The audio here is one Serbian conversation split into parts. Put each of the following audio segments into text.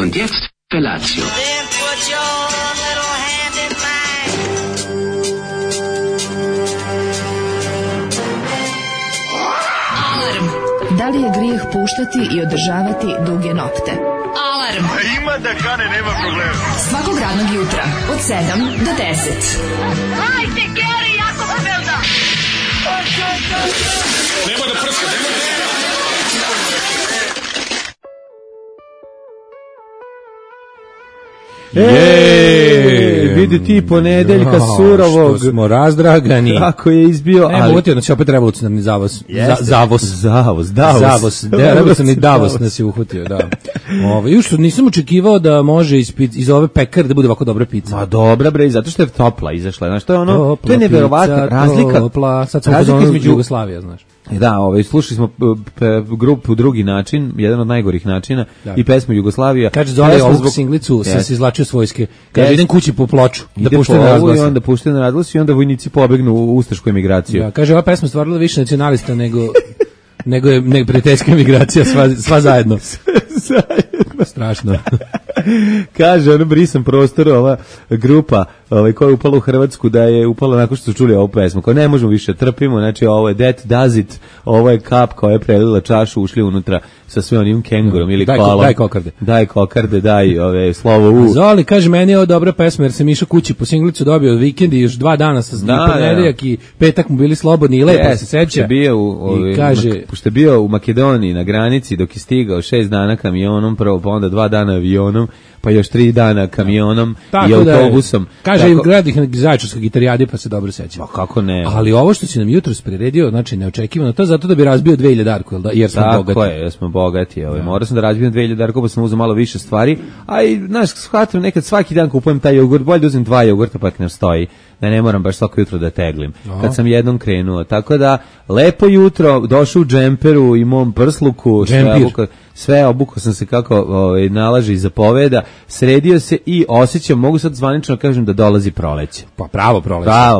Und jetzt Felatio. Then put your little hand in mine. Alarm. Da li je grijeh puštati i održavati duge nokte? Alarm. Ima da kane, nema problema. Svakog radnog jutra od 7 do 10. Hajde, Geri, jako se velda. Nema da prska, nema da prska. Vidi ti ponedeljka surovog. Što smo razdragani. Kako je izbio, ali... Evo, utio nas je opet revolucionarni zavos. Zavos. Revolucionarni Davos nas je uhutio, da. Još nisam očekivao da može iz ove pekare da bude ovako dobra pizza. Ma dobra bre, zato što je topla izašla. Znaš, to je ono, topla, to je neverovatna razlika. Topla, sad sam pozvano između Jugoslavija, znaš. Da, slušali smo grupu Drugi način, jedan od najgorih načina, da. I pesmu Jugoslavija. Kaže, Zoli ovog singlicu sam se izvlačio s vojske. Kaže, idem kući po ploču, da puštaju na razglas. I onda puštaju na razglas i onda vojnici pobegnu u ustašku emigraciju. Da, kaže, ova pesma stvarila više nacionalista nego je prijateljska emigracija, sva zajedno. Strašno. Kaže, brisan prostor, ova grupa koja je upala u Hrvatsku, da je upala nakon što su čuli ovu pesmu. Kao ne možemo više, trpimo, znači ovo je That Does It, ovo je kap koja je prelila čašu, ušli unutra sa sve onim kengurom ili kolom. Daj kokarde, daj slovo U. Zoli, kaže, meni je ovo dobra pesma jer sam išao kući po singlicu, dobio vikend i još 2 dana sa ponedeljak i petak mu bili slobodni i lepo se seća. Pošto je bio u Makedoniji na granici dok je stigao 6 dana kamionom, prvo pa onda 2 dana avionom, pa još 3 dana kamionom i autobusom. Kaže, gledih na Zaječarskoj gitarijadi pa se dobro sećam. Pa kako ne? Ali ovo što si nam jutros priredio, znači neočekivano, to je zato da bi razbio 2000-darku, jer smo bogati. Tako je, jer smo bogati. Morao sam da razbijem 2000-darku, pa sam uzeo malo više stvari, a i, znaš, shvatim, nekad svaki dan kupujem taj jogurt, bolje da uzem 2 jogurta pa ne stoji, da ne moram baš svako jutro da teglim. Kad sam jednom krenuo, tako da, lepo jutro, došao u džemperu i mom prsluku, sve obukao sam se kako nalaže i zapoveda, sredio se i osjećam, mogu sad zvanično kažem da dolazi proleće. Pa pravo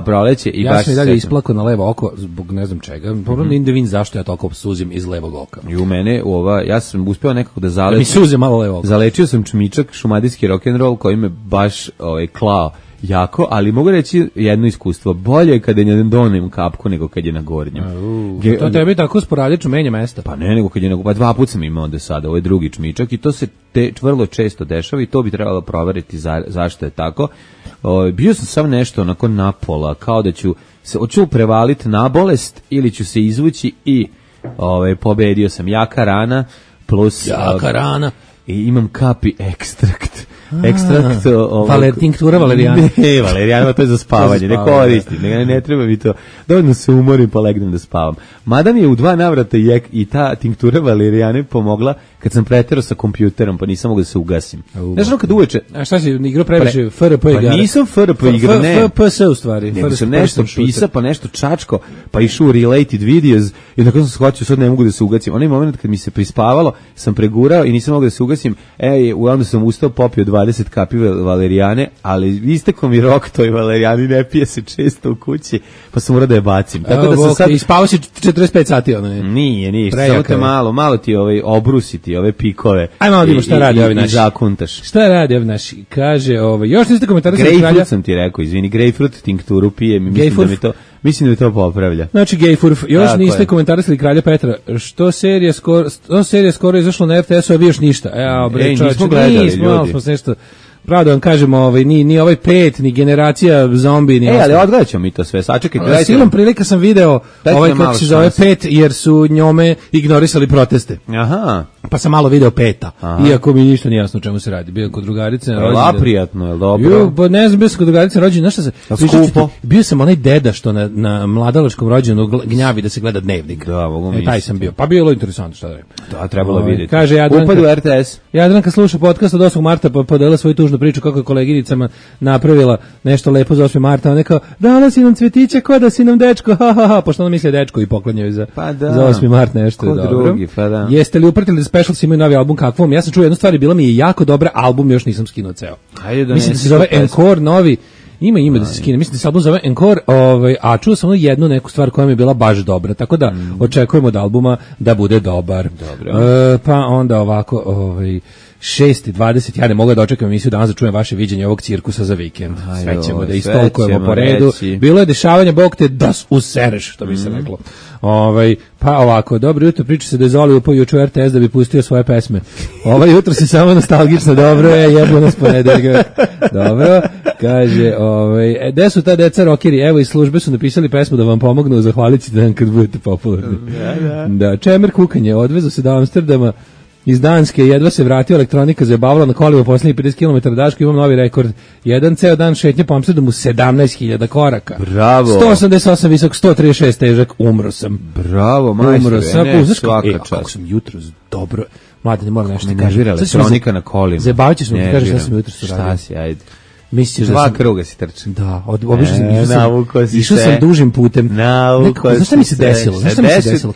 proleće. I ja sam i dalje isplakao na levo oko zbog ne znam čega. Problem da vidim zašto ja toliko suzim iz levog oka. I u mene ja sam uspeo nekako da zalečim. Mi suze malo levo oko. Zalečio sam čmičak, šumadijski rock'n'roll koji me baš klao jako, ali mogu reći jedno iskustvo. Bolje je kada je na donjem kapku nego kad je na gornjem. To tebi tako sporadično menja mesta. Pa ne, nego kad je pa 2 puta sam imao onda sada, ovo je drugi čmičak i to se vrlo često dešava i to bi trebalo proveriti zašto je tako. Bio sam sam nešto onako napola, kao da ću se prevaliti na bolest ili ću se izvući i pobedio sam jaka rana plus i imam kapi ekstrakt tinktura valerijana. Ne, valerijana, to je za spavanje, ne koristim, ne treba mi to. Dovoljno se umorim pa legnem da spavam. Mada mi je u 2 navrata i ta tinktura valerijane pomogla kad sam preterao sa kompjuterom, pa nisam mogao da se ugasim. Znaš ono kad uveče... A šta si, igrao previše FRP igara? Pa nisam FRP igra, ne. FPS u stvari. Nego sam nešto pisao, pa nešto čačko, pa išao u related videos i tako sam shvatio, sad ne mogu da se ugasim. Onaj moment kad mi se prispavalo, sam pregurao i nisam mogao da se ugasim, onda sam ustao, popio 20 kapi valerijane, ali istekao mi rok toj valerijani, ne pije se često u kući, pa sam morao da je bacim. Tako da sam sad... I spavao si 45 sati, ono je. Nije, samo te malo ti obrusiti ove pikove. Ajmo odimo šta radi ovi naši. I zakuntaš. Šta radi ovi naši? Kaže, još niste komentarisali kralja. Grejpfrut sam ti rekao, izvini, grejpfrut tinkturu pije, mislim da mi to popravlja. Znači Gejfurf, još niste komentarisali kralja Petra. Što serija skoro izašlo na RTS-u, a vi još ništa. Nismo gledali, ljudi. Smo nešto... Pravo da vam kažemo, ni ovaj 5, ni generacija zombi, ni ali odgledat ćemo mi to sve, sačekaj. Silom prilika sam video kako se zove 5, jer su njome ignorisali proteste. Aha. Pa sam malo video 5, iako mi ništa nije jasno o čemu se radi. Bio kod drugarice na rođendan. Prijatno, je li dobro? Pa ne znam, bio sam kod drugarice na rođendan, znaš šta se... Skupo. Bio sam onaj deda što na mladalačkom rođendanu gnjavi da se gleda Dnevnik. Da, mogu misliti. Taj sam bio. Pa bilo interesantno, šta da je. Da, trebalo vidjeti. Kaže Upad u RTS. Jadranka sluša podcast od 8. marta, pa podela svoju tužnu priču kako je koleginicama napravila nešto lepo za 8. marta. Ona kao, dala si nam cvetiće, ko da si nam dečko, pošto ona misli dečko i poklanjaju za 8. mart nešto. Ko drugi, pa da. Jeste li upratili da Specials imaju novi album kakvom? Ja sam čuo jednu stvar i bila mi je jako dobra, album još nisam skinuo ceo. Mislim da se zove Encore novi. Ima da se skine. Mislim da se album zove Encore, a čuo sam jednu neku stvar koja mi je bila baš dobra. Tako da očekujemo od albuma da bude dobar. Dobro. Pa onda ovako, 6:20, ja ne mogu da očekam emisiju danas da čujem vaše viđenje ovog cirkusa za vikend. Sve ćemo da istolkujemo po redu. Bilo je dešavanje, Bog te das usereš, što bi se reklo. Pa ovako, dobro jutro, priča se da je Zoli upao juče u RTS da bi pustio svoje pesme. Jutro se samo nostalgično, dobro je, jebo nas ponedeljak. Dobro, kaže, gde su ta deca rokeri? Evo iz službe su napisali pesmu da vam pomognu, zahvalit ćete nam kad budete popularni. Da, čemer kukanje, odvezu se do Amsterdama iz Danske, jedva se vratio, elektronika zajebavala na kolima poslednjih 50 km daška, imam novi rekord. Jedan ceo dan šetnje po Amsterdamu 17.000 koraka. Bravo. 188 visok, 136 težak, umro sam. Bravo, majstore, svaka čast. Kako sam jutro dobro. Mlade, ne moram nešto da kažem. Elektronika na kolima. Zabavit ćeš me, kažeš šta sam jutro radio. Šta si, ajde. Misliš da sam... kruga si trčim. Da, obično sam išao sam dužim putem. Znaš šta mi se desilo?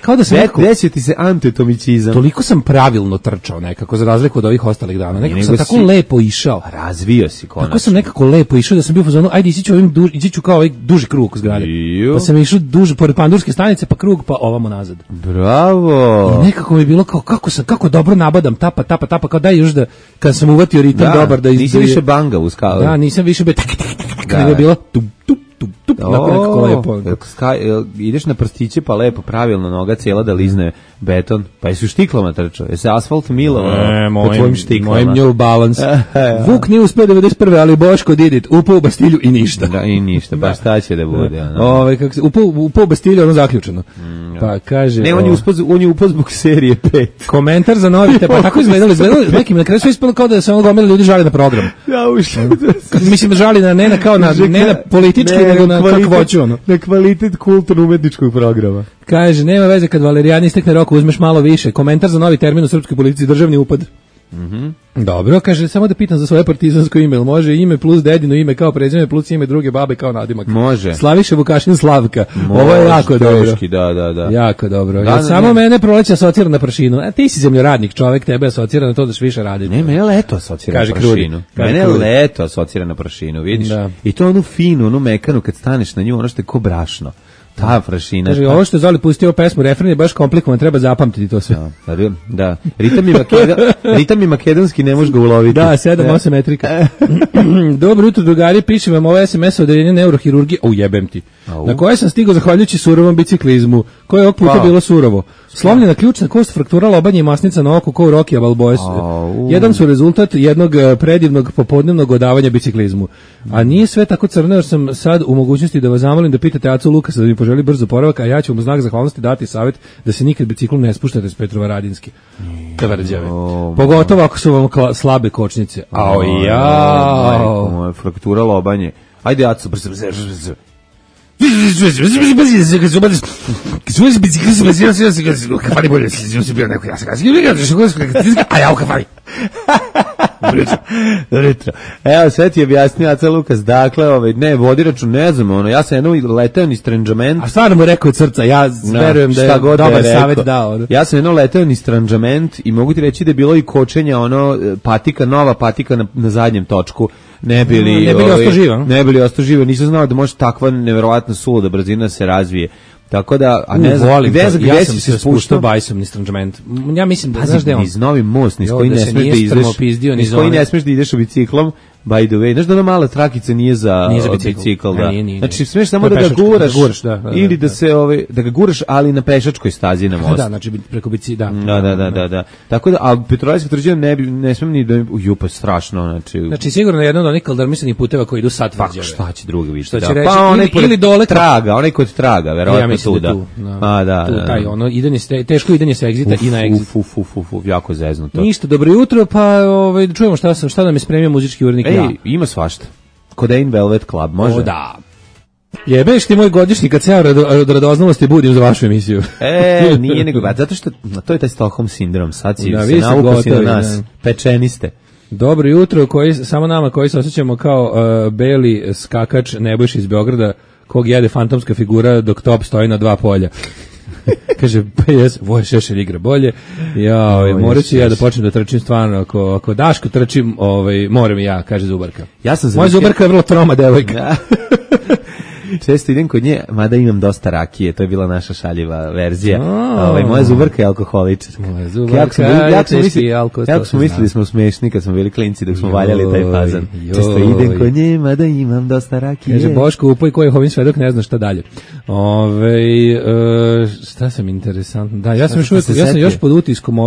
Kao da sam desio ti se antetomicizam. Toliko sam pravilno trčao nekako, za razliku od ovih ostalih dana. Nekako sam tako lepo išao. Razvio si konačno. Tako sam nekako lepo išao da sam bio u fazonu, ajde ići ću kao ovaj duži krug oko zgrade. Pa sam išao duže, pored Pandurske stanice, pa krug, pa ovamo nazad. Bravo! I nekako mi je bilo kao, kako dobro nabadam, tapa, kao daj još da, kad sam uvatio ritam dobar da... Nisi više banga u skalu. Da, nisam više bio kada je bilo tup, nekako lepo. Ideš na prstiće pa lepo, pravilno, noga cijela da lizne beton. Pa jesu štiklama trčao? Jesi asfalt milovao po tvojim štiklama? Mojim New Balance. Vuk nije uspio 91. ali Boško did it. Upao u Bastilju i ništa. Da, i ništa, pa šta će da bude? Upao u Bastilju, ono zaključeno. Pa kaže... Ne, on je upao zbog serije 5. Komentar za novi, pa tako izgledali nekim, na kraju su ispalo kao da se ono gomila ljudi žali na program. Ja ušli. Mislim da žali ne na politički, nego na kakvoću, ono. Na kvalitet kulturno-umetničkog programa. Kaže, nema veze kad Valerijani istekne rok, uzmeš malo više. Komentar za novi termin u srpskoj politici, državni upad. Dobro, kaže, samo da pitam za svoje partizansko ime, može ime plus dedino ime kao prezime plus ime druge babe kao nadimak. Može. Slaviša Vukašin Slavka. Ovo je jako dobro. Da. Jako dobro. Samo mene proleće asocira na prašinu. A ti si zemljoradnik čovek, tebe asocira na to da što više radi. Ne, mene leto asocira na prašinu. Mene leto asocira na prašinu, vidiš? Da. I to onu finu, onu mekanu kad staneš na nju, ono što je ko brašno. Ta prašina. Kaže, ovo što je Zoli pustio pesmu, refren je baš komplikovan, treba zapamtiti to sve. Da. Ritam i makedonski ne možeš ga uloviti. Da, 7-8 metrika. Dobro jutro, drugari, pišem vam ovo SMS odeljenje neurohirurgije, jebem ti. Na koje sam stigao zahvaljujući surovom biciklizmu, koje je ovog puta bilo surovo. Slomljena ključna kost, fraktura lobanje i masnica na oku kao u Rokija Balboes. Jedan su rezultat jednog predivnog popodnevnog odavanja biciklizmu. A nije sve tako crno, jer sam sad u mogućnosti da vas zamolim da pitate Acu Lukasa da mi poželi brz oporavak, a ja ću mu znak zahvalnosti dati savjet da se nikad biciklom ne spuštate s Petrovaradinske. Tvrđave. Pogotovo ako su vam slabe kočnice. Fraktura lobanje. Ajde, Acu, brzo. Evo, sve ti je objasnio Aca Lukas, dakle, ne, vodi račun, ne znam, ja sam jednom leteo ni stranđament. A stvarno mu rekao od srca, ja verujem da je dobar savjet dao. Ja sam jednom leteo ni stranđament i mogu ti reći da je bilo i kočenja, nova patika na zadnjem točku. Ne bili ostao živa, nisam znao da može takva neverovatna suluda brzina se razvije. Tako da, a ne znam, ja sam se spuštao bajsom ni stranđament. Ja mislim da, znaš da je on... Niz Novi most, niz koji ne smeš da ideš u biciklom, by the way. Znaš da ona mala trakica nije za bicikl, da. Znači, smiješ samo da ga guraš, ili da ga guraš, ali na pešačkoj stazi na mostu. Da, znači preko bicikla, da. Tako da, a Petrovaradinska tvrđava ne smijem ni da jupa strašno, znači sigurno je jedan od onih kaldarmisanih puteva koji idu sad tvrđave. Šta će drugi biti? Što će reći, ili dole traga, onaj kod traga, verovatno tuda. Teško idenje sa egzita i na egzit. Jako zeznuto. Ništa, dobro jutro, pa čujemo šta nam je spremio muzički urednik. Ima svašta. Codaine Velvet Club, može? Da. Jebeš ti moj godišnji kad se ja od radoznalosti budim za vašu emisiju. Nije nego, zato što to je taj Stockholm sindrom, sad si se navuko si na nas, pečeni ste. Dobro jutro, samo nama koji se osjećamo kao beli skakač Nebojša iz Beograda, kog jede fantomska figura dok top stoji na 2 polja. Kaže, Voja Šešelj igra bolje. Morat ću ja da počnem da trčim stvarno. Ako Daško trčim, moram i ja, kaže Zubarka. Moja Zubarka je vrlo troma devojka. Često idem kod nje, mada imam dosta rakije, to je bila naša šaljiva verzija. Moja zubarka je alkoholičarka. Moja zubarka je teški alkohol. Jako smo mislili smo smešni kad smo bili klinci dok smo valjali taj fazan. Često idem kod nje, mada imam dosta rakije. Kaže Boško, upoj koji je ovim svedok, ne zna šta dalje. Šta sam interesantno? Da, ja sam još pod utiskom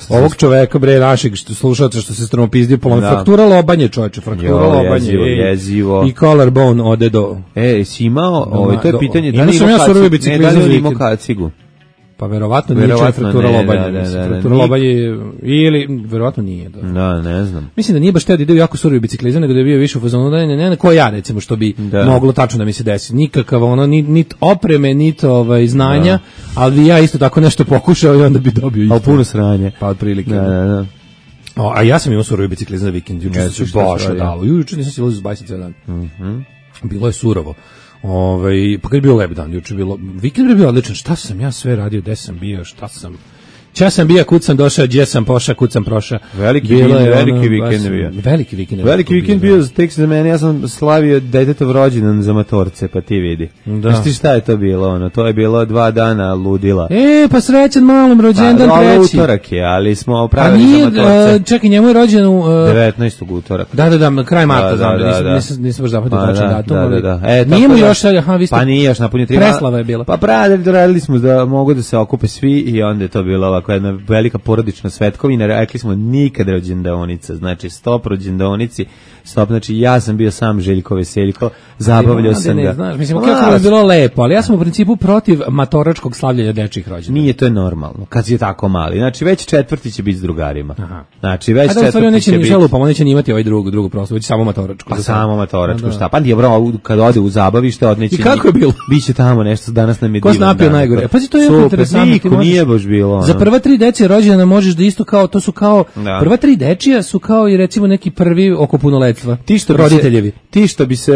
ovog čoveka, bre, našeg slušalca što se stromopizdio po fraktura lobanje, čoveče, fraktura lobanje. Jezivo. I collarbone ode do... si imao, to je pitanje, da li imao kacigu? Pa verovatno nije fraktura lobanje. Fraktura lobanje ili verovatno nije. Da, ne znam. Mislim da nije baš teo da ide u jako surovi biciklizam, nego da je bio više u fazonu ne, ko ja recimo što bi moglo tačno da mi se desi. Nikakav nit opreme, nit znanja, ali ja isto tako nešto pokušao i onda bi dobio isto. A puno sranje. Pa otprilike. Da. A ja sam imao surovi biciklizam za vikend, juče se baš dalo. Juče nisam silazio s bajsa cijel dan. Bilo je surovo. Pa kad je bio lep dan, juče bilo, vikend je bio odličan, šta sam ja sve radio, gde sam bio, šta sam, ča sam bio, kud sam došao, gdje sam pošao, kud sam prošao. Veliki vikend je bio. Veliki vikend bio, tek za mene, ja sam slavio detetov rođendan za matorce, pa ti vidi. Znaš ti šta je to bilo, to je bilo 2 dana ludila. Pa srećan malom rođendan treći. Utorak je, ali smo opravili za matorce. Čekaj, njemu je rođen u... 19. utorak. Da, kraj marta, znam, nisam baš zapatio tačan datum. Nije mu još, vi ste... Pa nije još napunio 3. Preslava je bila. Pa radili smo da mogu da se okupe svi i onda je to bilo ovako jedna velika porodična svetkovina, rekli smo nikad rođendaonica, znači stop rođendaonici, stop, znači ja sam bio sam Željko Veseljko, zabavljao sam ga. Znaš, mislim, kako je bilo lepo, ali ja sam u principu protiv matoračkog slavljanja dečjih rođendana. Nije, to je normalno, kad je tako mali, znači već četvrti će biti s drugarima. Znači već četvrti će biti... On neće imati ovaj drugu proslavu, već samo matoračku. Pa samo matoračku, šta? Pa nije bro, kad ode u zabavište, odneće... I kako je bilo? Biće tamo nešto, danas nam je divan dan. Ko snapio najgore? Pa to je jako interesantno. Nije baš bilo. Za prva 3 dečije rođendana možeš da isto kao, to su kao, prva 3 dečija su kao i recimo neki prvi oko punoletstva. Roditeljevi. Ti što bi se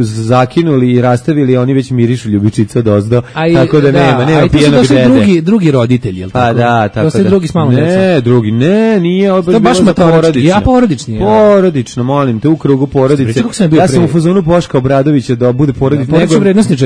zakinuli i rastavili, oni već mirišu ljubičica od ozdo, tako da nema pijenog dede. To su drugi roditelji, jel tako? Pa da, tako da. To su drugi s malom djecom. Nije, ovo je baš porodično. Ja porodični. Porodično, molim te, u krugu porodice. Ja sam u fazonu Boška Obradovića da bude porodično.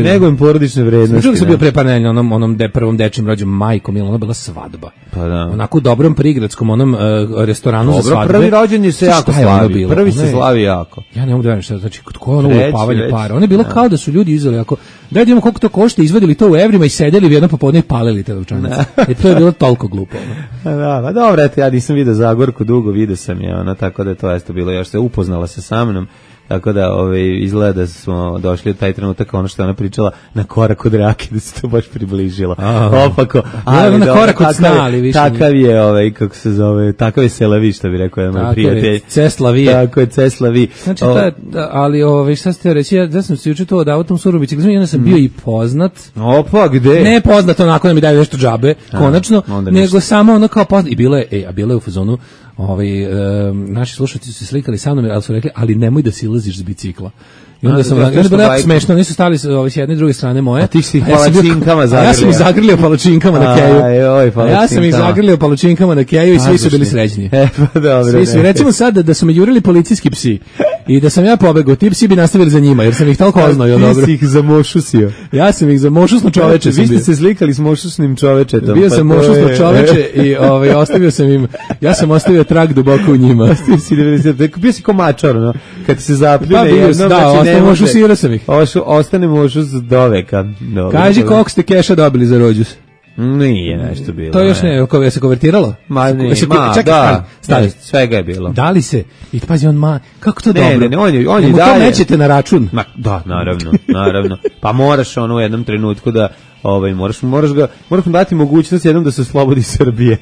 Nego im porodične vrednosti. Čuo sam bio pre par nedelja onom prvom dečijem rođenju, majko milo, ona bila svadba. Pa da. Onako u dobrom prigradskom onom restoranu za svadbe. Prvi rođendan se jako slavi. Prvi se slavi jako. Ja ne mogu da verujem šta, znači kod koga ono upavanje para. One je bilo kao da su ljudi izveli ako da vidimo koliko to košta, izvadili to u evrima i sedeli u jedno popodne i palili te novčanice. To je bilo toliko glupo. Da, pa dobro, eto, ja nisam vidio Zagorku dugo, vidio sam je, tako da to jeste bilo još se upoznala se sa mnom. Tako da izgleda da smo došli u taj trenutak, ono što je ona pričala, na korak od rake, da se to baš približilo. Opako. Ali na korak od sna, ali više. Takav je, kako se zove, takav je Selavi, što bi rekao jedan moj prijatelj. Ceslavi. Tako je, Ceslavi. Znači, ali šta ste reći, ja sam se učitao da autom surobici, onda sam bio i poznat. Opa, gde? Ne poznat onako da mi daju nešto džabe, konačno, nego samo ono kao poznat. I bilo je u fazonu, naši slušalci su se slikali sa mnom, ali su rekli, ali nemoj da silaziš s bicikla. I onda sam bilo jako smešno, oni su stali s jedne i druge strane moje. A ti si ih palačinkama zagrlio. Ja sam ih zagrlio palačinkama na keju. Ja sam ih zagrlio palačinkama na keju i svi su bili srećni. Pa dobro. Svi su, recimo sad da su me jurili policijski psi i da sam ja pobegao, ti psi bi nastavili za njima, jer sam ih toliko oznao. Ti si ih zamošusio. Ja sam ih zamošusno čoveče. Vi ste se slikali s mošusnim čovečetom. Bio sam mošusno čoveče i ostavio sam im, ja sam ostavio trag duboko u njima. Bio si komačar, no? Kad se zapljune jednom, mošusirao sam ih. Ostane mošus do veka. Kaži koliko ste keša dobili za rođus? Nije nešto bilo. To još ne, je se konvertiralo? Ma nije, da, svega je bilo. Da li se? I pazi, kako to dobro? Ne, on je dalje. To nećete na račun? Da, naravno. Pa moraš u jednom trenutku da moraš mu dati mogućnost jednom da se oslobodi Srbije.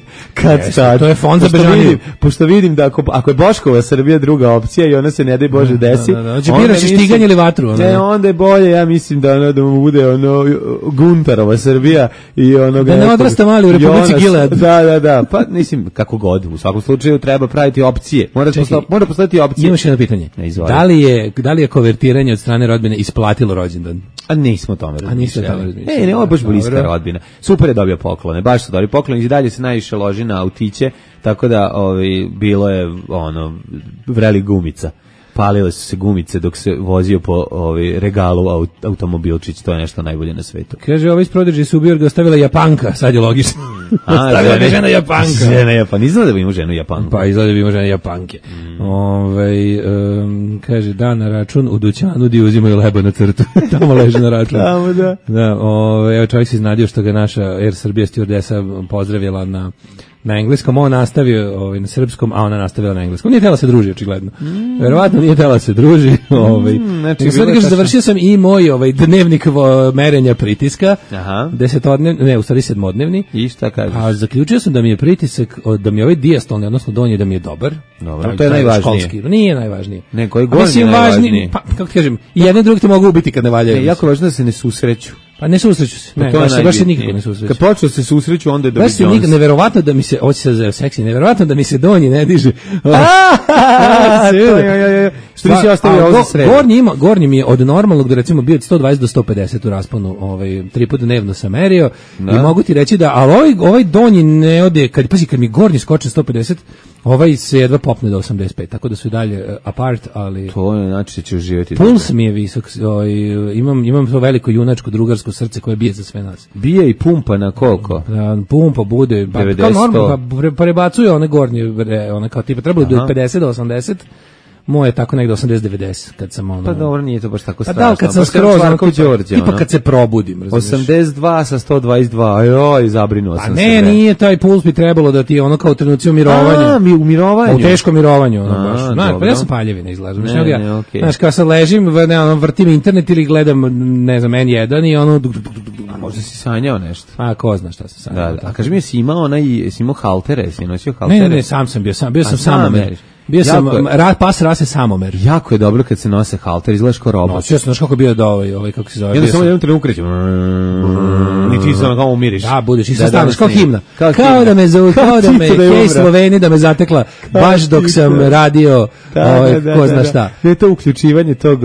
To je fond za bežaniju. Pošto vidim da ako je Boškova Srbija druga opcija i ona se ne daj Bože desi. Biraš štiganje ili vatru? Onda je bolje, ja mislim da mu bude Guntarova Srbija i da ne odrasta mali u Republici Gilead. Da. Pa mislim, kako god, u svakom slučaju treba praviti opcije. Mora postaviti opcije. Imaš jedno pitanje. Da li je konvertiranje od strane rodbine isplatilo rođendan? A nismo tome razmišljali. Ne, ovo je baš bliska rodbina. Super je dobio poklone, baš su dobili poklone i dalje se najviše loži na autiće, tako da bilo je vreli gumica. palile su se gumice dok se vozio po regalu automobilčić, to je nešto najbolje na svetu. Kaže, iz Prodigy su ubio ga ostavila Japanka, sad je logično. Ostavila ga žena Japanka. Žena Japanka, izgleda da bi imao ženu Japanku. Pa izgleda da bi imao žena Japanke. Kaže, da, na račun u dućanu di uzimaju leba na crtu. Tamo leže na račun. Tamo, da. Evo, čovjek se iznadio što ga naša Air Srbija stewardesa pozdravila na engleskom, on nastavio na srpskom, a ona nastavila na engleskom. Nije htjela se druži, očigledno. Verovatno nije htjela se druži. Znači, sad kažem, završio sam i moj dnevnik merenja pritiska. Aha. 10-dnevni, ne, u stvari 7-dnevni. I šta kažeš? A zaključio sam da mi je pritisak, da mi je ovaj diastolni, odnosno donji, da mi je dobar. Dobro, to je najvažnije. Školski. Nije najvažnije. Ne, koji gornji je najvažnije. Pa, kako ti kažem, i jedan drugi te mogu ubiti kad ne valjaju. Jako važno da se ne susreću. Pa ne susreću se. Ne, baš se nikako ne susreću. Kad počnu se susreću, onda je Dobby Jones. Baš se neverovatno da mi se, hoće se za seksi, neverovatno da mi se donji ne diže. Što nisi ostavio ovo za sredu? Gornji mi je od normalnog da recimo bio od 120 do 150 u rasponu, 3 puta dnevno sam merio i mogu ti reći da, ali ovaj donji ne ode, kad mi gornji skoči 150, ovaj se jedva popne do 85, tako da su i dalje apart, ali... To je znači da će uživati. Puls mi je visok, imam to veliko junačko drugarsko srce koje bije za sve nas. Bije i pumpa na koliko? Pumpa bude, kao normalno, prebacuje one gornje, one kao tipa, trebalo do 50 do 80, moje tako negde 80-90 kad sam ono... Pa dobro, nije to baš tako strašno. Pa da, kad sam skroz, tipa kad se probudim. 82 sa 122, joj, zabrinuo sam se. A ne, nije, taj puls bi trebalo da ti ono kao u trenuci umirovanja. U mirovanju? U teškom mirovanju, ono baš. Znaš, pa ja sam paljevina izlazim. Znaš, kao sad ležim, vrtim internet ili gledam, ne znam, N1 i ono... A možda si sanjao nešto. A ko zna šta sam sanjao. Da. A kaži mi, jesi imao haltere, si nosio haltere? Ne, sam sam bio samomer. Bio sam pas rase samomer. Jako je dobro kad se nose halter, izgledaš kao robot. Noćio sam, znaš kako bio da ovaj kako se zove. Ja samo jednom trenutku krećem. Ni ti samo kao umiriš. Da, budeš i staneš kao himna. Kao da me zovu, kao da me Hej Sloveni da me zatekla baš dok sam radio ko zna šta. Ne to uključivanje tog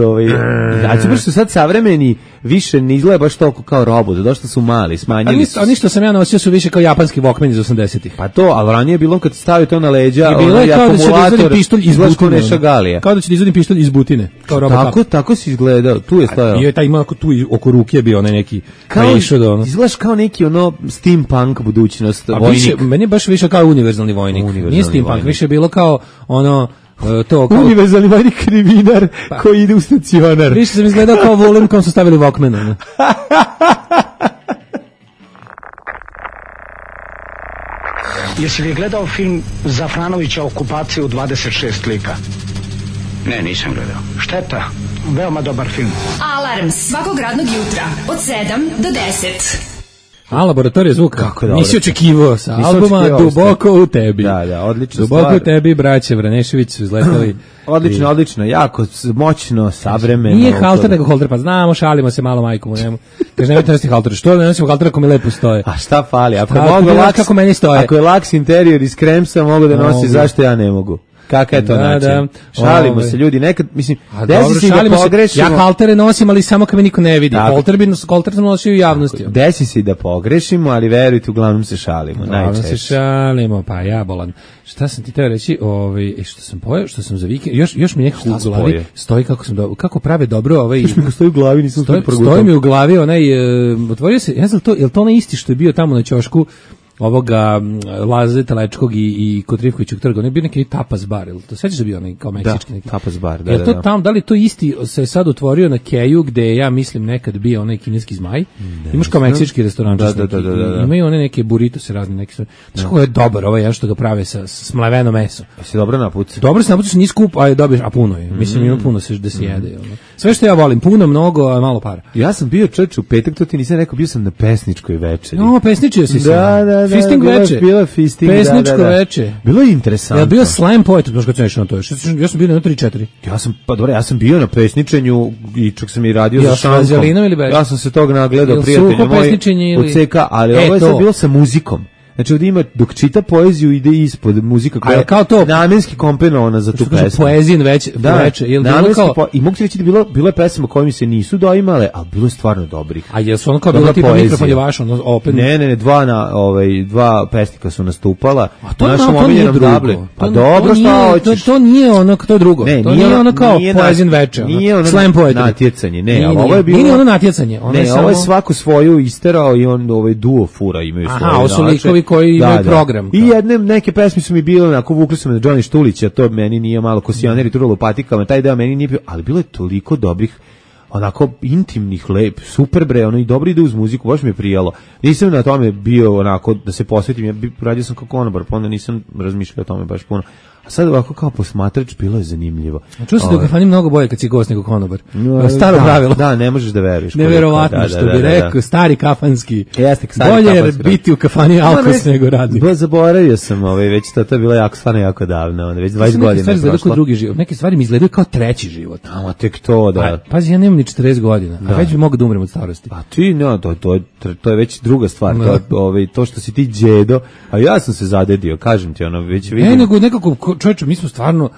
znači baš su sad savremeni, više ne izgleda baš toliko kao robot, došli su mali, smanjili su. A ništa sam ja nosio su više kao japanski Walkman iz 80-ih. Pa to, al ranije je bilo kad stavio to na leđa, akumulator pištolj iz butine. Kao da će izvadim pištolj iz butine. Kao tako si izgledao. Tu je stojao. Bio je taj ima tu oko ruke je bio onaj neki izgledaš kao neki steampunk budućnost vojnik. Meni je baš više kao univerzalni vojnik. Nije steampunk, više je bilo kao to kao univerzalni vojnik krivinar koji ide u stacionar. Više sam izgledao kao volim kom su stavili Walkman. Jesi li gledao film Zafranovića Okupacija u 26 lika? Ne, nisam gledao. Šteta, veoma dobar film. Alarm svakog radnog jutra od 7 do 10. A laboratorija zvuka. Nisi očekivao sa albuma Duboko u tebi. Da, odlično. Duboko u tebi, braće Vranešević su izletali. Odlično, jako moćno, savremeno. Nije halter nego holter, pa znamo, šalimo se malo majkom u njemu. Kaže, nemojte nositi halter. Što ne nosimo halter ako mi lepo stoje? A šta fali? Kako meni stoje? Ako je laks interior iz kremsa, mogu da nosi, zašto ja ne mogu? Kaka je to način? Šalimo se ljudi, nekad, mislim, desi se da pogrešimo. Ja haltere nosim, ali samo kad me niko ne vidi. Halter sam nosio u javnosti. Desi se da pogrešimo, ali verujte, uglavnom se šalimo. Uglavnom se šalimo, pa ja bolan. Šta sam ti teo reći, što sam pojao, što sam za vikend, još mi nekako u glavi stoji kako prave dobro Još mi stoji u glavi, nisam stoji mi u glavi, otvorio se, ja znam to, je li to onaj isti što je bio tamo na ćošku ovoga Laze Telečkog i kod Rivkovićeg trga, on je bio neki tapas bar, ili to sećaš da bio onaj kao meksički neki? Tapas bar, da. Je to tamo, da li to isti se sad otvorio na Keju, gde ja mislim nekad bio onaj kineski zmaj? Imaš kao meksički restoran, da. Imaju one neke burritose razne neke stvari. Znaš kako je dobar ovaj, ja što ga prave sa smleveno meso. Si dobro napucao? Dobro se napucaš, nije skup, a dobiješ, a puno je. Mislim, ima puno da se jede. Sve što ja volim, puno, mnogo, a malo para. Ja sam bio u petak, to ti nisam rekao, bio sam na pesničkoj večeri. No, pesničio si se. Da. Fisting veče. Bila fisting, pesničko veče. Bilo je interesantno. Ja bio slam poet, znaš kad sam išao na to. Ja sam bio na 3-4. Ja sam bio na pesničenju i čak sam i radio za šankom. Ili ja sam se tog nagledao, prijatelju moj u CK, ali ovo je sad bilo sa muzikom. Znači ovdje ima, dok čita poeziju, ide ispod muzika koja je kao to namenski komponovana za tu pesmu. Poezijin veče, i mogu ti reći da bilo je pesama koje mi se nisu doimale, ali bilo je stvarno dobrih. A jesu ono kao bilo tipa mikrofon je vaš, ono opet? Ne, dva pesnika su nastupala. A to nije drugo. Pa dobro, šta hoćeš? To nije ono, to je drugo. To nije ono kao poezijin veče. Nije ono natjecanje, ne, ali ovo je bilo... Nije ono natjecanje. Ovo je svako svoju isterao i on duo fura imaju svoje. Aha, ovo su likovi koji imaju program. I neke pesme su mi bile, onako vukli su me na Johnny Štulića, to meni nije malo Kosijaner i Turalo patikama, taj deo meni nije bio, ali bilo je toliko dobrih, onako intimnih, lep, super bre, ono i dobro ide uz muziku, baš mi je prijalo. Nisam na tome bio onako da se posvetim, radio sam kao konobar, pa onda nisam razmišljao o tome baš puno. A sad ovako kao posmatrač bilo je zanimljivo. Čuo se da u kafani mnogo bolje kad si gost nego konobar. Staro pravilo. Da, ne možeš da veruješ. Neverovatno što bi rekao, stari kafanski. Bolje je biti u kafani alkos nego radnik. Zaboravio sam, već to je bilo jako, stvarno jako davno, već 20 godina je prošlo. Drugi život. Neke stvari mi izgledaju kao treći život. A tek to, da. Pazi, ja nemam ni 40 godina, a već bi mogao da umrem od starosti. A ti, to je već druga stvar. To što si ti đedo, a ja sam se zadedio, kažem ti, već vidim. Nego nekako, čovječe, mi smo stvarno,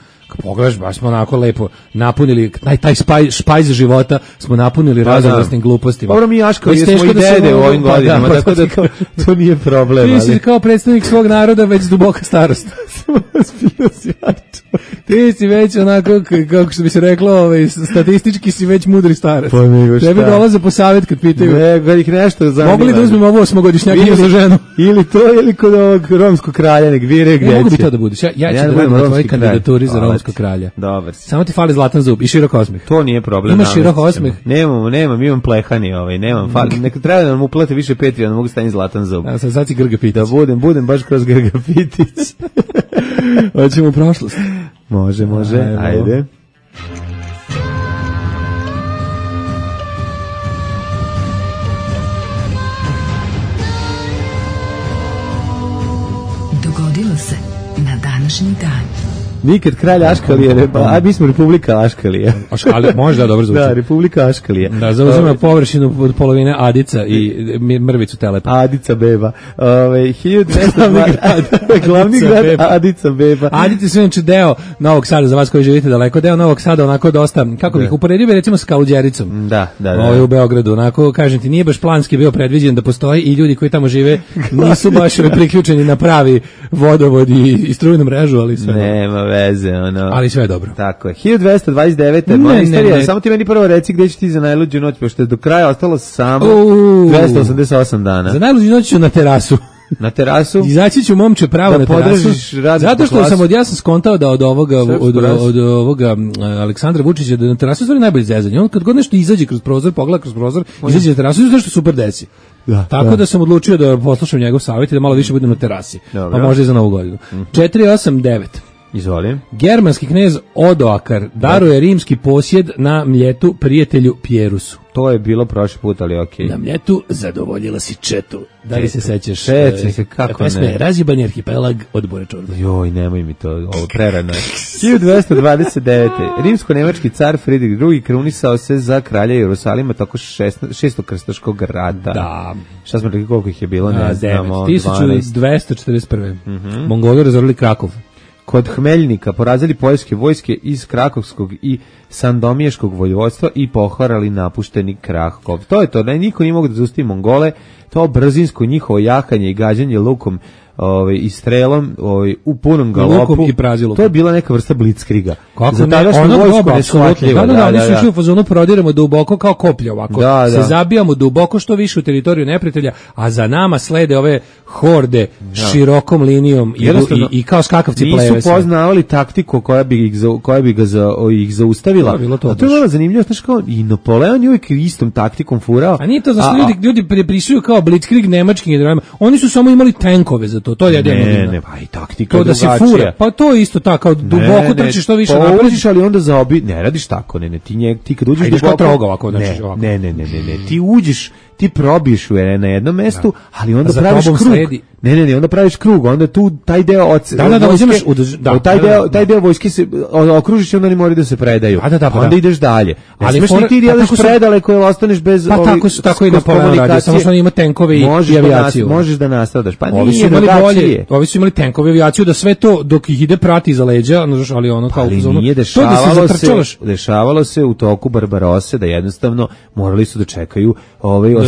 pogledaš, baš smo onako lepo napunili, taj špajz života smo napunili raznovrsnim glupostima. Dobro, mi jaškali smo i dede u ovim godinama, tako da to nije problem. Ti si kao predstavnik svog naroda već duboka starost. Ti si već onako, kako što bi se reklo, statistički si već mudri starac. Tebi dolaze po savjet kad pitaju. Kad ih nešto zanima. Mogu li da uzmem ovo 8-godišnjakinju za ženu? Ili to, ili kod ovog romskog kralja, nek vire gdje će. Mogu bi to da budeš. Ja ću da budem na tvojoj kandidaturi za romskog kralja. Dobar si. Samo ti fali zlatan zub i širok osmeh. To nije problem. Imaš širok osmeh? Nemam, imam plehani, nemam. Neka treba da nam uplate više Patreon, da mogu staviti zlatan zub. Sad si Grga Pitić. Da budem baš kroz Grga Pitić. Hoćemo u prošlost. Može, ajde. Dogodilo se na današnji dan. Nikad kralj Aškalije, mi smo Republika Aškalije. Aškalije, možda dobro zvuči. Da, Republika Aškalije. Da, zauzima površinu od polovine Adica i mrvicu Telepa. Adica beba. 1200 glavni grad Adica beba. Adica su inače deo Novog Sada, za vas koji živite daleko, deo Novog Sada onako dosta, kako bih uporedio bi recimo s Kaluđericom. Da. U Beogradu, onako, kažem ti, nije baš planski bio predviđen da postoji i ljudi koji tamo žive nisu baš priključeni na pravi vodovod i strujnu mrežu, ali sve. Nema veze, ali sve je dobro. Tako je. 1229. Moja istorija, samo ti meni prvo reci gdje će ti za najluđu noć, pošto je do kraja ostalo samo 288 dana. Za najluđu noć ću na terasu. Na terasu? Izaći ću momče pravo na terasu. Zato što ja sam skontao da od ovoga Aleksandra Vučića da na terasu je najbolje zezanje. On kad god nešto izađe kroz prozor, pogleda kroz prozor, izađe na terasu i nešto super desi. Tako da sam odlučio da poslušam njegov savjet i da malo više budem na terasi. Pa možda i za Novu godinu. 489. Izvolim. Germanski knez Odoakar daruje rimski posjed na Mljetu prijatelju Pjerusu. To je bilo prošli put, ali okej. Na Mljetu zadovoljila si četu. Da li se sećaš? Kako ne? Razjebani arhipelag od Bore Čorbe. Joj, nemoj mi to, ovo prerano. 1229. Rimsko-nemački car Friedrich II krunisao se za kralja Jerusalima tako 6. krstaškog rata. Da. Šta smo rekli, koliko ih je bilo? Ne znamo. 1241. Mongoli razorili Krakov. Kod Hmeljnika porazili poljske vojske iz Krakovskog i Sandomiješkog vojvodstva i poharali napušteni Krakov. To je to, niko nije mogu da zaustavi Mongole, to brzinsko njihovo jahanje i gađanje lukom i strelom u punom galopu. Lukom i prazilom. To je bila neka vrsta blitzkriga. Kako ne, ono dobro, neshvatljivo. Da, nisu išli u fazonu prodiramo duboko kao koplje ovako. Se zabijamo duboko što više u teritoriju neprijatelja, a za nama slede ove horde širokom linijom i kao skakavci pleve. Nisu poznavali taktiku koja bi ih zaustavila. To je bilo zanimljivo, znaš kao i Napoleon je uvijek istom taktikom furao. A nije to zašto ljudi pripisuju kao blitzkrieg nemačkim generalima. Oni su samo imali tenkove za to je jedino. Ne, pa i taktika to da se fura. Pa to je isto tako, duboko trčiš što više naprediš, ali onda ne radiš tako, ti kad uđeš duboko. Kao trog ovako, ne, ti uđeš, ti probiješ na jednom mestu, ali onda praviš krug. Ne, onda praviš krug, onda tu taj deo taj deo vojske se okružiš i onda oni moraju da se predaju. Onda ideš dalje. Ali smaš ti ideš predale koje ostaneš bez tako i Napoleon radi, samo što on ima tenkove i avijaciju. Možeš da nastradaš. Pa ovi su imali bolje. Ovi su imali tenkove, avijaciju, da sve to dok ih ide prati iza leđa, ali ono kao ali nije dešavalo se u toku Barbarose da jednostavno morali su da čekaju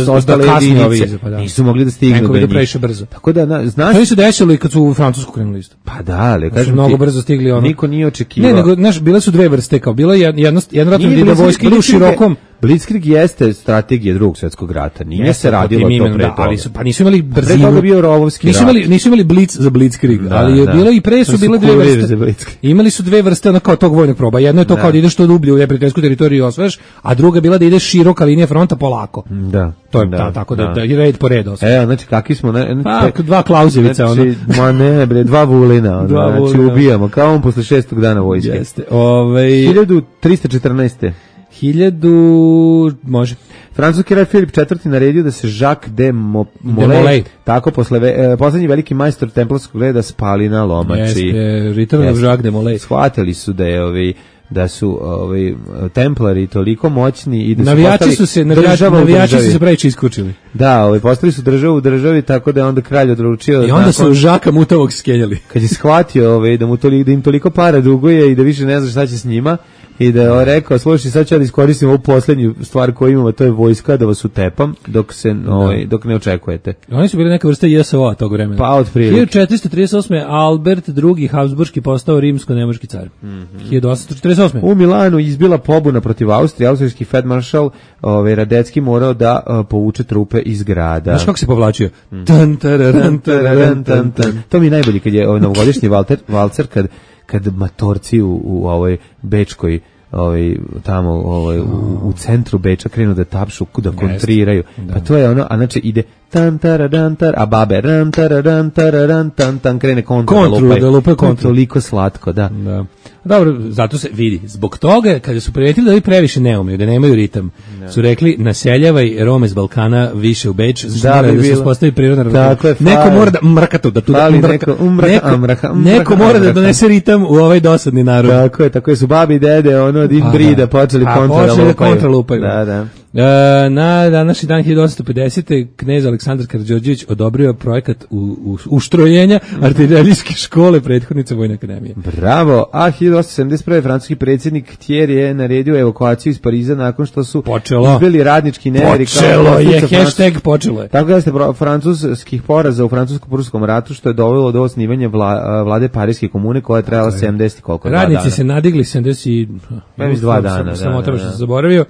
ostale jedinice. Nisu mogli da stignu do njih. Previše brzo. Tako da, znaš... To su desili kad su u Francusku krenuli isto. Pa da, ali kažem ti... Mnogo brzo stigli ono... Niko nije očekivao. Ne, nego, znaš, bile su dve vrste, kao bila jedna ratna ide vojska ide u širokom... Blitzkrieg jeste strategija Drugog svjetskog rata. Nije se radilo to pre toga. Pa nisu imali brzinu. Pre toga bio rovovski rat. Nisu imali blitz za Blitzkrieg, ali je bilo i pre su bile dve vrste. Imali su dve vrste ono kao tog vojnog proba. Jedno je to kao da ideš što dublje u neprijateljsku teritoriju i osvajaš, a druga bila da ideš široka linija fronta polako. Da. To je tako da je red po redu. Znači kakvi smo dva Klauzevica ono. Ma ne bre, dva Vulina, znači ubijamo kao on posle 6. dana vojske. Jeste. 1314. 1000 može. Francuski kralj Filip IV naredio da se Jacques de Molay, tako poslednji veliki majstor templarskog reda spali na lomači. Jeste, Return of Jacques de Molay. Shvatili su da su templari toliko moćni i da navijači su se previše iskučili. Da, postali su državu u državi, tako da je onda kralj odlučio i onda su Žaka Mutavog skenjali. Kad je shvatio da im toliko para duguje i da više ne zna šta će s njima, i da je rekao, slušaj, sad ću da iskoristim ovu poslednju stvar koju imamo, to je vojska, da vas utepam dok ne očekujete. Oni su bili neka vrsta JSO-a tog vremena. Pa otprilike. 1438. Albert II. Habsburški postao rimsko-nemački car. 1848. U Milanu izbila pobuna protiv Austrije, austrijski feldmaršal Radecki morao da povuče trupe iz grada. Znaš kako se povlačio? To mi je najbolji kad je novogodišnji valcer, kad matorci u ovoj bečkoj tamo u centru Beča krenu da tapšu, da kontriraju. Pa to je ono, a znači ide tan tararantar, a babe ran tararan tararan tan tan krene kontru da lupaju. Toliko slatko, da. Dobro, zato se vidi. Zbog toga, kada su prijetili da vi previše ne umeju, da nemaju ritam, su rekli naseljavaj Rome z Balkana više u Beč, da se uspostavi prirodna ravnoteža. Neko mora da mrkatu, da tu neko mora da donese ritam u ovaj dosadni narod. Tako je, su babi i dede od inbrida počeli kontra lupaju. Da. Na današnji dan 1850. knez Aleksandar Karađorđević odobrio projekat uštrojenja artiljerijske škole prethodnice Vojne akademije. Bravo, a 1871. francuski predsjednik Thiers je naredio evakuaciju iz Pariza nakon što su izbili radnički neveri. Počelo je. Tako da ste francuskih poraza u francusko-pruskom ratu, što je dovelo do osnivanja vlade Parijske komune koja je trajala 70 koliko dana. Radnici se nadigli 72 dana. Samo to što sam zaboravio.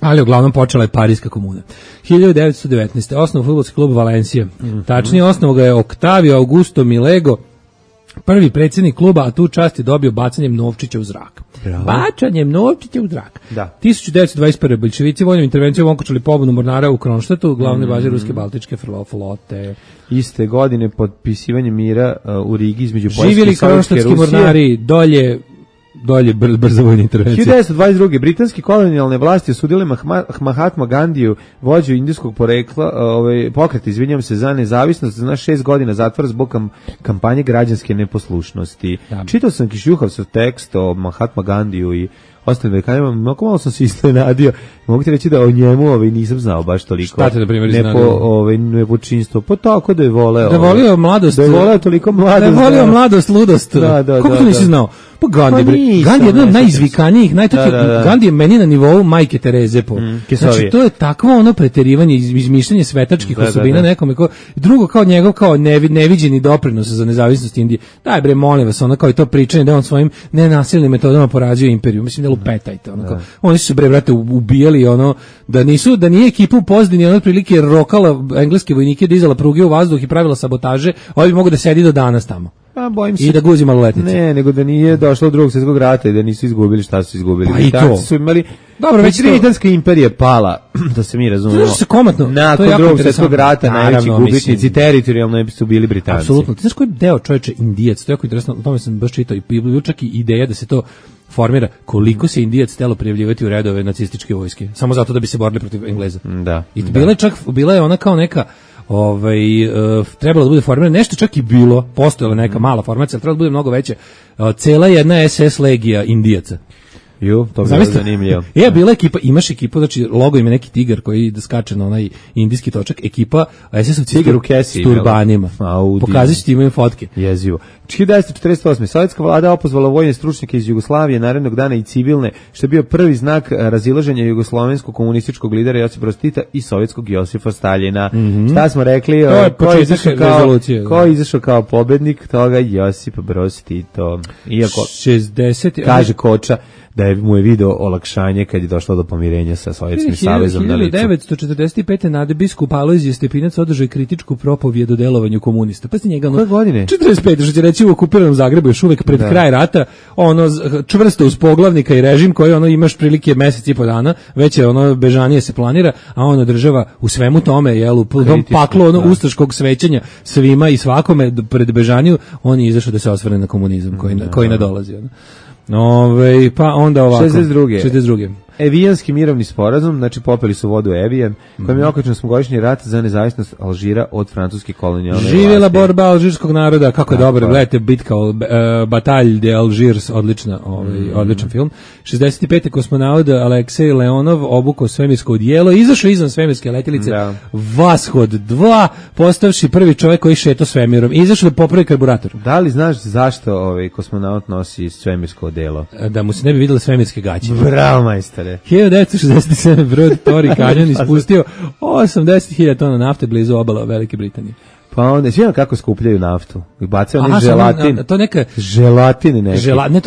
Ali uglavnom počela je Parijska komuna. 1919. osnovu fudbalski klub Valencija. Tačnije osnovu ga je Octavio Augusto Milego, prvi predsjednik kluba, a tu čast je dobio bacanjem novčića u zrak. Bravo. Bacanjem novčića u zrak. Da. 1921. bolševici vojnom intervencijom okončali pobunu mornara u Kronštatu, glavne baze ruske baltičke flote. Iste godine potpisivanje mira u Rigi između Poljske i živjeli Sovjetske kronštatski mornari, dolje brzo vojna intervencija. 1922. britanski kolonijalne vlasti osudile Mahatma Gandiju, vođu indijskog porekla, pokret, izvinjam se, za nezavisnost, na 6 godina zatvora zbog kampanje građanske neposlušnosti. Čitao sam Kišjuhavsov tekst o Mahatma Gandiju i ostalim vekanima, mnogo malo sam se iznenadio. Mogu ti reći da o njemu nisam znao baš toliko. Šta te, na primjer, iznenadio? Nepočinstvo. Pa tako da je voleo. Da je volio mladost. Da je voleo toliko mladost. Da je volio mladost, ludost. Kako to nisi znao? Pa Gandhi je jedan od najizvikanijih, Gandhi je meni na nivou Majke Tereze. Znači, to je takvo ono preterivanje, izmišljanje svetačkih osobina nekome. Drugo, kao njegov, kao neviđeni doprinos za nezavisnost Indije. Daj bre, molim vas, ono kao i to pričanje da on svojim nenasilnim metodama porađuje imperiju. Mislim, da lupetajte. Oni su se bre, brate, ubijali, da nije ekipa u Pozdini, otprilike rokala engleske vojnike, dizala pruge u vazduh i pravila sabotaže, ovaj bi mogu da sedi do danas tamo. Bojim se. I da guzi maloletnice. Ne, nego da nije došlo do Drugog svjetskog rata i da nisu izgubili šta su izgubili. Pa i to. Su imali... Dobro, već Britanska imperija pala, da se mi razumemo. Znaš se komatno. Nakon Drugog svjetskog rata najveći gubitnici teritorijalno su bili Britanci. Apsolutno. Ti znaš koji deo čoveče Indijac, to je jako interesantno, o tome sam baš čitao i bilo čak i ideja da se to formira koliko se Indijac htelo prijavljivati u redove nacističke vojske, samo zato da bi se borili protiv Engleza. Da. I bila je ona kao neka trebalo da bude formirano, nešto čak i bilo, postojala neka mala formacija, ali trebalo da bude mnogo veće, cela jedna SS legija Indijaca. Jo, to je zanimljivo. Bila ekipa, imaš ekipu, znači logo ima neki tigar koji skače na onaj indijski točak, ekipa SS-ovci s turbanima. Pokazat ću ti, imaju fotke. Jezivo. 1948. Sovjetska vlada opozvala vojne stručnjake iz Jugoslavije narednog dana i civilne, što je bio prvi znak razilaženja jugoslovenskog komunističkog lidera Josipa Broz Tita i sovjetskog Josipa Staljina. Šta smo rekli? Ko je izašao kao pobednik toga? Josip Broz Tito. Iako 60, kaže Koča da mu je video olakšanje kad je došlo do pomirenja sa Sovjetskim savezom na licu. 1945. Nade biskup Alojzije Stepinac održao kritičku propovijed o delovanju komunista. Pa njega koje godine? 45. što će reći u okupiranom Zagrebu još uvek pred kraj rata, ono čvrsto uz poglavnika i režim koji ono imaš prilike mesec i po dana, već je ono bežanije se planira, a on održava u svemu tome, jel, u paklu ono ustaškog svećanja svima i svakome pred bežaniju, on je izašao da se osvrne na komunizam koji nadolazi. Pa onda ovako 62. Evijanski mirovni sporazum, znači popeli su vodu Evijan, kojim je okačen osmogodišnji rat za nezavisnost Alžira od francuske kolonijalne vlasti. Živjela borba alžirskog naroda, kako je dobro, gledajte bitka Batalj de Algiers, odličan film. 65. kosmonaut Aleksej Leonov obukao svemirsko odijelo, izašao izvan svemirske letjelice Vashod 2, postavši prvi čovjek koji šeto svemirom, izašao da popravi karburator. Da li znaš zašto kosmonaut nosi svemirsko odijelo? Da mu se ne bi vidjele svemirske gaće. Bravo, majstore. 1967. brod Tori Canyon ispustio 80.000 tona nafte blizu obala Velike Britanije. Pa onda, svijem kako skupljaju naftu. Bacaju onaj želatin. To neka... Želatin neki. Ne,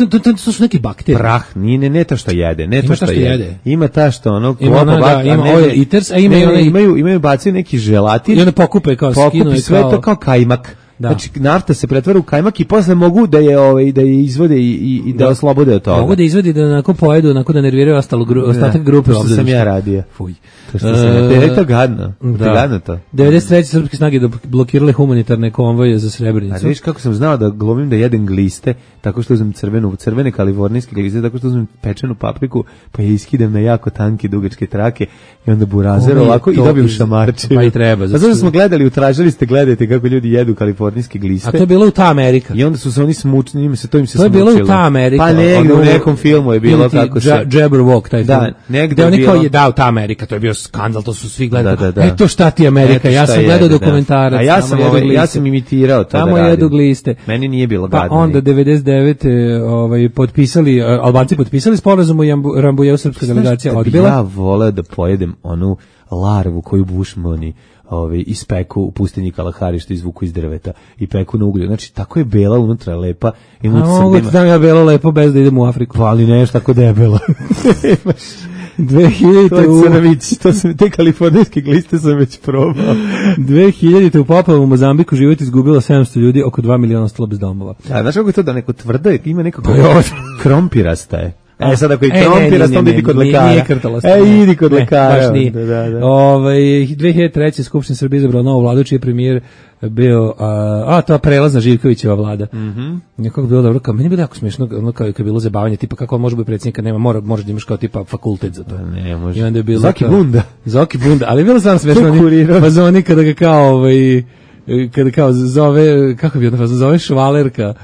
to su neki bakterije. Prah, ne to što jede. Ne to što jede. Ima ta što ono... Ima oil eaters, a imaju bacaju neki želatin. I onda pokupe kao skinu. Pokupi sve to kao kajmak. Da. Znači nafta se pretvara u kajmak i posle mogu da je izvode i da oslobode od toga. Mogu da izvodi da onako pojedu, onako da nerviraju ostatak grupe. To što sam ja radio. Fuj. To što sam ja, to gadno. Gadno to. 93. srpske snage blokirale humanitarne konvoje za Srebrenicu. A viš kako sam znao da glumim da jedem gliste, tako što uzmem crvene kalifornijske gliste, tako što uzmem pečenu papriku, pa je iskidam na jako tanke dugačke trake i onda burazer ovako i dobijem šamarče. Pa i treba. A zato smo gledali, utražili ste, gledajte kako ljudi jedu kalifornijske gliste. A to je bilo u ta Amerika. I onda su se oni smučili, njima se to im se smučilo. To je bilo u ta Amerika. Pa negdje u nekom filmu je bilo kako se... Jabberwock, taj film. Da, negdje je bilo... Da, u ta Amerika, to je bio skandal, to su svi gledali. Eto šta ti Amerika, ja sam gledao dokumentarac. A ja sam imitirao to da radim. Tamo jedu gliste. Meni nije bilo gadno. Pa onda 99. potpisali, Albanci potpisali sporazum u Rambujeu, srpska delegacija odbila. Ja voleo da pojedem onu larvu koju bušmani ispeku u pustinji Kalahari što izvuku iz drveta i peku na uglju. Znači, tako je bela unutra, lepa. A mogu ti ja bela lepo bez da idem u Afriku. Ali nešto tako debela. 2000 te kalifornijske gliste sam već probao. 2000 u poplavu u Mozambiku život izgubilo 700 ljudi, oko 2 miliona ostalo bez domova. A znaš kako je to da neko tvrdo je, ima nekako krompirasta je. Sad ako i trompirast, onda idi kod lekara. Nije krtalost. Idi kod lekara. Baš nije. 2003. Skupština Srbije izabrala novu vladu, čiji je premijer bio, to prelazna Živkovićeva vlada. Nekako bilo dobro, kao, meni je bilo jako smiješno, ono kao je bilo zabavanje, tipa kako on može biti predsjednika, nema, možeš da imaš kao tipa fakultet za to. Ne, može. I onda je bilo Zoki Bunda, ali je bilo stvarno smiješno, oni kada ga kao, kada kao zove, kako bi onda zove švalerka,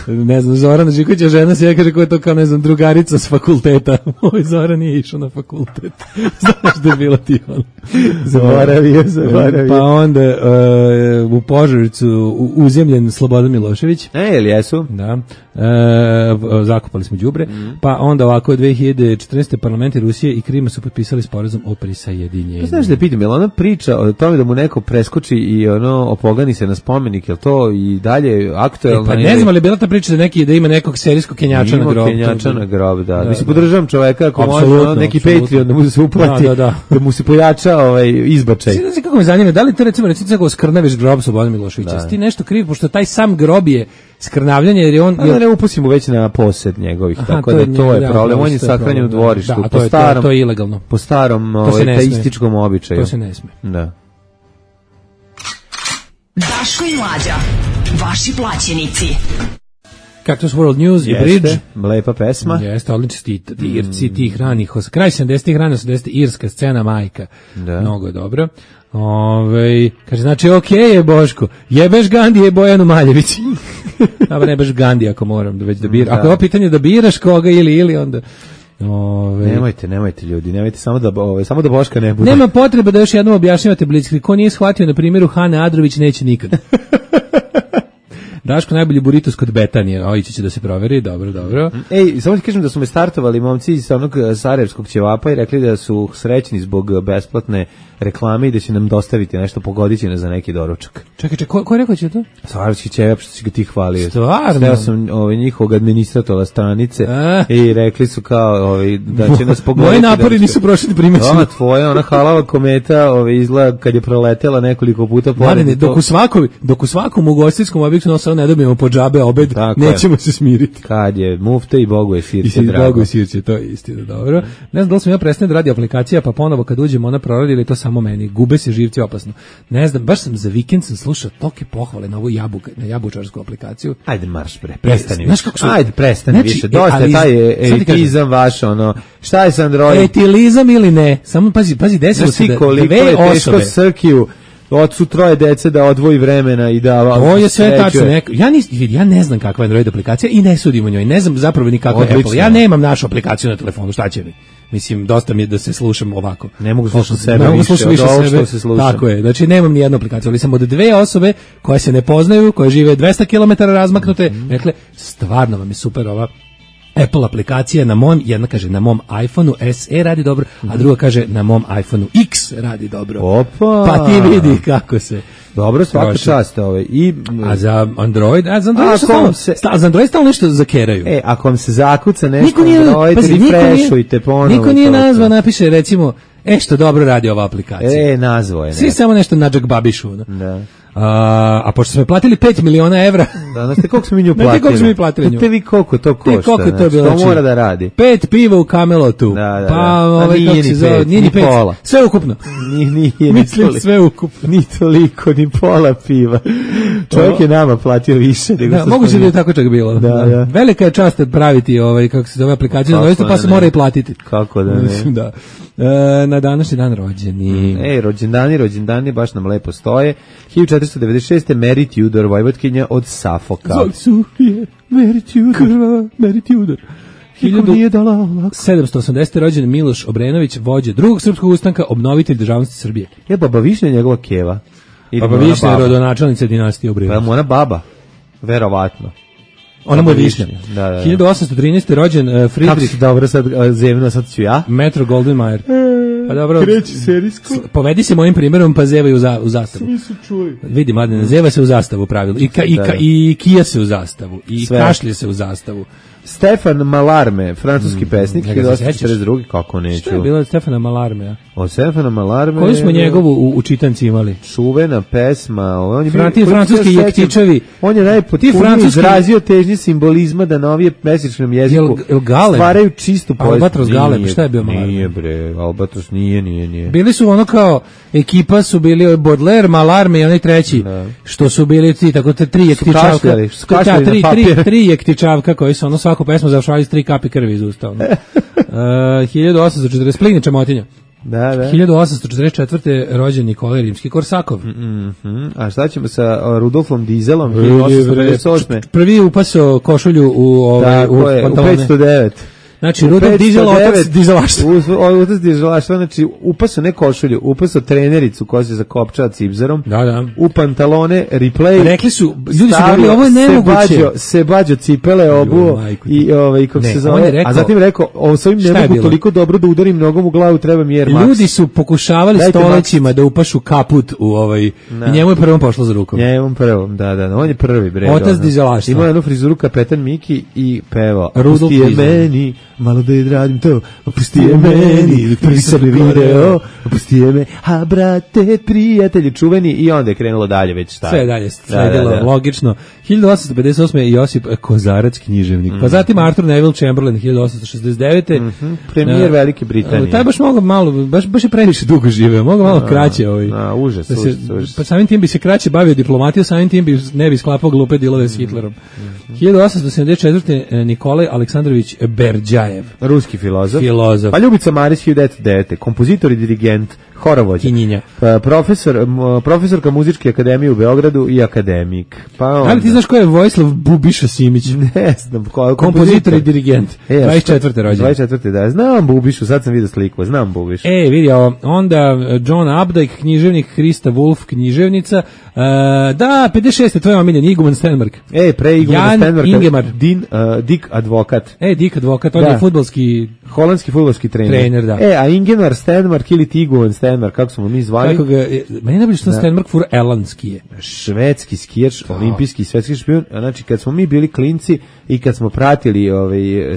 ne znam, Zorana Žikovića žena se kaže ko je to kao, ne znam, drugarica s fakulteta. Moj Zoran nije išao na fakultet. Znaš da je bilo ti on. Zaboravio. Pa onda u Požarevcu uzemljen Slobodan Milošević. Jel jesu? Da. Zakopali smo đubre. Pa onda ovako 2014. parlamenti Rusije i Krima su potpisali sporazum o prisajedinjenju. Znaš da pitam, je li ona priča o tome da mu neko preskoči i opogani se na spomenik, je li to i dalje aktuelno? Pa ne znam, ali je bila ta priča da ima nekog serijskog Kenjača na grob. Kenjača na grob, da. Mislim, podržavam čoveka ako može neki Patreon da mu se uplati, da mu se pojača izbačaj. Znači kako me zanima, da li to recimo kako skrnaviš grob Slobodana Miloševića? Ti nešto kriv, pošto taj sam grob je skrnavljanje, jer je on... ne upustimo već na posed njegovih, tako da to je problem. On je sahranjen u dvorištu. To je ilegalno. Po starom teističkom običaju. To se ne sme. Da. Daško i Mlađa, vaši plaćenici. Cactus World News i Bridge. Lepa pesma. Jeste, odlični Irci tih ranih, kraj 70-ih, rane 80-ih, irska scena majka. Da. Mnogo je dobro. Kaže, znači, okej je Boško, jebeš Gandije Bojanu Maljević. Dobro, ne baš Gandija ako moram da već da biram. Ako je ovo pitanje da biraš koga ili onda... Nemojte ljudi, nemojte samo da Boška ne bude. Nema potrebe da još jednom objašnjavate Blitzkrieg. Ko nije shvatio na primjeru Hane Adrović, neće nikad. Daško najbolji buritos kod Betanije, ići će da se proveri, dobro. Ej, samo ti kažem da su me startovali momci iz onog sarajevskog ćevapa i rekli da su srećni zbog besplatne reklame i da će nam dostaviti nešto, pogodit će nas za neki doručak. Čekaj, ko je rekao će to? Sarajevski ćevap, što si ga ti hvalio. Stvarno? Steo sam njihovog administratora stranice i rekli su kao da će nas pogoditi. Moji napori nisu prošli primećeno. Tvoja, ona halava kometa izgleda kad je proletela nekoliko puta pored. Dok u svakom ugostiteljskom objektu ne dobijemo po džabe obed, nećemo se smiriti. Kad je mufte i Bogu je sirće drago. Bogu je sirće, to je istina, dobro. Ne znam da li sam ja prestane da radi aplikacija, pa ponovo kad uđemo ona proradi ili to samo meni. Gube se živci opasno. Ne znam, baš sam za vikend slušao toke pohvale na ovu jabučarsku aplikaciju. Ajde marš bre, prestani. Ajde prestani više. Dosta je taj etizam vaš, šta je sa Android? Etilizam ili ne? Samo pazi, desilo se da dve osobe Srkiju ocu troje dece da odvoji vremena i da... To je sve tačno. Ja ne znam kakva je Android aplikacija i ne sudim o njoj. Ne znam zapravo ni kakva je Apple. Ja nemam našu aplikaciju na telefonu. Šta će mi? Mislim, dosta mi je da se slušam ovako. Ne mogu slušati sebe više od ovo što se slušam. Tako je. Znači, nemam ni jednu aplikaciju, ali sam od dve osobe koje se ne poznaju, koje žive 200 km razmaknute, rekle, stvarno vam je super ova Apple aplikacija jedna kaže na mom iPhoneu SE radi dobro, a druga kaže na mom iPhoneu X radi dobro. Opa! Pa ti vidi kako se. Dobro, svaka čast A za Android, za Android stalno nešto zakeraju. Ako vam se zakuca nešto Android, refreshujte ponovo. Niko nije nazvao, napiše recimo, što dobro radi ova aplikacija. Nazvao je. Svi samo nešto nađak babišu. Da. A pošto smo platili 5 miliona evra. Da, znaš te koliko smo mi nju platili? Koliko smo mi platili nju? Te vi koliko to košta? Koliko to je bilo? Što mora da radi? 5 piva u Camelotu. Da. Pa nije ni 5. Sve ukupno. Nije. Mislim sve ukupno. Ni toliko, ni pola piva. Čovjek je nama platio više. Moguće da je tako čak bilo. Da. Velika je čast praviti kako se zove aplikaciju na doista, pa se mora i platiti. Kako da ne? Mislim da. Na današnji dan rođeni. Rođendani baš nam lepo stoje. 1496. Mary Tudor, vojvodkinja od Safoka. Zoli Sufije, Mary Tudor. 1780. rođen Miloš Obrenović, vođa drugog srpskog ustanka, obnovitelj državnosti Srbije. Baba Višnja je njegova keva. Baba Višnja je rodonačelnica dinastije Obrenović. Pa mu ona baba, verovatno. Ona mu je Višnja. Da. 1813. rođen Friedrich. Kako si dobro sad ću ja? Metro Goldwyn-Mayer. Pa dobro. Kreći serijsko. Povedi se mojim primjerom, pa zevaju u zastavu. Svi su čuli. Vidi, mladine, zeva se u zastavu u pravilu. I kija se u zastavu. I kašlje se u zastavu. Stefan Mallarme, francuski pesnik, 1842. Kako neću? Što je bilo od Stefana Mallarme? Od Stefana Mallarme... Koju smo njegovu u čitanci imali? Čuvena pesma. Francuski jektičevi. On je najpotpuniji izrazio težnje simbolizma da na ovije mesečnom jeziku stvaraju čistu poeziju. Albatros Galeb, šta je bio Mallarme? Nije bre, Albatros nije. Bili su ono kao, ekipa su bili Baudelaire, Mallarme i onaj treći, što su bili tako tri jektičavka. Tri jektičavka koji su ono svaku pesmu završavali s 3 kapi krvi iz usta. 1840, Plin Čamotinja. Da. 1844. rođen Nikolaj Rimski-Korsakov. A šta ćemo sa Rudolfom Dizelom? 1858. Prvi upasao košulju u pantalone. U 509. Znači, Rudolf Dizel, otac dizelaštva. Otac dizelaštva, znači, upasao ne košulju, upasao trenericu koja se zakopčava cipzerom. Da. U pantalone, replay. Rekli su, ljudi su govorili, ovo je nemoguće. Sebađo cipele obuo i kako se zove. A zatim rekao, s ovim ne mogu toliko dobro da udarim nogom u glavu, treba mi Air Max. Ljudi su pokušavali stolećima da upašu kaput u i njemu je prvom pošlo za rukom. Njemu prvom, da. On je prvi, bre. Otac dizelaštva. Ima jednu frizuru kapetan Miki i peva. Rudolf Dizel. Malo da je radim to, opusti je meni, prvi sam video, opusti je me, a brate, prijatelji, čuveni, i onda je krenulo dalje već šta. Sve dalje, sledilo, logično. 1858. Josip Kozarac, književnik, pa zatim Arthur Neville Chamberlain, 1869. Premijer Velike Britanije. Taj baš mogo malo, baš je previše dugo živeo, mogo malo kraće. Užas. Pa samim tim bi se kraće bavio diplomatijom, samim tim ne bi sklapao glupe dilove s Hitlerom. 1874. Nikolaj Aleksandrović Berdjajev, Zajev. Ruski filozof. Filozof. Pa Ljubica Marić 1909. Kompozitor i dirigent, horovođa. Kinjinja. Profesorka muzičke akademije u Beogradu i akademik. Pa onda. Ali ti znaš ko je Vojislav Bubiša Simić? Ne znam. Kompozitor i dirigent. 24. rođen. 24. da. Znam Bubišu, sad sam vidio sliku. Znam Bubišu. Vidio. Onda John Updike, književnik, Hrista Wolf, književnica. Da, 56. tvoj omiljen, Iguman Stenmark. Pre Igumana Stenmarka. Ingemar. Dick Advokat. Dick Advokat, on je fudbalski... Holandski fudbalski trener. Da. A Ingemar Stenmark ili Tiguan Stenmark, kako smo mi zvali? Meni najbolje što Stenmark fura elandski je. Švedski skijač, olimpijski svetski šampion. Znači, kad smo mi bili klinci i kad smo pratili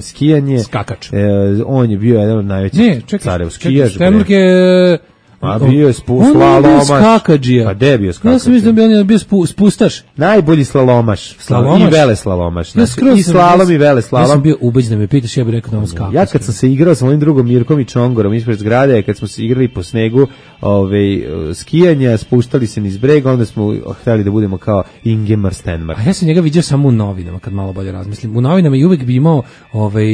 skijanje... Skakač. On je bio jedan od najvećih carev skijaž. Stenmark je... A bio je slalomaš. On je bio skakađija. Pa gde je bio skakađija? Ja sam mislim da on je bio spustaš. Najbolji slalomaš. I vele slalomaš. I slalom i vele slalom. Ja sam bio ubeđen da me pitaš, ja bih rekao da on skakač. Ja kad sam se igrao sa mojim drugom Mirkom i Čongorom ispred zgrade, kad smo se igrali po snegu skijanja, spuštali se niz breg, onda smo hteli da budemo kao Ingemar Stenmark. A ja sam njega vidio samo u novinama, kad malo bolje razmislim. U novinama i uvek bi imao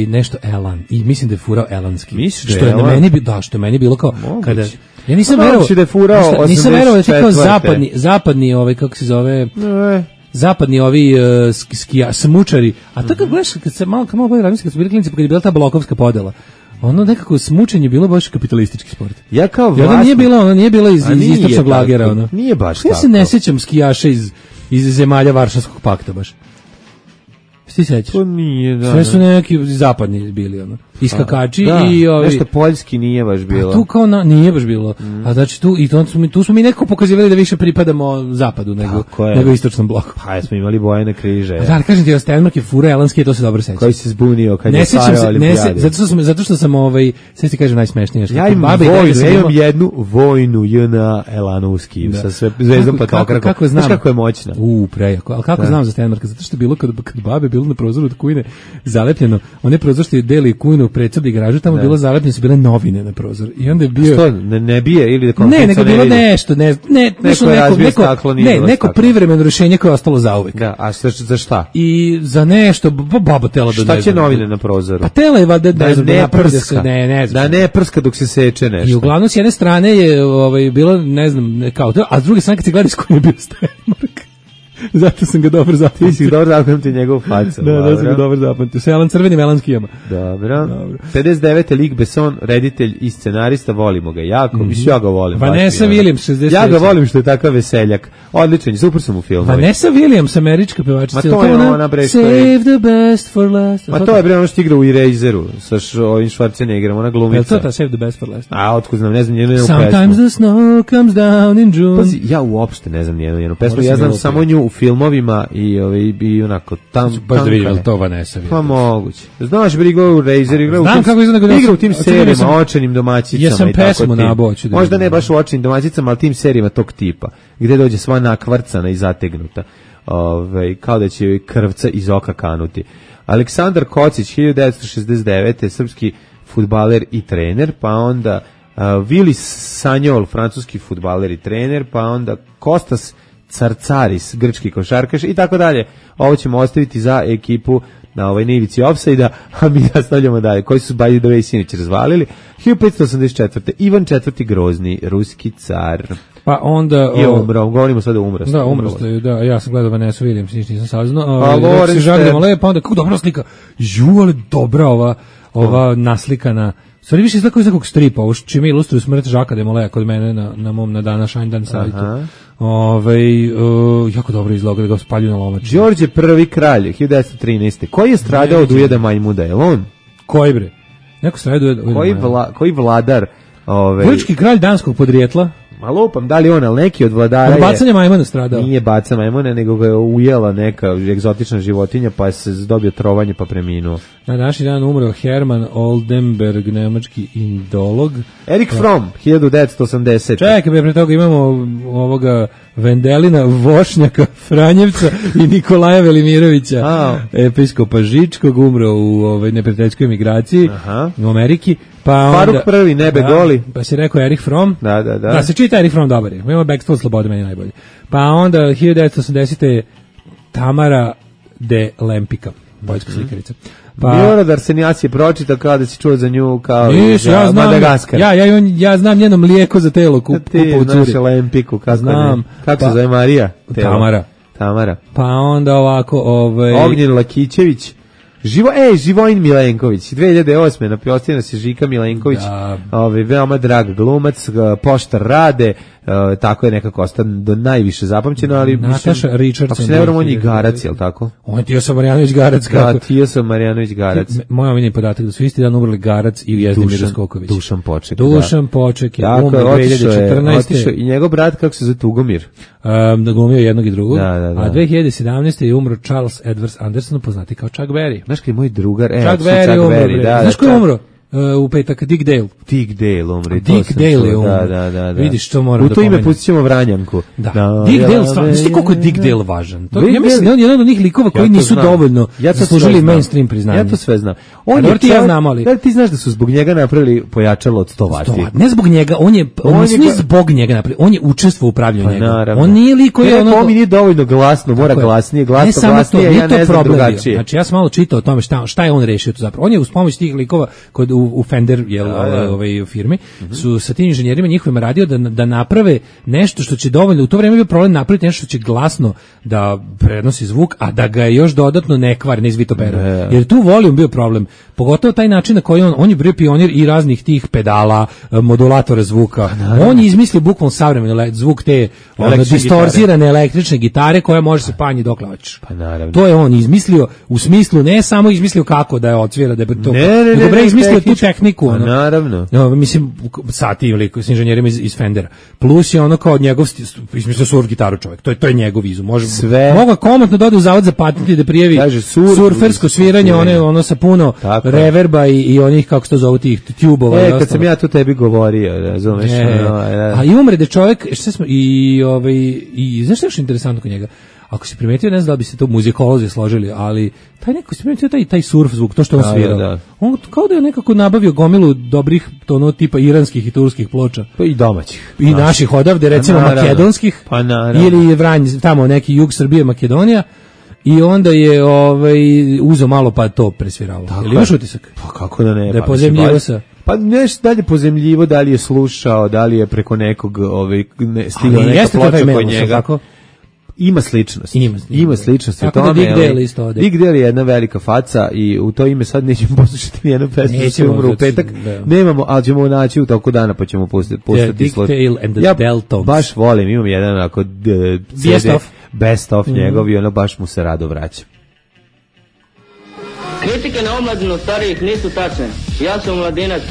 nešto elan. I mislim da je furao elanski. Misliš što je na meni što je meni bilo kao kada ja nisam verovao da je furao 84. Nisam verovao da je kao zapadni kako se zove zapadni smučari, a to kad gledaš, kad se malo bolje razmislim, kad su bili klinci, kad je bila ta blokovska podela, ono nekako smučenje bilo baš kapitalistički sport. Ja kao vlasnik... nije bila iz istočnog lagera, ono. Nije baš tako. Ja se ne sjećam skijaša iz zemalja Varšavskog pakta baš. Ti sećaš? To nije, da. Sve su neki zapadni bili, ono. Iskakači i ovi... Nešto poljski nije baš bilo. A tu kao nije baš bilo. A znači tu smo mi nekako pokazivali da više pripadamo zapadu nego istočnom bloku. Pa jesmo imali bojene križe. Da, ali kažem ti, Stenmark je fura elanski, to se dobro seća. Koji se zbunio kad je Sarajevo olimpijade. Zato što sam sad ti kažem najsmešnije. Ja imam jednu vojnu JNA Elanovski sa sve zvezdom patokrakom. Kako znam? Znaš kako je moćna? Prejako. Ali kako znam za Stenmarka? Zato što je bilo kad babe bilo na prozoru od kujne zalepljeno, one prozor što je deli kujnu predsadi garažu, tamo bilo zalepljeno, su bile novine na prozor. I onda je bio... Što, ne bije ili da ne, nego bilo nešto, neko privremeno rješenje koje je ostalo zauvek. Da, a za šta? I za nešto, baba tela da šta će novine na prozoru? Pa tela je valjda ne prska. Da ne prska dok se seče nešto. I uglavnom s jedne strane je bilo, ne znam, kao to, a s druge strane kad se gleda s kojim je bio Stenmark. Zato sam ga dobro zapamtio. Ti si dobro zapamtio njegov facu. Da sam ga dobro zapamtio. Sa crvenim elanskijama. Dobro. 59. Luc Besson, reditelj i scenarista, volimo ga jako. Ja ga volim. Vanessa Williams, 63. Ja ga volim što je takav veseljak. Odličan, super sam u filmu. Vanessa Williams, američka pevačica. Ma to je ona bre. Save the best for last. Ma to je bre ono što igra u Eraseru sa ovim Schwarzeneggerom, ona glumica. Je to ta Save the best for last? A otkud znam, ne znam njenu pesmu. Sometimes the snow comes down in June. Pazi, ja uopšte ne znam njenu pesmu. Ja znam samo nju u filmovima i onako tam baš da vidim to Vanessa. Pa moguće. Znaš brigo u Razer igra u tim serijama očenim domaćicama. Ja sam pesmu naboću. Možda ne baš u očenim domaćicama, ali tim serijama tog tipa gde dođe sva nakvarcana i zategnuta. Kao da će joj krvca iz oka kanuti. Aleksandar Kocić 1969. srpski fudbaler i trener, pa onda Vili Sanjol, francuski fudbaler i trener, pa onda Kostas Carcaris, grčki košarkaš i tako dalje. Ovo ćemo ostaviti za ekipu na ovoj ivici ofsajda, a mi nastavljamo dalje. Koji su by the way sinoć razvalili? 1584. Ivan IV. Grozni, ruski car. Pa onda... Je umro, govorimo sada umro. Da, umro ste, da, ja sam gledao Vanessa Williams, nisam saznao. Pa Lorenz pa onda, kako dobra slika. Ali dobra ova naslikana. Stvari više izgleda kao iz nekog stripa, ovo čime ilustruju smrt Žaka de Molea kod mene na mom na dana Šajndan sajtu. Jako dobro izgleda da ga spalju na lomač. Đorđe I kralj, 1913. Koji je stradao od ujeda majmuda, je li on? Koji bre? Neko stradao od ujeda majmuda. Koji vladar? Grčki kralj danskog podrijetla. Ma lupam, da li on, ali neki od vladara je... bacanje majmuna stradao. Nije baca majmuna, nego ga je ujela neka egzotična životinja, pa se dobio trovanje pa preminuo. Na današnji dan umro Herman Oldenberg, nemački indolog. Erik Fromm, 1980. Čekaj, pre toga imamo ovoga Vendelina Vošnjaka, Franjevca i Nikolaja Velimirovića, episkopa Žičkog, umro u neprijateljskoj emigraciji u Ameriki. Faruk prvi, nebe goli. Pa si rekao Erik Fromm. Da. Da, se čita Erik Fromm dobar je. Imamo Backstone Slobode, meni najbolje. Pa onda 1980. Tamara de Lempicka, poljska slikarica. Biorodar se nijas je pročitao kao da si čuo za nju kao ja znam, Madagaskar. Ja znam njeno mlijeko za telo kupa u curi. Znaš Lempiku, kako se zove Marija? Tamara. Pa onda ovako, Ognjen Lakićević. Živojin Milenković, 2008. napiostio nas je Žika Milenković, veoma drag glumac, poštar Rade, tako je nekako ostan do najviše zapamćeno, ali Nataša Richardson. Ako se ne vrlo, on je Garac, jel tako? On je Tijosa Marjanović Garac. Da, Tijosa Marjanović Garac. Moj omiljeni podatak da su isti dan umrli Garac i Jezdimir Skoković. Dušan Poček. Dušan Poček je umro 2014. Otišao i njegov brat, kako se zove, Tugomir. Da glumio jednog i drugog. Da. A 2017. je umro Charles Edwards Anderson, poznati kao Chuck Berry. Znaš kad je moj drugar? Chuck Berry, da. Znaš ko je umro? U petak Dick Dale. Dick Dale umri. Dick Dale je umro. Da. Vidiš što moram da pomenem. U to ime pustit ćemo Vranjanku. Da. Dick Dale, stvarno, znaš ti koliko je Dick Dale važan? Ja mislim da on je jedan od onih likova koji nisu dovoljno zaslužili mainstream priznanje. Ja to sve znam. Ti znaš da su zbog njega napravili pojačalo od 100 vati. Ne zbog njega, on nije zbog njega napravili, on je učestvovao u upravljanju njega. On nije lik koji je ono... On nije dovoljno glasno, mora glasnije, glasnije, ja ne znam drugačije. Znači ja sam malo čitao o tome šta je on rešio tu zapravo. On je uz pomoć tih likova u Fender firmi, su sa tim inženjerima njihovima radio da naprave nešto što će dovoljno, u to vreme je bio problem napraviti nešto što će glasno da prenosi zvuk, a da ga je još dodatno ne kvari, ne izvitopera. Jer tu volijum bio problem. Pogotovo taj način na koji on je bio pionir i raznih tih pedala, modulatora zvuka. On je izmislio bukvalno savremeni zvuk te distorzirane električne gitare koja može se panji dokle hoćeš. To je on izmislio u smislu, ne samo izmislio kako da je odsvira, da je to. Nego izmislio tu tehniku. Naravno. Mislim, sati ili s inženjerima iz Fendera. Plus je ono kao njegov, izmislio surf gitaru čovjek. To je njegov izum. Mogu komotno da ode u zavod za patente da prijavi surfersko sviranje, ono sa puno reverba i onih, kako se to zove, tih tubova. Kad sam ja to tebi govorio, razumeš? A i umre da čovjek, i znaš što je još interesantno kod njega? Ako si primetio, ne znam da bi se to muzikolozi složili, ali taj neko si primetio taj surf zvuk, to što on svirao. On kao da je nekako nabavio gomilu dobrih tono tipa iranskih i turskih ploča. Pa i domaćih. I naših odavde, recimo makedonskih. Pa naravno. Ili Vranj, tamo neki jug Srbije, Makedonija. I onda je uzeo malo pa to presvirao. Ili imaš utisak? Pa kako da ne? Da je pozemljivo sa... Pa nešto dalje pozemljivo, da li je slušao, da li je preko nekog stigao neka ploča kod njega. Ima sličnost. Ima sličnost. Tako da Dick Dale isto ode. Dick Dale je jedna velika faca i u to ime sad nećemo poslušati nijednu pesmu. Nećemo u petak. Nemamo, ali ćemo naći u toku dana pa ćemo pustiti. Dick Dale and the Deltones. Baš volim, imam jedan onako best of njegov i ono baš mu se rado vraća. Kritike na omladinu starijih nisu tačne. Ja sam mladinac,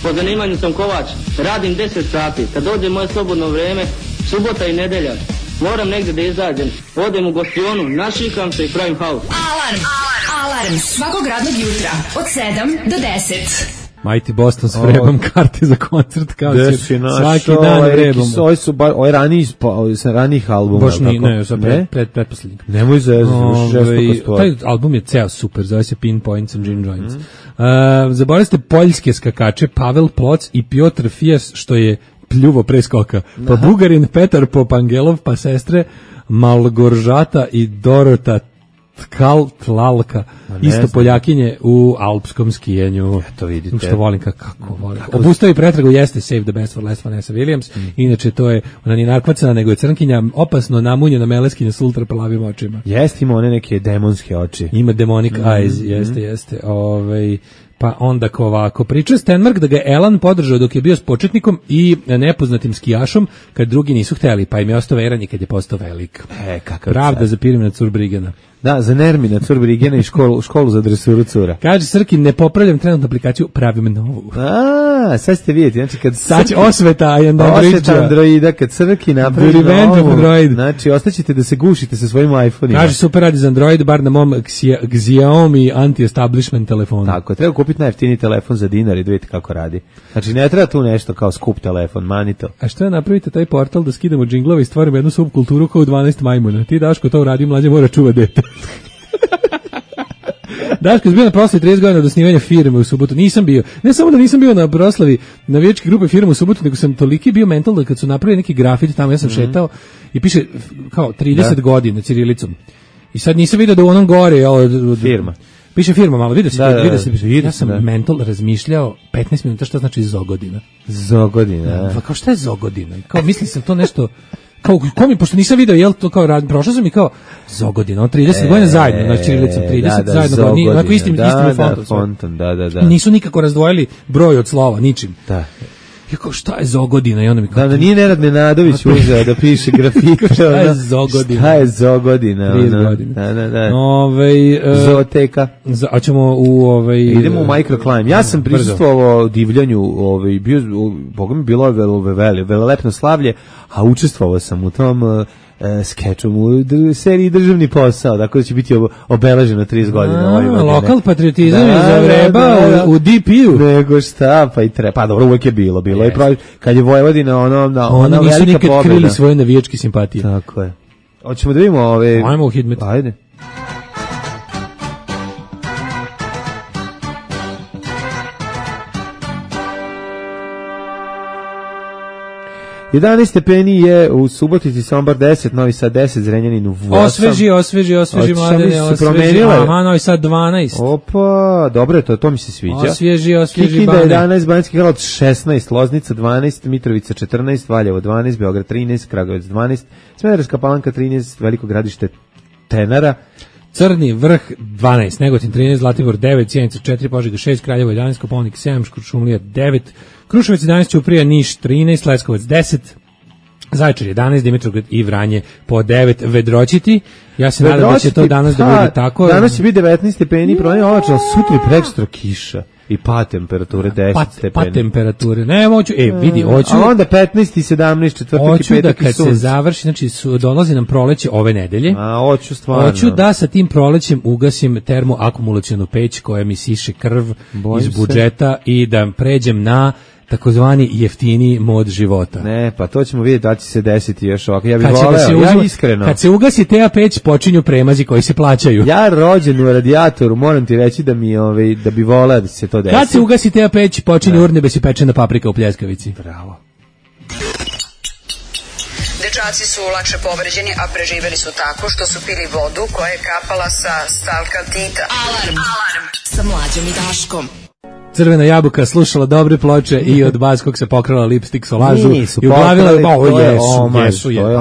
po zanimanju sam kovač, radim 10 sati. Kad dođe moje slobodno vrijeme, subota i nedelja, moram negdje da izađem, odem u gostionu, našikam se i pravim haos. Alarm svakog radnog jutra od 7 do 10. Mighty Boston s vrebom karte za koncert kao svaki dan vrebom. Ovo je ranijih albuma. Boš ne, sad pretposlednjeg. Nemoj zezati, taj album je ceo super, zove se Pinpoints and Gin Joints. Zaboravili ste poljske skakače Pavel Ploc i Piotr Fijas, što je pljuvo pre skoka. Pa Bugarin Petar Popangelov, pa sestre Malgoržata i Dorota Tlalka, isto Poljakinje u alpskom skijenju. Eto vidite. Što volim kako volim. Obustavi pretragu jeste Save the Best for Last Vanessa Williams. Inače to je, ona nije narkvacana, nego je crnkinja, opasno namunjena meleskinja s ultra plavim očima. Jeste, ima one neke demonske oči. Ima demonic eyes, jeste. Pa onda ovako, priča Stenmark da ga Elan podržao dok je bio s početnikom i nepoznatim skijašom kad drugi nisu hteli, pa im je ostao veran i kad je postao velik. Pravda za Pirmina Curbrigena. Da, za Nermina Curbrigena i školu za dresuru cura. Kaže Srkin, ne popravljam trenutnu aplikaciju, pravim novu. Sad ćete vidjeti, znači kad osveta Androida, kad Srki napravi novu, znači ostaćete da se gušite sa svojim iPhone-ima. Kaže super radi za Android, bar na mom Xiaomi anti-establishment telefonu. Tako, treba kupiti najjeftiniji telefon za dinar i da vidite kako radi. Znači ne treba tu nešto kao skup telefon, manito. A što je napravite taj portal da skidamo džinglove i stvorimo jednu subkulturu kao 12 majmuna? Ti Daško to uradi, mlađe mora čuva dete. Daško je bio na proslavi 30 godina od osnivanja firme u subotu. Nisam bio. Ne samo da nisam bio na proslavi navijačke grupe firme u subotu, nego sam toliki bio mental da kad su napravili neki grafit tamo, ja sam šetao i piše kao 30 godina cirilicom. I sad nisam vidio da u onom gore firma. Piše firma malo, vidio se. Ja sam mental razmišljao 15 minuta šta znači Zogodina. Zogodina. Pa kao šta je Zogodina? Kao mislim sam to nešto kao ko mi, pošto nisam video, jel to kao prošao sam i kao Zogodina, on 30 godina zajedno, na ćirilicom 30 zajedno, onako istim fontom. Da. Nisu nikako razdvojili broj od slova, ničim. Da. Ja kao, šta je Zogodina? I onda mi kao... Da, nije Nenad Nenadović uzeo da piše grafike. Šta je Zogodina? Šta je Zogodina? 30 godina. Da. Zooteka. A ćemo u... Idemo u microclimb. Ja sam prisustvovao divljanju, Boga mi bilo velelepno slavlje, a učestvovao sam u tom skečom u seriji Državni posao, tako da će biti obeleženo 30 godina. Lokal patriotizam je zavreba u DP-u. Nego šta, pa i treba. Pa dobro, uvek je bilo je pravi, kad je Vojvodina ona velika pobjeda. Oni nisu nikad krili svoje navijačke simpatije. Tako je. Hoćemo da vidimo ove... Ajmo u Hidmet. Ajde. Jedanaest stepeni je u Subotici, Sombor 10, Novi Sad 10, Zrenjanin u 8. Osveži mladene, osveži. Aha, Novi Sad 12. Opa, dobro je to mi se sviđa. Osveži Kikinda 11, Banjski Karlovac 16, Loznica 12, Mitrovica 14, Valjevo 12, Beograd 13, Kragujevac 12, Smederevska Palanka 13, Veliko Gradište Tenara, Crni Vrh 12, Negotin 13, Zlatibor 9, Sjenica 4, Požega 6, Kraljevo 11, Kopaonik 7, Kuršumlija 9, Kruševac 11, Ćuprija, Niš 13, Leskovac 10, Zaječar 11, Dimitrovgrad i Vranje po 9. Vedroćiti. Ja se nadam da će to danas da bude tako. Danas će biti 19 stepeni, promenio oblačno, sutra i prekstra kiša. I pad temperature 10 stepeni. Pad temperature. Ne, hoću, vidi, hoću. A onda 15 i 17, četvrtak i petak i sunce. Hoću da kad se završi, znači dolazi nam proleće ove nedelje. Hoću stvarno. Hoću da sa tim prolećem ugasim termoakumulacionu peć koja mi siše krv iz budžeta i da pređem na takozvani jeftini mod života. Ne, pa to ćemo vidjeti da će se desiti još ovako. Ja bih voleo, ja iskreno. Kad se ugasi ta peć, počinju premazi koji se plaćaju. Ja rođen u radijatoru, moram ti reći da mi da bi voleo da se to desi. Kad se ugasi ta peć, počinju urnebes i pečena paprika u pljeskavici. Bravo. Dečaci su lakše povređeni, a preživeli su tako što su pili vodu koja je kapala sa stalkaltita. Alarm sa Mlađom i Daškom. Crvena jabuka slušala dobre ploče i od Baskog se pokrala lipstik solažu i uglavila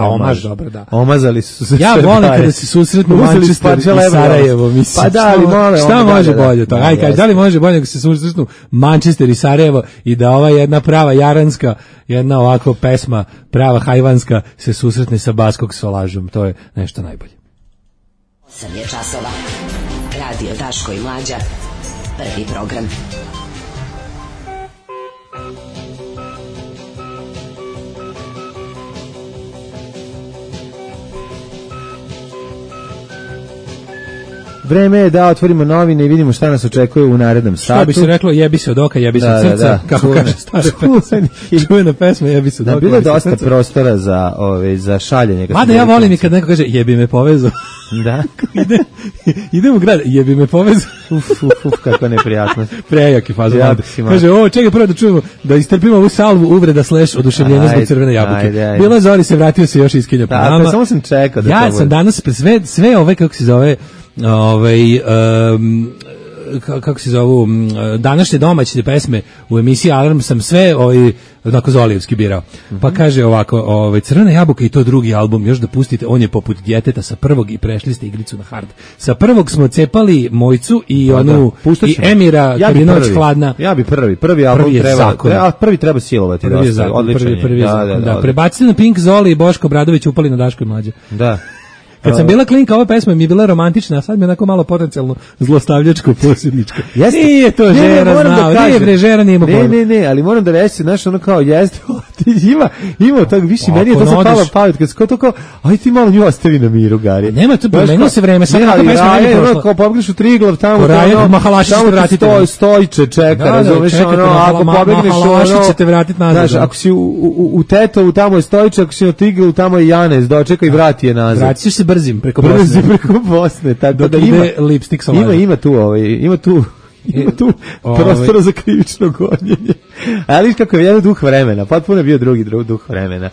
omaž, dobro, da. Omazali su se. Ja volim kada se susretnu Manchester i Sarajevo, mislim. Pa da, ali mole. Šta može bolje to? Aj, kaži, da li može bolje kada se susretnu Manchester i Sarajevo i da ova jedna prava jaranska, jedna ovako pesma, prava hajvanska se susretne sa Baskog solažom. To je nešto najbolje. 8 je časova. Radio Daško i Mlađa. Prvi program. Vreme je da otvorimo novine i vidimo šta nas očekuje u narednom satu. Šta bi se reklo, jebi se od oka, jebi se od srca, kako kaže stara pesma. Čuvena pesma, jebi se od oka. Bilo je dosta prostora za šaljenje. Mada ja volim i kad neko kaže, jebi me povezao. Da. Idem u grad, jebi me povezao. Kako neprijatno. Prejaki fazon. Kaže, čekaj prvo da čujemo, da istrpimo ovu salvu uvreda / oduševljenja zbog crvene jabuke. Bila Zori se vratio se još iskinja po nama. Pa samo sam čekao da to ja sam danas sve ove, kako se zove, kako se zovu, današnje domaće pesme u emisiji Alarm sam sve onako Zolijevski birao. Pa kaže ovako, Crvena jabuka i to drugi album, još da pustite, on je poput djeteta sa prvog i prešli ste igricu na hard. Sa prvog smo cepali Mojcu i onu i Emira kad je noć hladna. Ja bi prvi album treba, prvi treba silovati. Prvi je zakon, prvi je zakon. Da, prebacite na Pink, Zoli i Boško Bradović upali na Daško i Mlađe. Da. Kad sam bila klinka, ova pesma mi je bila romantična, a sad mi je onako malo potencijalno zlostavljačko, posjedničko. Nije to žera znao, nije bre, žera nije imao pojma. Ne, ali moram da reći, znaš, ono kao, jeste, ima tak više, meni je to sad palo pamet, kad se to kao, aj ti malo nju ostavi na miru, Gari. Nema to, promenilo se vreme, sad kako pesma meni je prošla. Kao pobegniš u Triglav, tamo Stojče čeka, razumeš, ono, ako pobegneš, ono, ćete vratiti nazad. Znaš, ako si u Tetovu, tamo je Stojče, ako si na Triglavu, tamo je Janez, dočeka i vrati je nazad. Vraćiš se brzim preko Bosne, tako da ide lipstik solaža. Ima tu prostora za krivično gonjenje. Ali kako je jedan duh vremena, potpuno je bio drugi duh vremena.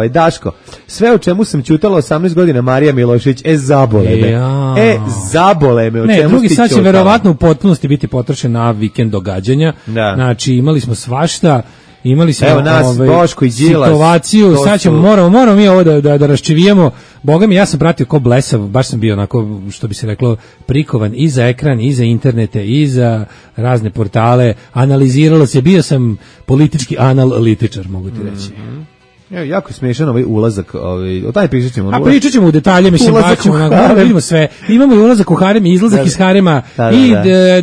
Daško, sve o čemu sam ćutala 18 godina Marija Milošević, zabole me. Zabole me, o čemu drugi ti sad će ćutala? Verovatno u potpunosti biti potrošen na vikend događanja. Da. Znači, imali smo svašta. Imali smo Boško i Đilas, situaciju, sad ćemo, moramo mi ovo da raščivijemo. Boga mi, ja sam pratio ko blesav, baš sam bio onako, što bi se reklo, prikovan i za ekran, i za internete, i za razne portale, analiziralo se, bio sam politički analitičar, mogu ti reći. Jako je smiješan ovaj ulazak, o taj pričat ćemo. A pričat ćemo u detalje, mislim, baćemo, vidimo sve. Imamo i ulazak u harem, i izlazak iz harema, i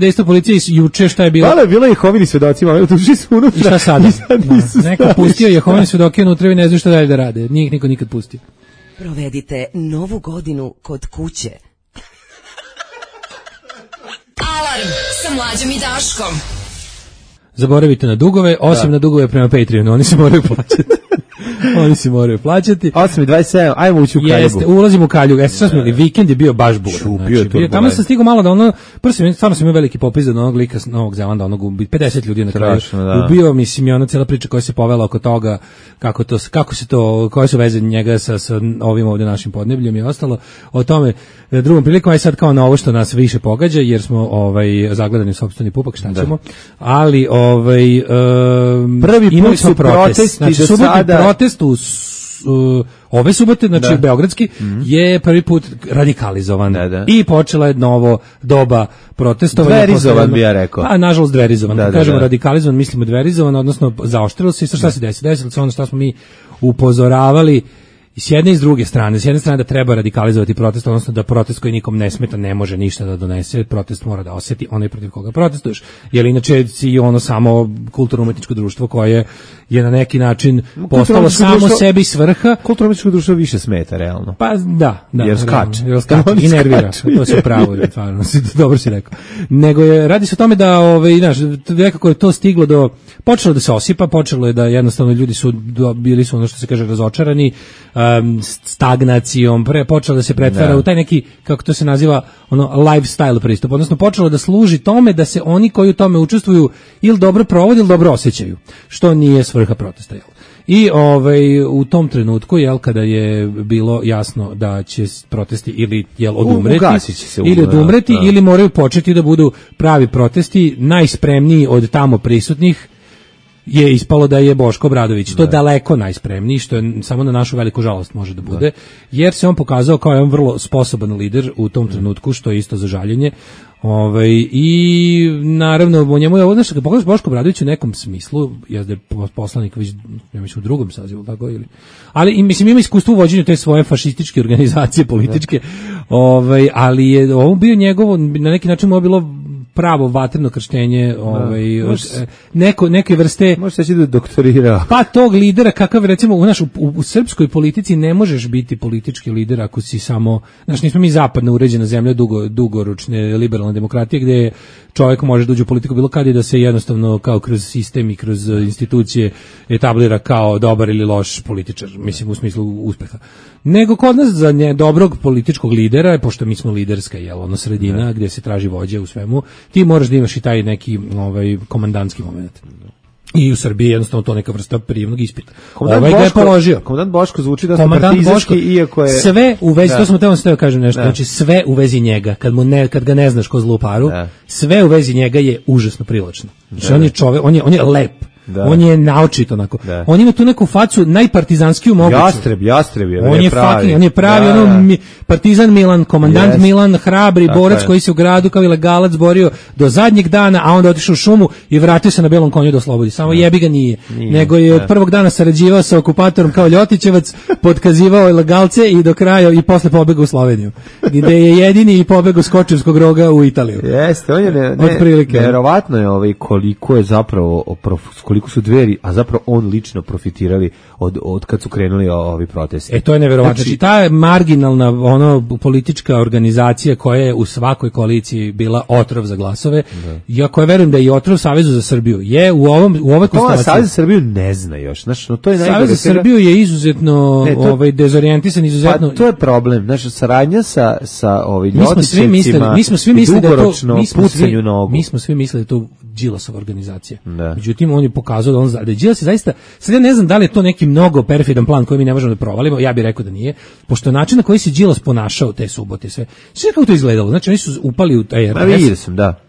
dejstvo policije juče, šta je bilo. Hvala, bilo je Jehovini svedoci, ali ušli su unutra. I šta sada? Neko pustio Jehovini svedoke unutra i ne znaju šta dalje da rade. Nije ih niko nikad pustio. Provedite Novu godinu kod kuće. Alarm sa Mlađom i Daškom. Zaboravite na dugove, osim na dugove prema Patreonu, oni se moraju plaćati. Oni se moraju plaćati. 8:27, ajmo ući u Kaljugu. Jeste, ulazimo u Kaljugu. Sad smo vikend je bio baš buran. Znači, tamo sam stigao malo da ono, prvo stvarno sam imao veliki popis od onog lika Novog Zelanda, onog 50 ljudi na kraju. Ubio, mislim, i ona cijela priča koja se povela oko toga, kako se to, koje su veze njega sa ovim ovdje našim podnebljem i ostalo. O tome drugom prilikom, aj sad kao na ovo što nas više pogađa, jer smo zagledani u sopstveni pupak, šta ćemo. Ali, prvi put su protesti do sada. Protest ove subote, znači beogradski, je prvi put radikalizovan. I počela je novo doba protestovanja. Dverizovan bi ja rekao. Pa, nažalost, dverizovan. Kad kažemo radikalizovan, mislimo dverizovan, odnosno zaoštrilo se. I šta se desi? Desilo se ono što smo mi upozoravali i s jedne i s druge strane. S jedne strane da treba radikalizovati protest, odnosno da protest koji nikom ne smeta ne može ništa da donese, protest mora da osjeti onaj protiv koga protestuješ. Jer inače si ono samo kulturno-umetničko društvo koje je na neki način postalo samo sebi svrha. Kulturno-umetničko društvo više smeta, realno. Pa da. Jer skače. I nervira. To se pravo, stvarno, dobro si rekao. Nego radi se o tome da, nekako je to stiglo do, počelo da se osipa, počelo je da jednostavno ljudi bili su ono što se kaže razočarani, stagnacijom, počelo da se pretvara u taj neki, kako to se naziva, lifestyle pristup, odnosno počelo da služi tome da se oni koji u tome učestvuju ili dobro provode ili dobro osjećaju, što nije svrha protesta. I u tom trenutku, kada je bilo jasno da će protesti ili odumreti ili moraju početi da budu pravi protesti, najspremniji od tamo prisutnih je ispalo da je Boško Obradović. To daleko najspremniji, što je samo na našu veliku žalost može da bude, jer se on pokazao kao jedan vrlo sposoban lider u tom trenutku, što je isto za žaljenje. I naravno u njemu je ovo, kad pogledaš Boško Obradović u nekom smislu, jezda je poslanik već, ja mislim, u drugom sazivu, tako ili, ali mislim ima iskustvo u vođenju te svoje fašističke organizacije političke, ali je ovo bio njegovo, na neki način mu je bilo pravo vatreno krštenje, neke vrste, može se da doktorirao. Pa tog lidera kakav recimo u srpskoj politici ne možeš biti politički lider ako si samo, nismo mi zapadno uređena zemlja dugoročne liberalne demokratije gdje čovjek može da uđe u politiku bilo kad i da se jednostavno kao kroz sistem i kroz institucije etablira kao dobar ili loš političar, mislim u smislu uspeha. Nego kod nas za dobrog političkog lidera, pošto mi smo liderska sredina gdje se traži vođa u svemu, ti moraš da imaš i taj neki komandantski moment. I u Srbiji jednostavno to neka vrsta prijemnog ispita. Ga je položio. Komandant Boško zvuči da partizanski, iako je... Sve u vezi, to smo teo kažem nešto, znači sve u vezi njega, kad ga ne znaš ko zlu paru, sve u vezi njega je užasno privlačno. Znači on je čovjek, on je lep. On je naočit onako. On ima tu neku facu najpartizanskiju moguću. Jastreb je pravi. On je pravi partizan Milan, komandant Milan, hrabri borac koji se u gradu kao ilegalac borio do zadnjeg dana, a onda otišao u šumu i vratio se na belom konju da oslobodi. Samo jebi ga nije. Nego je od prvog dana sarađivao sa okupatorom kao Ljotićevac, potkazivao ilegalce i do kraja i posle pobegao u Sloveniju. Gde je jedini i pobegao s Kočevskog roga u Italiju. Jeste, on je neverovatno je koliko je zapravo koliko su Dveri, a zapravo on lično profitirali od kad su krenuli ovi protesti. To je neverovatno. Znači, ta marginalna politička organizacija koja je u svakoj koaliciji bila otrov za glasove, ja koja verujem da je i otrov Savezu za Srbiju, je u ovoj konstelaciji. Savez za Srbiju ne zna još. Znači, to je Savez za Srbiju je izuzetno dezorijentisan, izuzetno... Pa to je problem. Znači, saradnja sa Ljotićevcima mi smo svi mislili dugoročno pucanju nogu. Mi smo svi mislili da je to Đilasova organizacija. Međutim, on je pokazao da je Đilas zaista, sad ja ne znam da li je to neki mnogo perfidan plan koji mi ne možemo da provalimo, ja bih rekao da nije, pošto način na koji se Đilas ponašao te subote, sve kako to izgledalo, znači oni su upali u taj RTS. Vidio sam, da.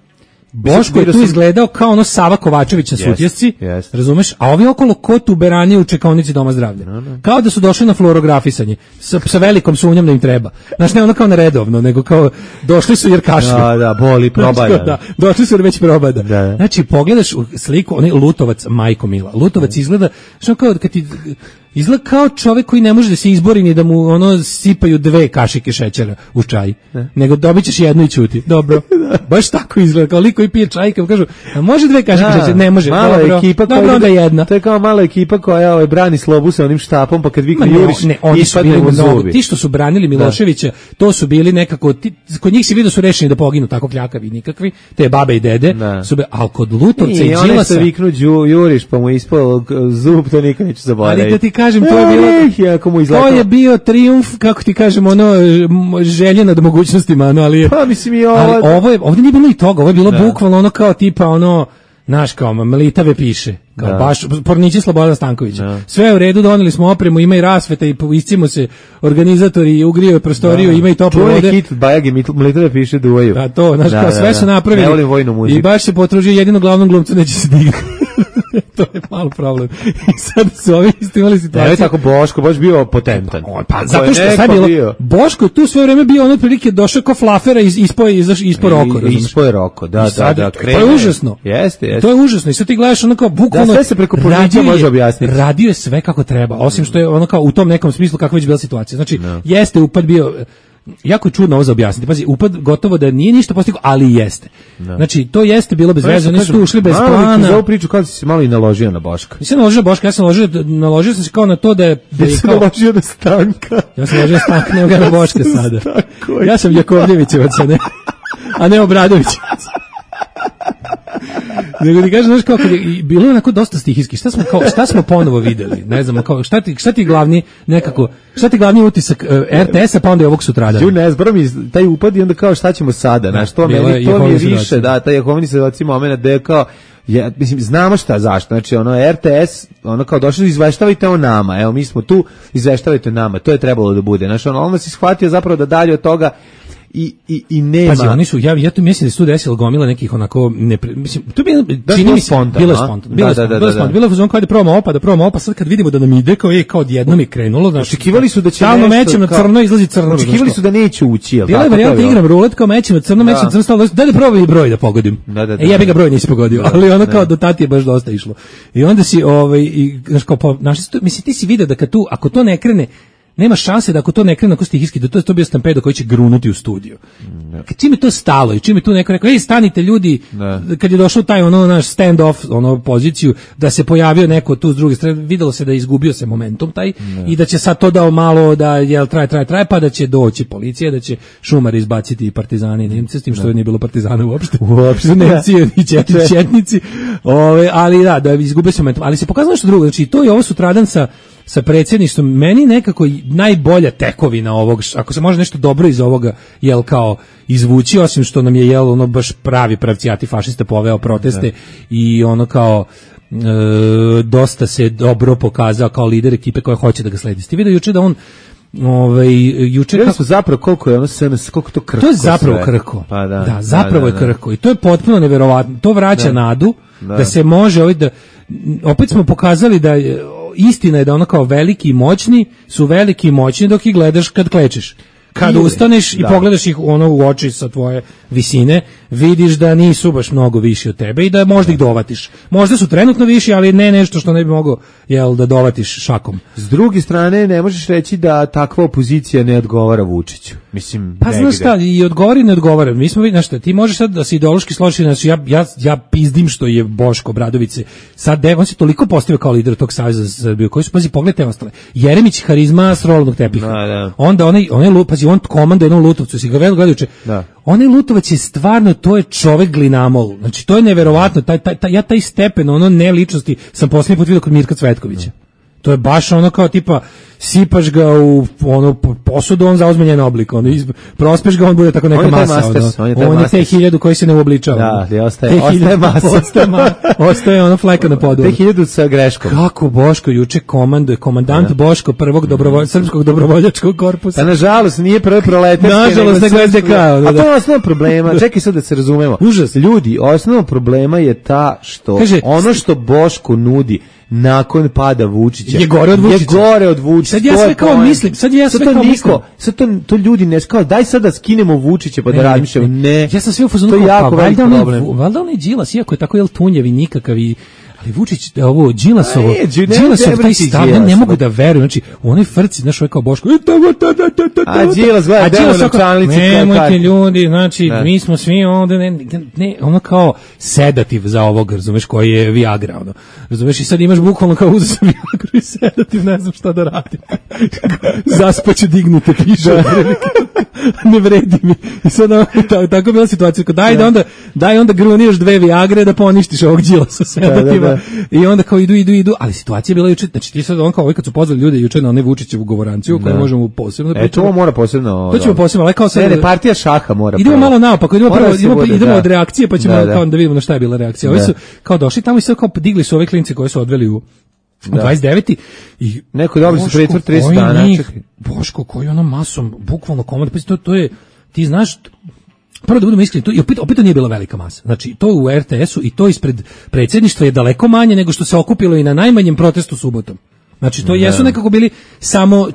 Boško je tu izgledao kao ono Sava Kovačević na Sutjesci, razumeš? A ovi okolo ko tuberani u čekaonici Doma zdravlja. Kao da su došli na fluorografisanje, sa velikom sumnjom da im treba. Znaš, ne ono kao neredovno, nego kao došli su jer kašlju. Da, boli, probada. Da, došli su jer već probada. Da. Znači, pogledaš u sliku, onaj Lutovac, majko mila, Lutovac izgleda, što kao kad ti... Izgleda kao čovjek koji ne može da se izbori ni da mu ono sipaju 2 kašike šećera u čaj, nego dobit ćeš jednu i ćuti. Dobro, baš tako izgleda, kao lik koji pije čaj, kao kažu, a može 2 kašike šećera? Ne može. Mala dobro, ekipa dobro, onda jedna. To je kao mala ekipa koja brani slobu sa onim štapom, pa kad vikne juriš, ispadne mu zubi. Ti što su branili Miloševića, to su bili nekako, kod njih si vidio su rešeni da poginu, tako kljakavi nikakvi, te babe i dede, ali kod Lutovca i Đilasa... I one se viknu juriš, pa mu ispao zub, to nikad neću zaboraviti. Kažem, to je bio trijumf, kako ti kažem, ono želje nad mogućnostima, ali pa mislim i ovdje nije bilo i toga, ovo je bilo bukvalno ono kao tipa ono, znaš, kao Mlitave piše, kao baš pornići Slobodana Stankovića. Sve je u redu, doneli smo opremu, ima i rasveta i iscimo se organizatori i ugrijaju prostoriju, ima i toplo vode. To je hit Bajagi, Mlitave piše duvaju. A to, znaš, kao sve su napravili. Ne volim vojnu muziku. I baš se potružio, jedino glavnom glumcu neće se digati. To je malo problem. I sad su ovi imali situaciju. Ne, tako Boško, baš bio potentan. Pa zato što sad bilo, Boško je tu sve vreme bio ono otprilike došao kao flafera ispod roko. Ispod roko, da. To je užasno. Jeste. To je užasno. I sad ti gledaš ono kao bukvalno. Da, sve se preko policije može objasniti. Radio je sve kako treba, osim što je ono kao u tom nekom smislu kakva već bila situacija. Znači, jeste upad bio... Jako je čudno ovo za objasniti. Pazi, upad gotovo da nije ništa postigao, ali jeste. Znači, to jeste bilo bez veze, oni su ušli bez plana. Za ovu priču kao si se malo i naložio na Boška. Nisam naložio na Boška, naložio sam se kao na to da je... naložio na Stanka. Ja sam naložio na Stanka, ne na Boška sada. Ja sam Jakovljevićevac, a ne Obradovićevac. Nego ti kažem, znaš, kao kad je bilo onako dosta stihijski, šta smo ponovo videli, ne znam, kao, šta ti glavni utisak RTS-a, pa onda je ovog sutradan. Ne zbro mi taj upad i onda kao šta ćemo sada, znaš, to mi je više, da, taj Jehovini svedoci moment da je kao, mislim, znamo šta, zašto, znači, ono, RTS, ono, kao došli, izveštavajte o nama, evo, mi smo tu, izveštavajte o nama, to je trebalo da bude, znači, ono si shvatio zapravo da dalje od toga i nema. Pazi, oni su, ja tu mislim da se tu desilo gomila nekih onako, mislim, to je čini mi se, bilo je spontano. Bilo je fuzon kao da probamo opa, sad kad vidimo da nam ide, kao odjednom je krenulo. Očekivali su da će nešto, mećem na crno, izlazi crno. Očekivali su da neće ući, jel? Bila je varijanta, igram rulet, kao mećem na crno, stalo, daj da probam i broj da pogodim. Ja bih ga broj nisi pogodio, ali ono kao do tati je baš dosta išlo. I onda si, znaš, kao, mislim, ti si vidio da ako to ne krene, nema šanse da ako to ne krene ako stihijski, da to bio stampedo koji će grunuti u studiju. Čim je to stalo i čim je tu neko rekao, stanite ljudi, kad je došao taj naš stand-off, poziciju, da se pojavio neko tu s druge strane, videlo se da je izgubio se momentum taj i da će sad to dao malo da traje, pa da će doći policija, da će šumari izbaciti partizani i Nemci, s tim što nije bilo partizana uopšte. Nemci i četnici. Ali da izgubio se momentum. Ali se pokazalo što drugo, znači to je ovo sutradan sa predsjedništvom, meni nekako najbolja tekovina ovog, ako se može nešto dobro iz ovoga, jel kao izvući, osim što nam je jel ono baš pravi pravcijati fašista poveo proteste i ono kao dosta se dobro pokazao kao lider ekipe koja hoće da ga sledi. Ste vidio juče da on juče kako zapravo koliko je ono SNS, koliko to krhko. To je zapravo krhko. Pa zapravo je krhko i to je potpuno neverovatno. To vraća nadu da se može opet smo pokazali da istina je da ono kao veliki i moćni su veliki i moćni dok ih gledaš kad klečeš. Kad ustaneš i pogledaš ih u oči sa tvoje visine, vidiš da nisu baš mnogo viši od tebe i da možda ih dovatiš. Možda su trenutno viši, ali ne nešto što ne bi mogao da dovatiš šakom. S druge strane, ne možeš reći da takva opozicija ne odgovara Vučiću. Mislim, pa znaš šta, i odgovara i ne odgovara. Mi smo vidjeli, znaš šta, ti možeš sad da se ideološki složiš, znači ja pizdim što je Boško Obradović sad, on se toliko postavio kao lider tog Saveza za Srbiju, koji su, pazi, pogledajte ostale. Jeremić harizma s rolnog tepiha. Onda pazi, on komanda jednom Lutovcu, si ga gledajuće. Onaj Lutovac je stvarno, to je čovek glinamol. Znači, to je neverovatno. Ja taj stepen, ne ličnosti, sam posljednji put vidio kod Mirka Cvetkovića. To je baš ono kao tipa, sipaš ga u ono posudu, on zauzme njen oblik, ono prospeš ga, on bude tako neka masa. On je te 1000 koji se ne uobličava. Da, ostaje masa. Ostaje ono fleka na podu. 1000 sa greškom. Kako Boško juče komanduje, komandant Boško prvog srpskog dobrovoljačkog korpusa. Pa nažalost nije prvi proletarski. Nažalost nego SDK. A to je osnovno problema. Čekaj sad da se razumemo. Užas. Ljudi, osnovno problema je ta što ono što Boško nudi nakon pada Vučića je gore od Vučića. Sad ja sve kao mislim, sad to ljudi ne kao daj sad da skinemo Vučića pa da razmišljamo. Ne. Ja sam sve u fazonu to je jako veliki problem. Valjda onaj Đilas, iako je tako tunjev i nikakav i ali Vučić, ovo Đilasov taj stav, ne mogu da verujem, znači u onoj frci, znaš, ovo je kao Boško, a Đilas gleda demo na čanlici, nemojte ljudi, znači, mi smo svi ovde, ne, ono kao sedativ za ovog, razumeš, koji je Viagra, ono, razumeš, i sad imaš bukvalno kao uzeo sam Viagru i sedativ, ne znam šta da radim, zaspaću dignute, piše, ne vredi mi, i sad tako je bila situacija, daj onda gruniješ 2 Viagre da poništiš ovog Đilasa sedativa. I onda kao idu, ali situacija je bila juče, znači ti sad on kao kad su pozvali ljude juče na one Vučićevu govoranciju koju možemo posebno da pričamo. To mora posebno. To ćemo posebno, ali kao sad ne, partija šaha mora. Idemo malo naopako, idemo od reakcije, pa ćemo kao da vidimo na šta je bila reakcija. Ovi su kao došli tamo i sad kao digli su ove klince koje su odveli u 29. i neko dobri su pretvor 30 dana. Boško koji ono masom bukvalno komand, pa to je ti znaš. Prvo da budemo iskreni, to opet nije bila velika masa. Znači, to u RTS-u i to ispred predsjedništva je daleko manje nego što se okupilo i na najmanjem protestu subotom. Znači, to jesu nekako bili samo,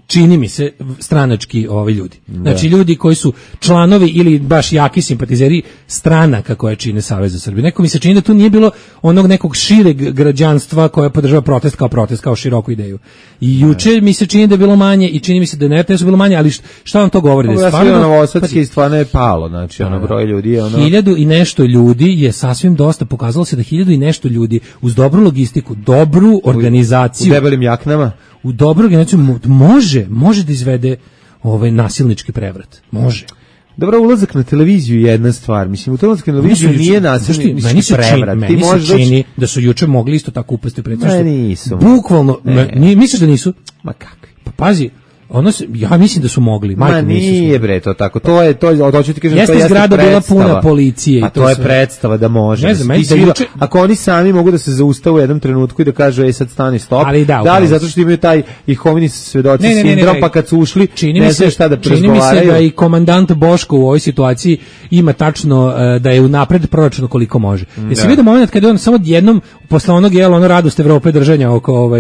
čini mi se, stranački ovi ljudi. Znači, ljudi koji su članovi ili baš jaki simpatizeri stranaka koje čine Savez za Srbiju. Neko mi se čini da tu nije bilo onog nekog šireg građanstva koje podržava protest, kao široku ideju. I juče mi se čini da je bilo manje i čini mi se da na RTS-u bilo manje, ali šta vam to govori? Ja sam bio Novosadski i stvarno je palo, znači, broj ljudi je 1000 i nešto ljudi je sasvim dosta, pokazalo se da 1000 i nešto ljudi uz dobru logistiku, dobru organizaciju, u debelim jaknama, u dobru organizaciju može da izvede ovaj nasilnički prevrat. Može. Dobro, ulazak na televiziju je jedna stvar. Mislim, ulazak na televiziju nije nasilnički prevrat. Meni se čini da su juče mogli isto tako upasti predsjedništvo. Ne, nisu. Bukvalno, misliš da nisu? Ma kakvi? Pa pazi, ja mislim da su mogli. Ma nije bre to tako. Hoću ti kažem, jeste zgrada bila puna policije. A to je predstava da može. Ne znam, ako oni sami mogu da se zaustave u jednom trenutku i da kažu sad stani stop. Da li zato što imaju taj Jehovini svedoci sindrom, pa kad su ušli ne znaju šta da razgovaraju. Čini mi se da i komandant Boško u ovoj situaciji ima tačno da je unapred proračun koliko može. Jesi vidio moment kada on samo jednom posle onog radost Evrope držanja oko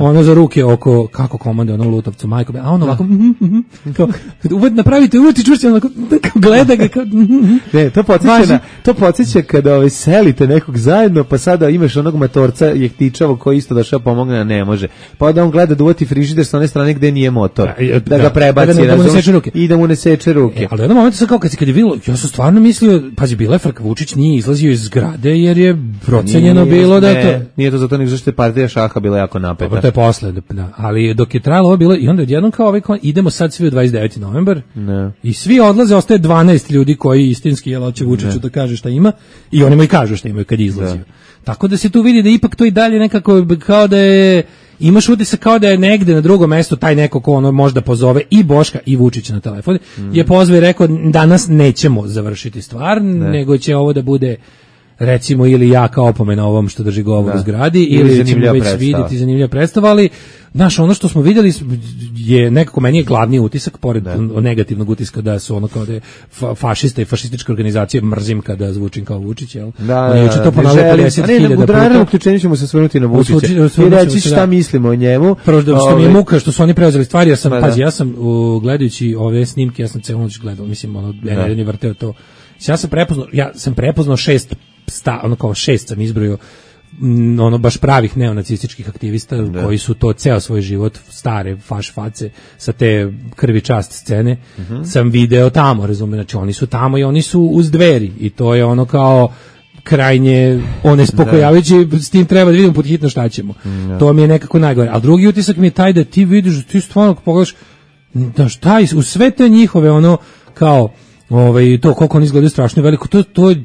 ono za ruke oko kako komande ono Lutovcu majko, a on ovako napravite uvati čvršće, onako gleda ga kao ne, to podsjeća kada selite nekog zajedno, pa sada imaš onog matorca jehtičavog koji isto došao pomogne, a ne može, pa onda on gleda da uvati frižider sa one strane gde nije motor, da ga prebaci i da mu ne seče ruke. Ali u jednom momentu sad kao kad je bilo, ja sam stvarno mislio, pazi, bila je frka, Vučić nije izlazio iz zgrade jer je procenjeno bilo da to nije to zato nego zašto je partija šaha bila jako napeta. Dobro, to je posle, ali dok je trajalo ovo bilo i onda odjednom kao idemo sad svi u 29. novembar i svi odlaze, ostaje 12 ljudi koji istinski hoće Vučiću da kaže šta ima i oni mu i kažu šta imaju kad je izlazio. Tako da se tu vidi da ipak to i dalje nekako kao da je, imaš utisak kao da je negde na drugom mestu taj neko ko ono možda pozove i Boška i Vučića na telefon, je pozvao i rekao danas nećemo završiti stvar, nego će ovo da bude recimo ili jaka opomena ovom što drži govor u zgradi ili ćemo već vidjeti zanimljiva predstava, ali znaš, ono što smo vidjeli je nekako, meni je glavni utisak pored negativnog utiska da su ono kao da je fašista i fašističke organizacije, mrzim kada zvučim kao Vučić, jel? Oni juče to ponavljaju 50.000 puta. U narednom uključenju ćemo se osvrnuti na Vučića i reći šta mislimo o njemu. Prvo što mi je muka što su oni preuzeli stvari, jer sam, pazi, ja sam gledajući ove snimke, ja sam celu noć gledao, mislim, jedan je vrteo to. Ja sam prepoznao 6 sam izbrojio baš pravih neonacističkih aktivista koji su to ceo svoj život, stare faš face sa te krvi čast scene, sam video tamo, razumijem, znači oni su tamo i oni su uz dveri i to je ono kao krajnje onespokojavajući, s tim treba da vidimo pod hitno šta ćemo. To mi je nekako najgore. A drugi utisak mi je taj da ti vidiš, ti stvarno pogledaš da šta u sve te njihove ono kao To koliko oni izgledaju strašno veliko,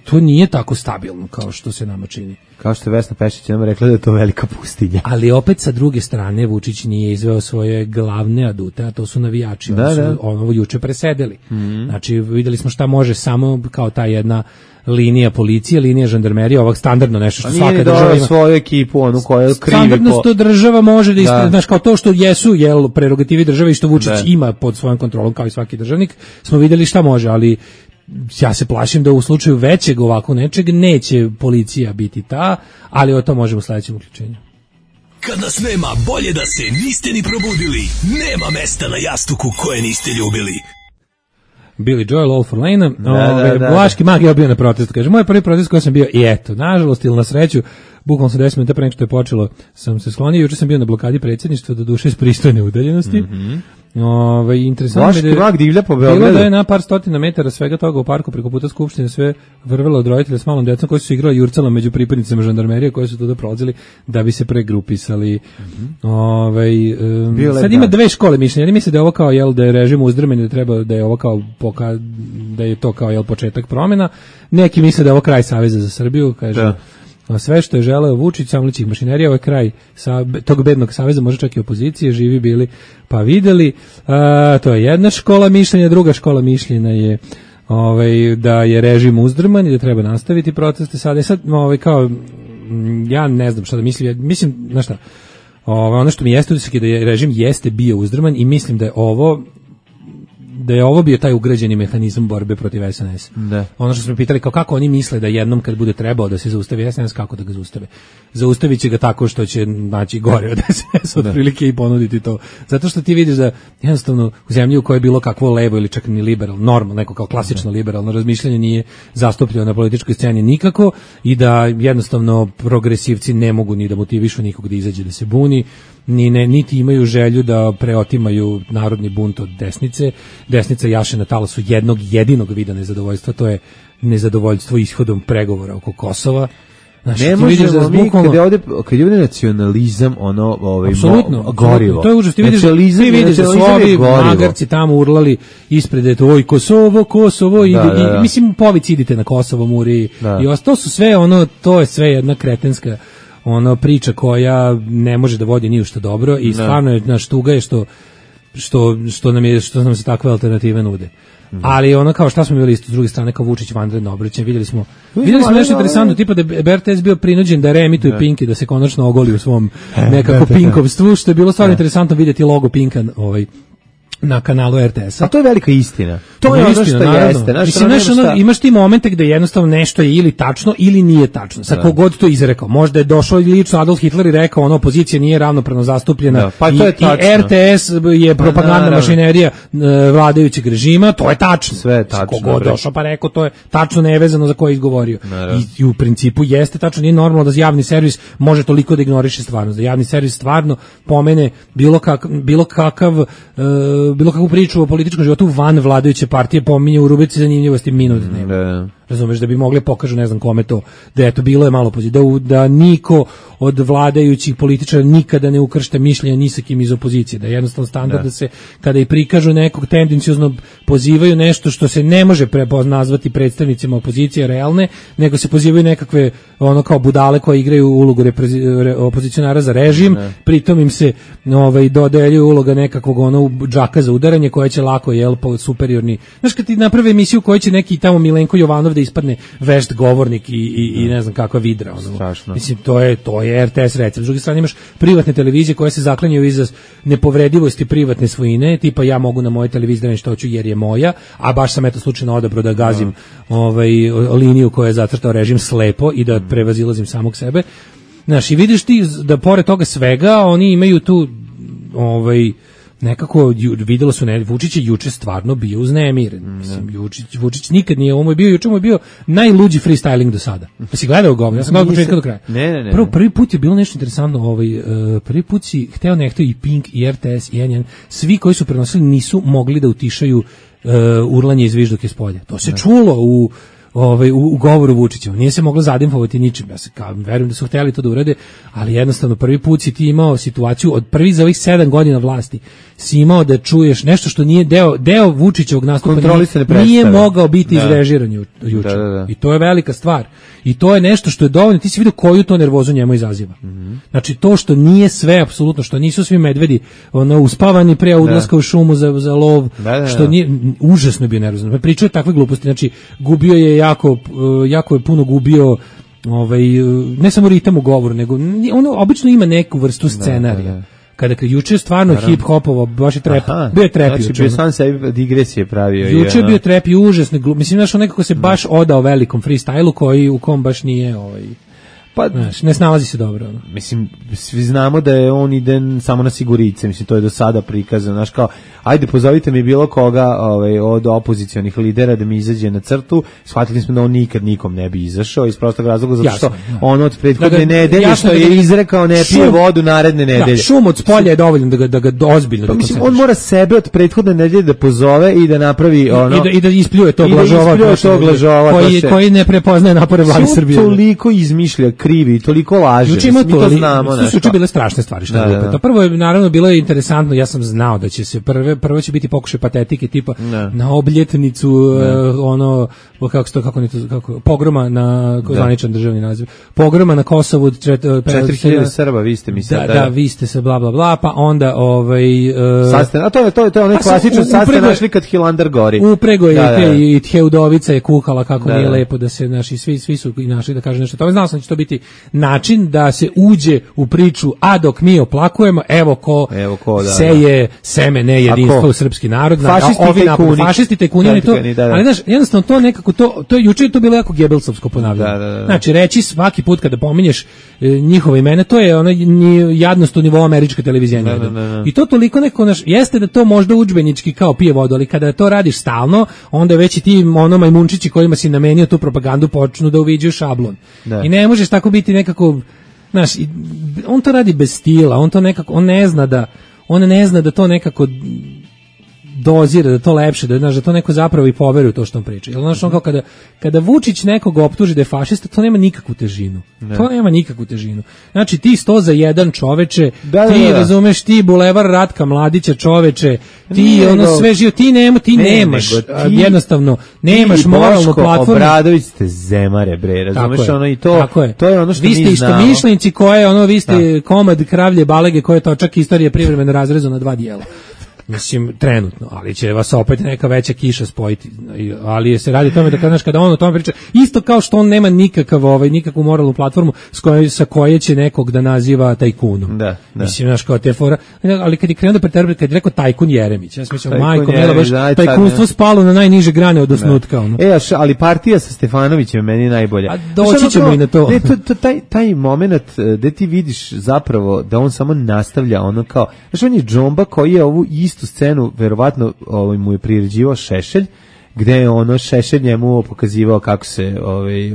to nije tako stabilno kao što se nama čini. Kao što je Vesna Pešić nam rekla da je to velika pustinja. Ali opet sa druge strane Vučić nije izveo svoje glavne adute, a to su navijači. Oni su ono juče presedeli. Znači videli smo šta može samo kao ta jedna linija policije, linija žandarmerije, ovak standardno nešto što svaka država ima. Svoju ekipu, onu koja krivi standardno što država može da znaš, kao to što jesu prerogativi države i što Vučić ima pod svojom kontrolom kao i svaki državnik, smo videli šta može, ali ja se plašim da u slučaju većeg ovako nečeg neće policija biti ta, ali o to možemo u sledećem uključenju. Kad nas nema, bolje da se niste ni probudili. Nema mesta na jastuku koje niste ljubili. Billy Joel, All for Lane, Vlaški mag je bio na protestu, kaže, moj prvi protest koji sam bio, i eto, nažalost ili na sreću, bukvalno sam 10 minuta pre nego što je počelo, sam se sklonio, juče sam bio na blokadi predsjedništva, do duše iz pristojne udaljenosti. Interesantno je da divlja po Beogradu. Bilo da je na par stotina metara svega toga u parku preko puta Skupštine sve vrvelo od roditelja s malom decom koji su igrali jurcala među pripadnicima žandarmerije koji su tuda prolazili da bi se pregrupisali. Sad ima dve škole mišljenja. Jedni misle da je ovo kao da je režim uzdrman i da treba da je ovo kao da je to kao početak promjena. Neki misle da je ovo kraj Saveza za Srbiju, kaže. Sve što je želeo Vučić, samlićih mašinerija, ovaj kraj tog bednog saveza, može čak i opozicije, živi bili pa videli. To je jedna škola mišljenja, druga škola mišljenja je da je režim uzdrman i da treba nastaviti proteste sada. I sad, kao, ja ne znam šta da mislim, mislim, znaš šta, ono što mi jeste utisak je da je režim jeste bio uzdrman i mislim da je ovo bio taj ugrađeni mehanizam borbe protiv SNS. Da. Ono što smo pitali, kako oni misle da jednom kad bude trebao da se zaustavi SNS, kako da ga zaustave? Zaustavit će ga tako što će naći gore od SNS otprilike i ponuditi to. Zato što ti vidiš da jednostavno u zemlji u kojoj je bilo kakvo levo ili čak ni liberalno, normalno, neko kao klasično liberalno razmišljanje nije zastupljeno na političkoj sceni nikako i da jednostavno progresivci ne mogu ni da motivišu nikog da izađe da se buni, niti imaju želju da preotimaju narodni bunt od desnice. Desnica jaše na talasu jednog jedinog vida nezadovoljstva, to je nezadovoljstvo ishodom pregovora oko Kosova. Znači, ne možemo mi kad je ovdje nacionalizam gorivo. To je užas, ti vidiš da su ovi magarci tamo urlali ispred oj Kosovo i mislim povici idite na Kosovo muri i ostalo su sve to je sve jedna kretenska priča koja ne može da vodi ni u što dobro i stvarno je naš tuga je što nam se takve alternative nude. Ali kao šta smo bili isto s druge strane kao Vučić vanredno obraćanje, vidjeli smo nešto interesantno, tipa da je RTS bio prinuđen da reemituje Pinki, da se konačno ogoli u svom nekako pinkovstvu, što je bilo stvarno interesantno vidjeti logo Pinka na kanalu RTS-a. A to je velika istina. To je ono što jeste. Imaš ti momente gde jednostavno nešto je ili tačno ili nije tačno. Sa kogod to izrekao. Možda je došao lično Adolf Hitler i rekao opozicija nije ravnopravno zastupljena i RTS je propagandna mašinerija vladajućeg režima. To je tačno. Sve je tačno. Kogod došao pa rekao to je tačno, nevezano za koje je izgovorio. I u principu jeste tačno. Nije normalno da javni servis može toliko da ignoriše stvarnost. Da javni servis stvarno pomene bilo kakvu priču o političkom životu van vladajuće partije, pominje u rubrici zanimljivosti minut dnevno. Razumeš, da bi mogli pokažu ne znam kome to, da eto bilo je malo pozitivno, da niko od vladajućih političara nikada ne ukršta mišljenja ni sa kim iz opozicije, da je jednostavno standard da se kada i prikažu nekog tendenciozno pozivaju nešto što se ne može nazvati predstavnicima opozicije realne, nego se pozivaju nekakve kao budale koje igraju ulogu opozicionara za režim, pritom im se dodeljuje uloga nekakvog džaka za udaranje koja će lako superiorni. Znaš, kad ti naprave emisiju koja će neki tamo Milenko Jovanov da ispadne vešt govornik i ne znam kakva vidra. Mislim, to je RTS recept. S druge strane imaš privatne televizije koje se zaklanjaju iza nepovredivosti privatne svojine, tipa ja mogu na mojoj televiziji da nešto hoću jer je moja, a baš sam slučajno odabrao da gazim liniju koju je zacrtao režim slepo i da prevazilazim samog sebe. Znaš, i vidiš ti da pored toga svega oni imaju tu nekako videlo su Vučić je juče stvarno bio uznemiren. Mislim, Vučić nikad nije, ovo je bio najluđi freestyling do sada. Si gledao ga? Ja sam gledao od početka do kraja. Ne. Prvi put je bilo nešto interesantno, prvi put si hteo i Pink i RTS i N1, svi koji su prenosili nisu mogli da utišaju urlanje i zvižduke s polja. To se čulo u govoru Vučićevom. Nije se moglo zadimfovati ničim. Ja se verujem da su hteli to da urade, ali jednostavno prvi put si ti imao situaciju od prvi za ovih 7 godina vlasti si imao da čuješ nešto što nije deo Vučićevog nastupa nije mogao biti izrežiran juče. Da. I to je velika stvar. I to je nešto što je dovoljno, ti si vidio koju to nervozu njemu izaziva. Znači to što nije sve apsolutno, što nisu svi medvedi uspavani pre odlaska u šumu za lov, što nije, užasno je bio nervozan. Pričao je takve gluposti, znači gubio je jako je puno gubio ne samo ritam u govoru, nego ono obično ima neku vrstu scenarija. Kada juče stvarno hip-hopovo, baš je trep, bio je trep juče. Znači, bio sam sebi digresije pravio. Juče je bio trep i užasno, mislim, znaš, nekako se baš odao velikom freestylu u kom baš nije, pa znaš, ne snalazi se dobro. Mislim, svi znamo da je on ide samo na sigurice, mislim, to je do sada prikazano, znaš, kao, ajde, pozovite mi bilo koga od opozicionih lidera da mi izađe na crtu, shvatili smo da on nikad nikom ne bi izašao, iz prostog razloga, zato što on od prethodne nedelje što je izrekao ne pije vodu naredne nedelje. Šum od spolja je dovoljno da ga ozbiljno pa, mislim, on mora sebe od prethodne nedelje da pozove i da napravi I da ispljuje tog lažova koji ne prepoznaje napore vlade Srbije. Toliko izmišlja, krivi, toliko laže. Mi to znamo. Su bile strašne stvari što je to. Prvo je naravno bilo interesantno, ja sam znao da će se prvo će biti pokušaj patetike tipa na obljetnicu pogroma na zvaničan državni naziv. Pogroma na Kosovu 4000 Srba, vi ste mi sad. Da, vi ste se bla bla bla, pa onda a to je onaj klasičan sad ste našli kad Hilandar gori. Uprego je i Teudovica je kuhala kako nije lepo da se naši svi su i našli da kaže nešto. To znao sam da će to biti način da se uđe u priču, a dok mi oplakujemo, evo ko seje seme nejedinstva u srpski narod, fašisti tajkuni, ali znaš, jednostavno to nekako, to je juče to bilo jako gebelsovsko ponavljanje. Znači, reći svaki put kada pominješ njihova imena, to je jadnost u nivou američke televizije. I to toliko neko, jeste da to možda udžbenički kao pije vodu, ali kada to radiš stalno, onda već i ti majmunčići kojima si namenio tu propagandu počnu da uviđaju šablon. I ne možeš tako biti nekako, znaš, on to radi bez stila, on ne zna da to nekako dozira, da to lepše, da to neko zapravo i poveruje u to što on priča. Jer znaš, on kao kada Vučić nekog optuži da je fašista, to nema nikakvu težinu. To nema nikakvu težinu. Znači, ti 100 za 1 čoveče, ti razumeš, ti bulevar Ratka Mladića čoveče, ti sve živo, ti nemaš, jednostavno, nemaš moralnu platformu. Obradović ste zemare, bre, razumeš, i to je ono što mi znamo. Vi ste istomišljenici koje, vi ste komad kravlje balege koje to čak istorije privremeno razrezu na 2 dijela. Mislim, trenutno, ali će vas opet neka veća kiša spojiti, ali se radi o tome da kada on o tome priča, isto kao što on nema nikakvu moralnu platformu sa koje će nekog da naziva tajkunom. Mislim, znaš, kao te fora, ali kad je krenuo da preteruje, kad je rekao tajkun Jeremić, ja sam mislio, majko, mila, baš tajkunstvo spalo na najniže grane od osnutka. Ali partija sa Stefanovićem meni je najbolja. A doći ćemo i na to. Taj moment gde ti vidiš zapravo da on samo nastavlja ono kao, znaš, on je džomba koji je ovu istu scenu, verovatno mu je priređivao Šešelj, gde je Šešelj njemu pokazivao kako se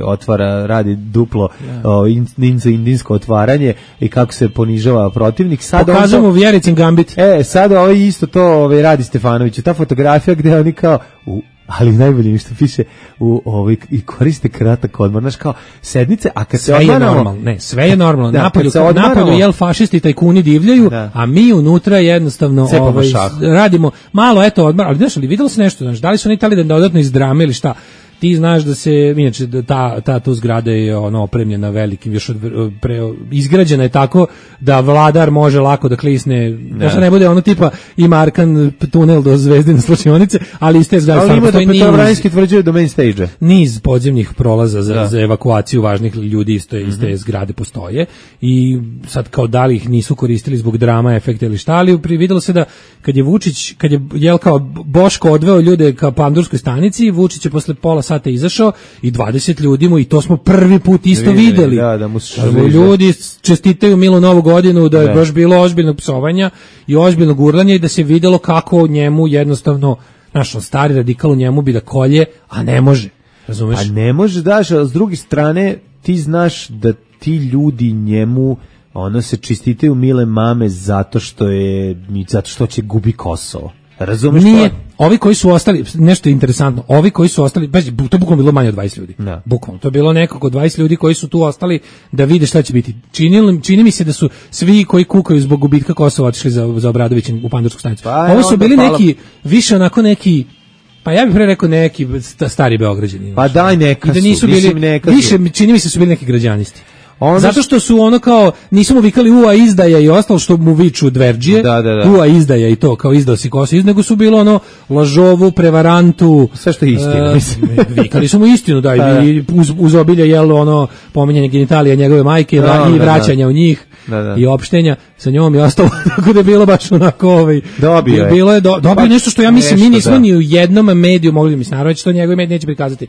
otvara, radi duplo indijsko otvaranje i kako se ponižava protivnik. Pokazujemo mu Vjericin gambit. Sad isto to radi Stefanović. Ta fotografija gde oni kao ali najbolje što piše i koriste kratak odmor, znaš, kao sednice, a kad sve se odmaramo... Sve je normalno. Napolju fašisti tajkuni divljaju, a mi unutra jednostavno radimo malo, odmar, ali znaš, ali vidjelo se nešto, znaš, da li su oni tali da dodatno iz drame ili šta? Ti znaš da se, inače, ta tu zgrada je opremljena velikim, još izgrađena je tako da vladar može lako da klisne, da se ne bude tipa ima Arkan tunel do Zvezdine slučionice, ali iz te zgrade stvarno postoji Petrovaradinski tvrđuje do main stage. Niz podzemnih prolaza za evakuaciju važnih ljudi iz te zgrade postoje i sad kao da li ih nisu koristili zbog drama, efekta ili šta, ali vidjelo se da kad je kao Boško odveo ljude ka Pandurskoj stanici, Vučić je posle pola sata izašao i 20 ljudi mu, i to smo prvi put isto videli. Da mu ljudi čestitaju Milu Novu godinu, da je baš bilo ozbiljnog psovanja i ozbiljnog urlanja i da se videlo kako njemu jednostavno, naš stari radikal u njemu bi da kolje, a ne može. Razumeš? A ne može, daš, a s druge strane ti znaš da ti ljudi njemu se čestitaju mile mame zato što će gubi Kosovo. Razumeš? Nije. Ovi koji su ostali, nešto je interesantno, ovi koji su ostali, to je bukvalno bilo manje od 20 ljudi. Da. Bukvalno, to je bilo nekako 20 ljudi koji su tu ostali da vide šta će biti. Čini mi se da su svi koji kukaju zbog gubitka Kosova otišli za Obradovića u Pandursku stanicu. Ovo su bili neki, više onako neki, pa ja bih pre rekao neki stari Beograđani. Pa daj neka da nisu bili, više čini mi se su bili neki građanisti. Zato što su ono kao, nisu mu vikali ua izdaja i ostalo što mu viču dverđije, ua izdaja i to, kao izdao si Kosovo, nego su bilo ono lažovu, prevarantu, sve što je istina. Vikali su mu istinu, i uz obilje jelo ono pominjanje genitalija njegove majke i vraćanja u njih i opštenja sa njom i ostalo, tako da je bilo baš onako dobio je nešto što ja mislim mi nismo ni u jednom mediju mogli, mislim naravno će to njegovi mediji neće prikazati,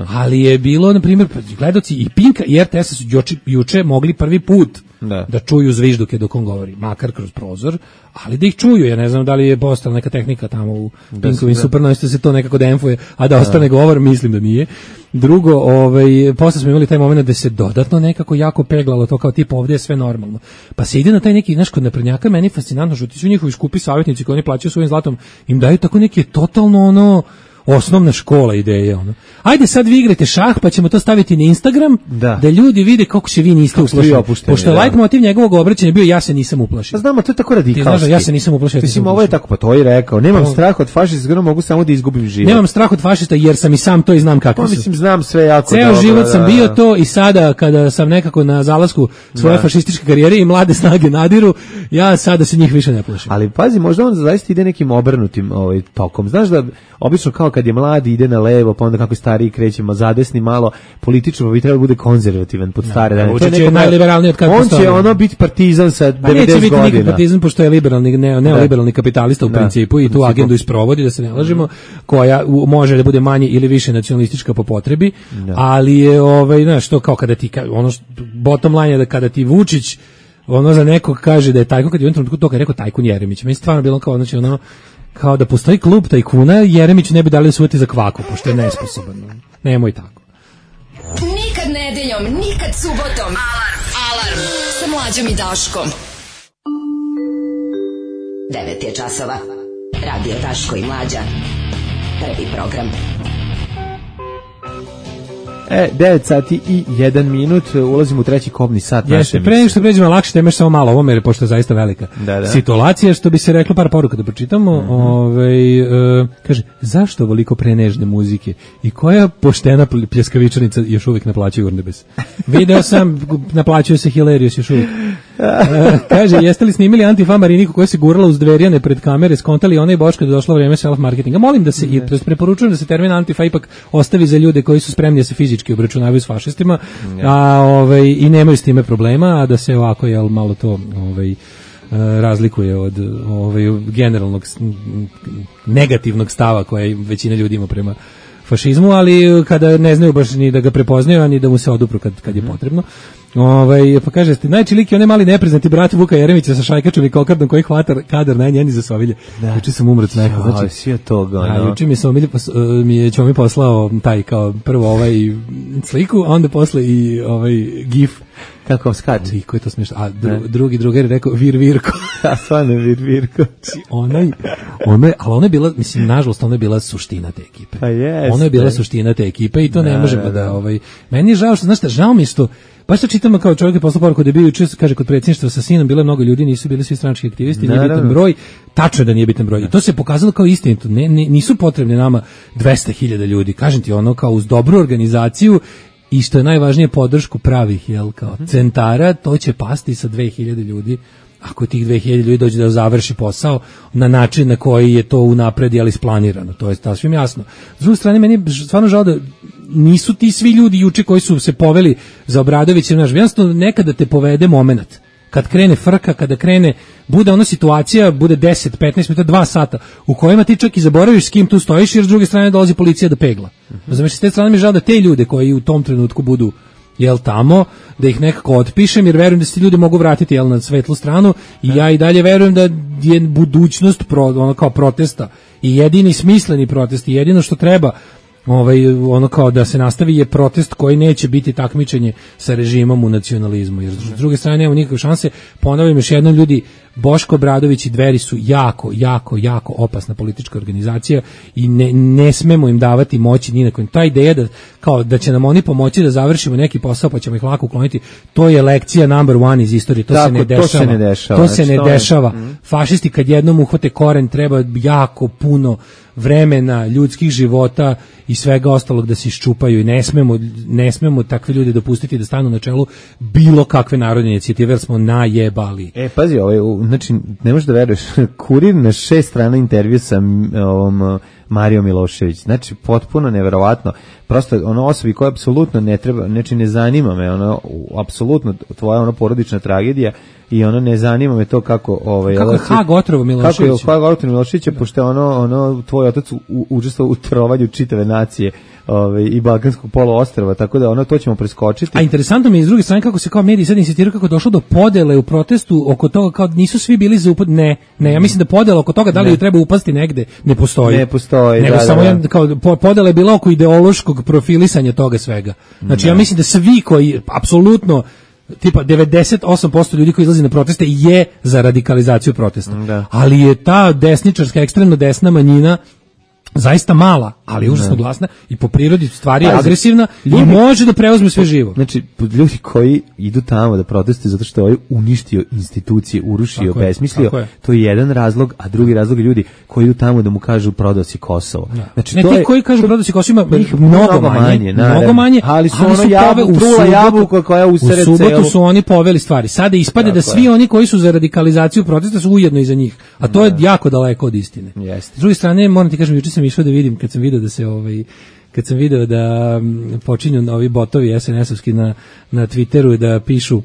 ali je bilo na primjer gledaoci i Pinka i RTS su juče mogli prvi put da čuju zvižduke dok on govori, makar kroz prozor, ali da ih čuju. Ja ne znam da li je postala neka tehnika tamo u Pinkovim Supernovistu da se to nekako demfuje, a da ostane govor, mislim da nije. Drugo, posle smo imali taj moment da se dodatno nekako jako peglalo to kao tipa ovdje je sve normalno. Pa se ide na taj neki, znaš, kod naprednjaka meni fascinantno što ti su njihovi skupi savjetnici koji oni plaćaju svojim zlatom, im daju tako neke totalno osnovna škola ideje, Ajde sad vi igrate šah, pa ćemo to staviti na Instagram, da ljudi vide kako se vi niste uplašili. Pošto je like motiv njegovog obraćanja bio ja se nisam uplašio. Pa znamo, to je tako radikalski. Ti znaš, ja se nisam uplašio. Mislim, ovo je tako, pa to je rekao. Nemam strah od fašista, mogu samo da izgubim život. Nemam strah od fašista jer sam i sam to i znam kako su. Mislim, znam sve jako dobro. Ceo život sam bio to i sada kada sam nekako na zalasku svoje fašističke karijere i mlade snage nadiru, ja sada se njih više ne plašim. Ali pazi, možda on zaista ide nekim obrnutim tokom. Znaš da obično kao kad je mladi ide na levo, pa onda kako je stariji krećemo zadesni malo, politično bi trebalo bude konzervativan pod stare dane. To je najliberalniji od kako on će biti partizan sa 90 godina. Neće biti nikad partizan pošto je neoliberalni kapitalista u principu i tu agendu isprovodi, da se ne lažemo, koja može da bude manje ili više nacionalistička po potrebi, ali je znaš, to kao kada ti bottom line je da kada ti Vučić za nekog kaže da je tajkun, kad je u jednom trenutku to kad je rekao tajkun Jeremić, meni stvarno bilo kao kao da postoji klub tajkuna, Jeremić ne bi dali usvojiti za kvaku, pošto je nesposoban. Nemoj tako. Nikad nedeljom, nikad subotom. Alarm sa Mlađom i Daškom. 9 je časova. Radio Daško i Mlađa. Prvi program. 9 sati i 1 minut, ulazimo u treći kobni sat naše emisije. Pre nego što pređemo lakše teme, samo malo ovo, jer pošto je zaista velika situacija, što bi se reklo, par poruka da pročitamo. Kaže, zašto ovoliko prenežne muzike i koja poštena pljeskavičanica još uvijek naplaćuje Urnebes? Video sam, naplaćuje se Hilarious još uvijek. Kaže, jeste li snimili Antifa Mariniku koja se gurala uz dverjane pred kamere, skontali ona i Boška da došlo vreme self-marketinga? Molim da se, preporučujem da se termin Antifa ipak ostavi za ljude koji su spremni da se fizički obračunavaju s fašistima, i nemaju s time problema, a da se ovako malo to razlikuje od generalnog negativnog stava koje većina ljudi ima prema fašizmu, ali kada ne znaju baš ni da ga prepoznaju, ani da mu se odupru kad je potrebno. Pa kaže, najči lik je onaj mali nepriznati brat Vuka Jeremića sa šajkačom i kokardom koji hvata kadar najnjeni za sovilje. Juče sam umrac neko. Juče mi je Ćomi poslao taj kao prvo sliku, a onda posle i gif. Kako skače? I koji je to smiješno? A drugi drugar je rekao Virvirko. A stvarno Virvirko. Ali ona je bila, mislim, nažalost, ona je bila suština te ekipe. Pa jest. Ona je bila suština te ekipe i to ne možemo da meni je žao što, znaš šta, žao mi je što baš to čitamo kao čovjek je poslao poruku da je bio juče, kaže, kod predsjedništva sa sinom bilo mnogo ljudi, nisu bili svi stranački aktivisti, nije bitan broj, tačno je da nije bitan broj. I to se pokazalo kao istinito. Nisu potrebne nama 200.000 ljudi. Kažem ti, kao uz dobru organizaciju i što je najvažnije podršku pravih centara, to će pasti sa 2.000 ljudi. Ako tih 2.000 ljudi dođe da završi posao na način na koji je to unapred isplanirano, to je sasvim jasno. S druge strane, meni je stvarno žao da nisu ti svi ljudi juče koji su se poveli za Obradovića, jednostavno nekada te povede moment. Kad krene frka, kada krene, bude ona situacija, bude 10, 15 minuta, 2 sata, u kojima ti čak i zaboraviš s kim tu stojiš, jer s druge strane dolazi policija da pegla. Znači, s te strane mi je žao da te ljude koji u tom trenutku budu tamo, da ih nekako otpišem, jer verujem da se ti ljudi mogu vratiti na svetlu stranu i ja i dalje verujem da je budućnost kao protesta i jedini smisleni protest i jedino što treba ono kao da se nastavi je protest koji neće biti takmičenje sa režimom u nacionalizmu, jer s druge strane nema nikakve šanse. Ponavljam još jednom, ljudi, Boško Obradović i Dveri su jako opasna politička organizacija i ne smemo im davati moći ni na kojem. Ta ideja da će nam oni pomoći da završimo neki posao pa ćemo ih lako ukloniti, to je lekcija number one iz istorije. To se ne dešava. Fašisti kad jednom uhvate koren, treba jako puno vremena, ljudskih života i svega ostalog da se iščupaju i ne smemo takve ljude dopustiti da stanu na čelu bilo kakve narodne inicijative, jer smo najebali. Pazi, znači, ne možeš da veruješ, Kurir na 6 strana intervju sa Marijom Milošević, znači potpuno neverovatno, prosto osobi koja apsolutno ne treba, znači ne zanima me, apsolutno tvoja porodična tragedija i ne zanima me to kako je Hag otrovo Milošević. Kako je Hag otrovo Milošević, pošto je tvoj otac učestvovao u trovanju čitave nacije i Balkanskog poluostrva, tako da to ćemo preskočiti. A interesantno mi je s druge strane kako se kao mediji sad insistiraju kako je došlo do podele u protestu oko toga, kao nisu svi bili za upad. Ne, ja mislim da podela oko toga da li ju treba upasti negde ne postoji. Nego samo kao podela je bila oko ideološkog profilisanja toga svega. Znači ja mislim da svi koji apsolutno tipa 98% ljudi koji izlazi na proteste je za radikalizaciju protesta. Ali je ta desničarska, ekstremno desna manjina zaista mala, ali užasno glasna i po prirodi stvari je agresivna i može da preuzme sve živo. Znači, ljudi koji idu tamo da protestuju zato što je uništio institucije, urušio, besmislio, to je jedan razlog, a drugi razlog je ljudi koji idu tamo da mu kažu prodao si Kosovo. Znači, ti koji kažu prodao si Kosovo ima mnogo manje, ali su trula jabuka koja usere celu. U subotu su oni poveli stvari. Sada ispade da svi oni koji su za radikalizaciju protesta su ujedno iza njih, a to je jako daleko od istine. S druge strane, moram ti kažem, juče sam išao da vidim kad sam video da počinju ovi botovi SNS-ovski na Twitteru da pišu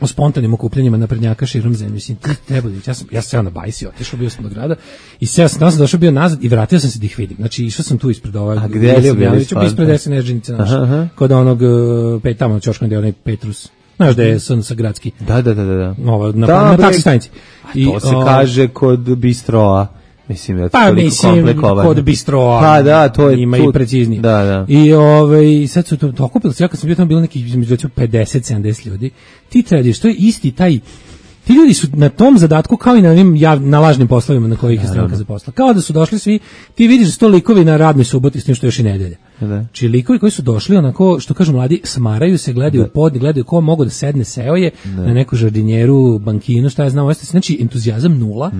o spontanim okupljanjima naprednjaka širom zemlje. Mislim, ti treba da ja sam seo na bajsi, otišao bio sam do grada i seo sam, došao bio nazad i vratio sam se da ih vidim. Znači, išao sam tu ispred ovog. A gde je bio ispred SNS ženice naše. Kod onog, tamo na Ćoškom gde je onaj Petrus. Znaš da je sa gradski. Da. Na taksi stanici. To se kaže kod Bistroa. Mislim da kod Bistroa. Pa da, to je ima i preciznije. Da. I sad su to okupili, ja kad sam bio tamo bilo neki između 50-70 ljudi. Ti tradiš, to je isti taj. Ti ljudi su na tom zadatku kao i na ovim na lažnim poslovima na kojih je stranka zaposlila. Kao da su došli svi, ti vidiš 100 likovi na radnoj suboti s tim što još i nedelja. Či likovi koji su došli onako, što kažu mladi, smaraju se, gledaju u pod, gledaju ko mogu da sedne, seo je na neku žardinjeru, bankinu, šta ja znam, znači entuzijazam nula,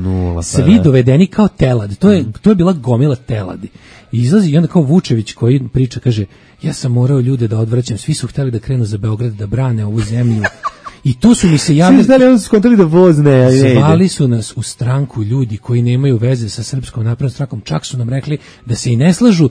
svi dovedeni kao telad, to je bila gomila teladi. I izlazi i onda kao Vučević koji priča, kaže, ja sam morao ljude da odvraćam, svi su hteli da krenu za Beograd, da brane ovu zemlju. I to su mi se javili. Svi znali, oni su skontali da voz ne. Zvali su nas u stranku ljudi koji nemaju veze sa Srpskom naprednom strankom. Čak su nam rekli da se i ne slažu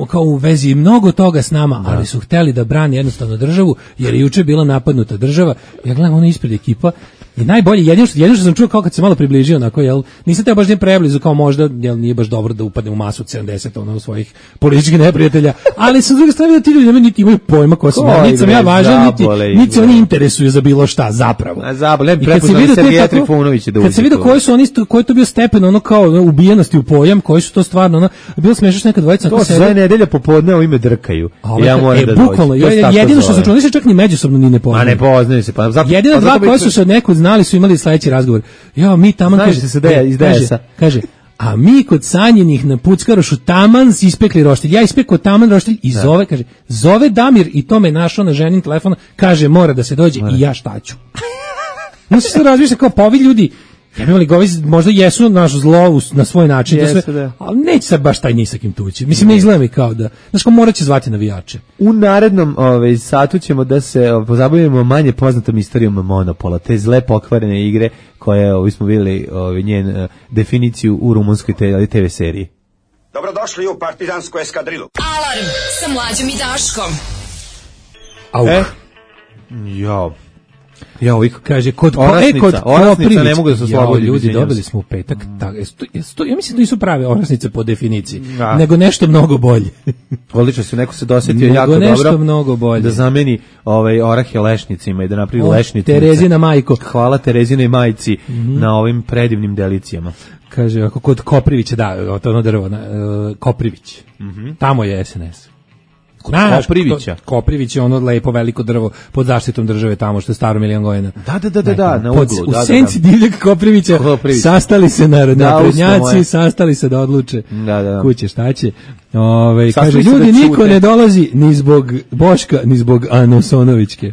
kao u vezi mnogo toga s nama, ali su hteli da brani jednostavno državu, jer je juče bila napadnuta država. Ja gledam ono ispred ekipa i najbolje, jedino što sam čuo kao kad se malo približio, onako, jel, nisam te baš nije preblizu, kao možda, jel, nije baš dobro da upadne u masu od 70 u svojih političkih neprijatelja, ali sa druge strane da ti ljudi niti imaju pojma ko sam ja, niti sam ja važan, niti se oni interesuju za bilo šta zapravo. I kad se vidio koji je to bio stepen, ono kao ubijenosti u pojam, koji su to stvarno, ono, bilo smiješno neka dvojica. To se zove nedelja popodne, o ime drkaju. Ja moram da dođem. Jedino što se čuli, se čak ni međusobno ni ne poznaju. A ne poznaju se, pa zato. Jedino dva koji su se od nekud znali su imali sledeći razgovor. Ja, mi tamo kaže, a mi kod Sanjenih na Puckarošu taman ispekli roštilj. Ja ispekao taman roštilj i zove Damir i to me našao na ženin telefon, kaže mora da se dođe i ja šta ću. No se razmišlja kao pa ovi ljudi, ja bi imali govi, možda jesu naš zlo na svoj način, ali neće sad baš taj nisakim tući. Mislim, ne izgleda mi kao da, znaš ko morat će zvati navijače. U narednom satu ćemo da se pozabavimo manje poznatom istorijom Monopola, te zle pokvarene igre koje smo vidjeli njen definiciju u rumunskoj TV seriji. Dobrodošli u partizansku eskadrilu. Alarm sa Mlađom i Daškom. Ja. Ja ovih kaže kod orasnica ne mogu da se oslobodi. Ljudi dobili smo u petak, ja mislim da nisu prave orasnice po definiciji, nego nešto mnogo bolje. Odlično se neko se dosetio jako dobro. Mnogo bolje. Da zameni orahe lešnicima i da napravi lešnice. Terezina majko. Hvala Terezinoj majci na ovim predivnim delicijama. Kaže ako kod Koprivića, da, ono drvo, Koprivić. Tamo je SNS. Koprivića. Koprivić je ono lepo veliko drvo pod zaštitom države tamo što je staro milion godina. Da, na uglu. U senci divljeg Koprivića sastali se naprednjaci, sastali se da odluče kuće šta će. Kaže, ljudi, niko ne dolazi ni zbog Boška, ni zbog Ana Sonovićke.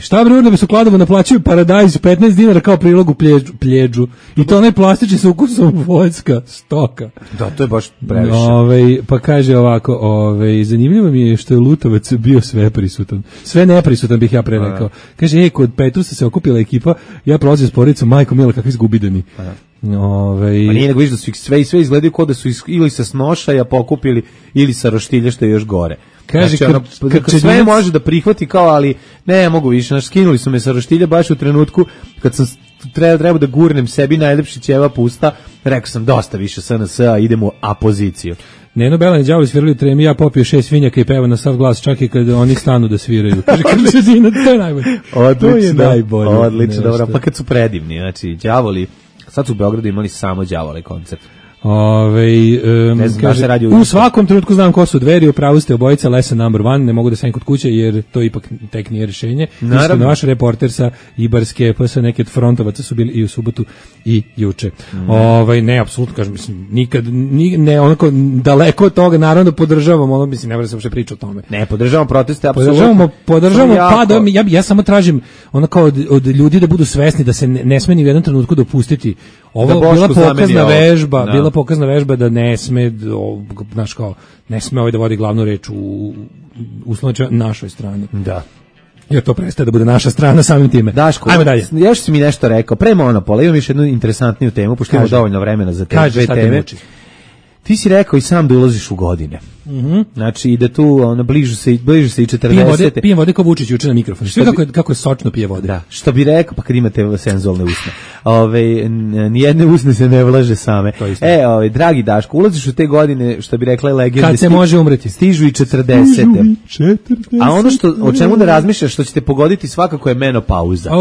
Šta bre, da bi su Kladovo naplaćuju paradajz 15 dinara kao prilog u pljeđu. I to onaj plastični sa ukusom voljska stoka. Da, to je baš previše. Pa kaže ovako, zanimljivo mi je što je Lutovac bio sve prisutan. Sve neprisutan bih ja pre rekao. Kaže, kod Petrusa se okupila ekipa, ja prolazim s porodicom, majko mila, kakvi zgubidani. Pa nije nego viš da su ih sve izgledaju kao da su ili sa Snošaja pokupili ili sa Roštilja što je još gore. Kaže, znači, sve može da prihvati kao, ali ne mogu više, skinuli su me sa Roštilja baš u trenutku kad sam treba da gurnem sebi najlepši ćevap usta, rekao sam dosta više SNS-a, idemo u apoziciju. Neno Belani đavoli svirali u Tremi, ja popio 6 svinjaka i peva na sav glas, čak i kad oni stanu da sviraju. Kaže, to je najbolje. Odlično, dobro, pa kad su predivni, znači, đavoli, sad su u Beogradu imali samo đavole koncert. Kaže, u svakom trenutku znam ko su Dveri, upravo ste obojica, lesson number one, ne mogu da sam kod kuće jer to ipak tek nije rješenje. Naravno. Vaš reporter sa Ibarske, pa sa neke od frontovaca su bili i u subotu i juče. Ne, apsolutno, kažem, mislim, nikad, ne, onako, daleko od toga, naravno podržavam, mislim, ne mora se uopšte priča o tome. Ne, podržavamo proteste, apsolutno. Podržavamo, ja samo tražim, onako, od ljudi da budu svesni da se ne sme ni u jednom trenutku dopustiti. Ovo bila pokazna vežba, da ne sme, znaš kao, ne sme da vodi glavnu reč u uslovno našoj strani. Da. Jer to prestaje da bude naša strana samim time. Daško, ajmo dalje. Još si mi nešto rekao, pre Monopola, imam još jednu interesantniju temu, pošto imamo dovoljno vremena za te dve teme. Ti si rekao i sam da ulaziš u godine. Znači, i da tu bliže se i 40. Pijem vode kao Vučić juče na mikrofon. Sve kako je sočno pije vode. Da, što bi rekao, pa kad imate senzualne usne. Nijedne usne se ne vlaže same. Dragi Daško, ulaziš u te godine, što bi rekla legenda. Kad se može umreti. Stižu i 40. A ono o čemu da razmišljaš, što ćete pogoditi svakako je menopauza.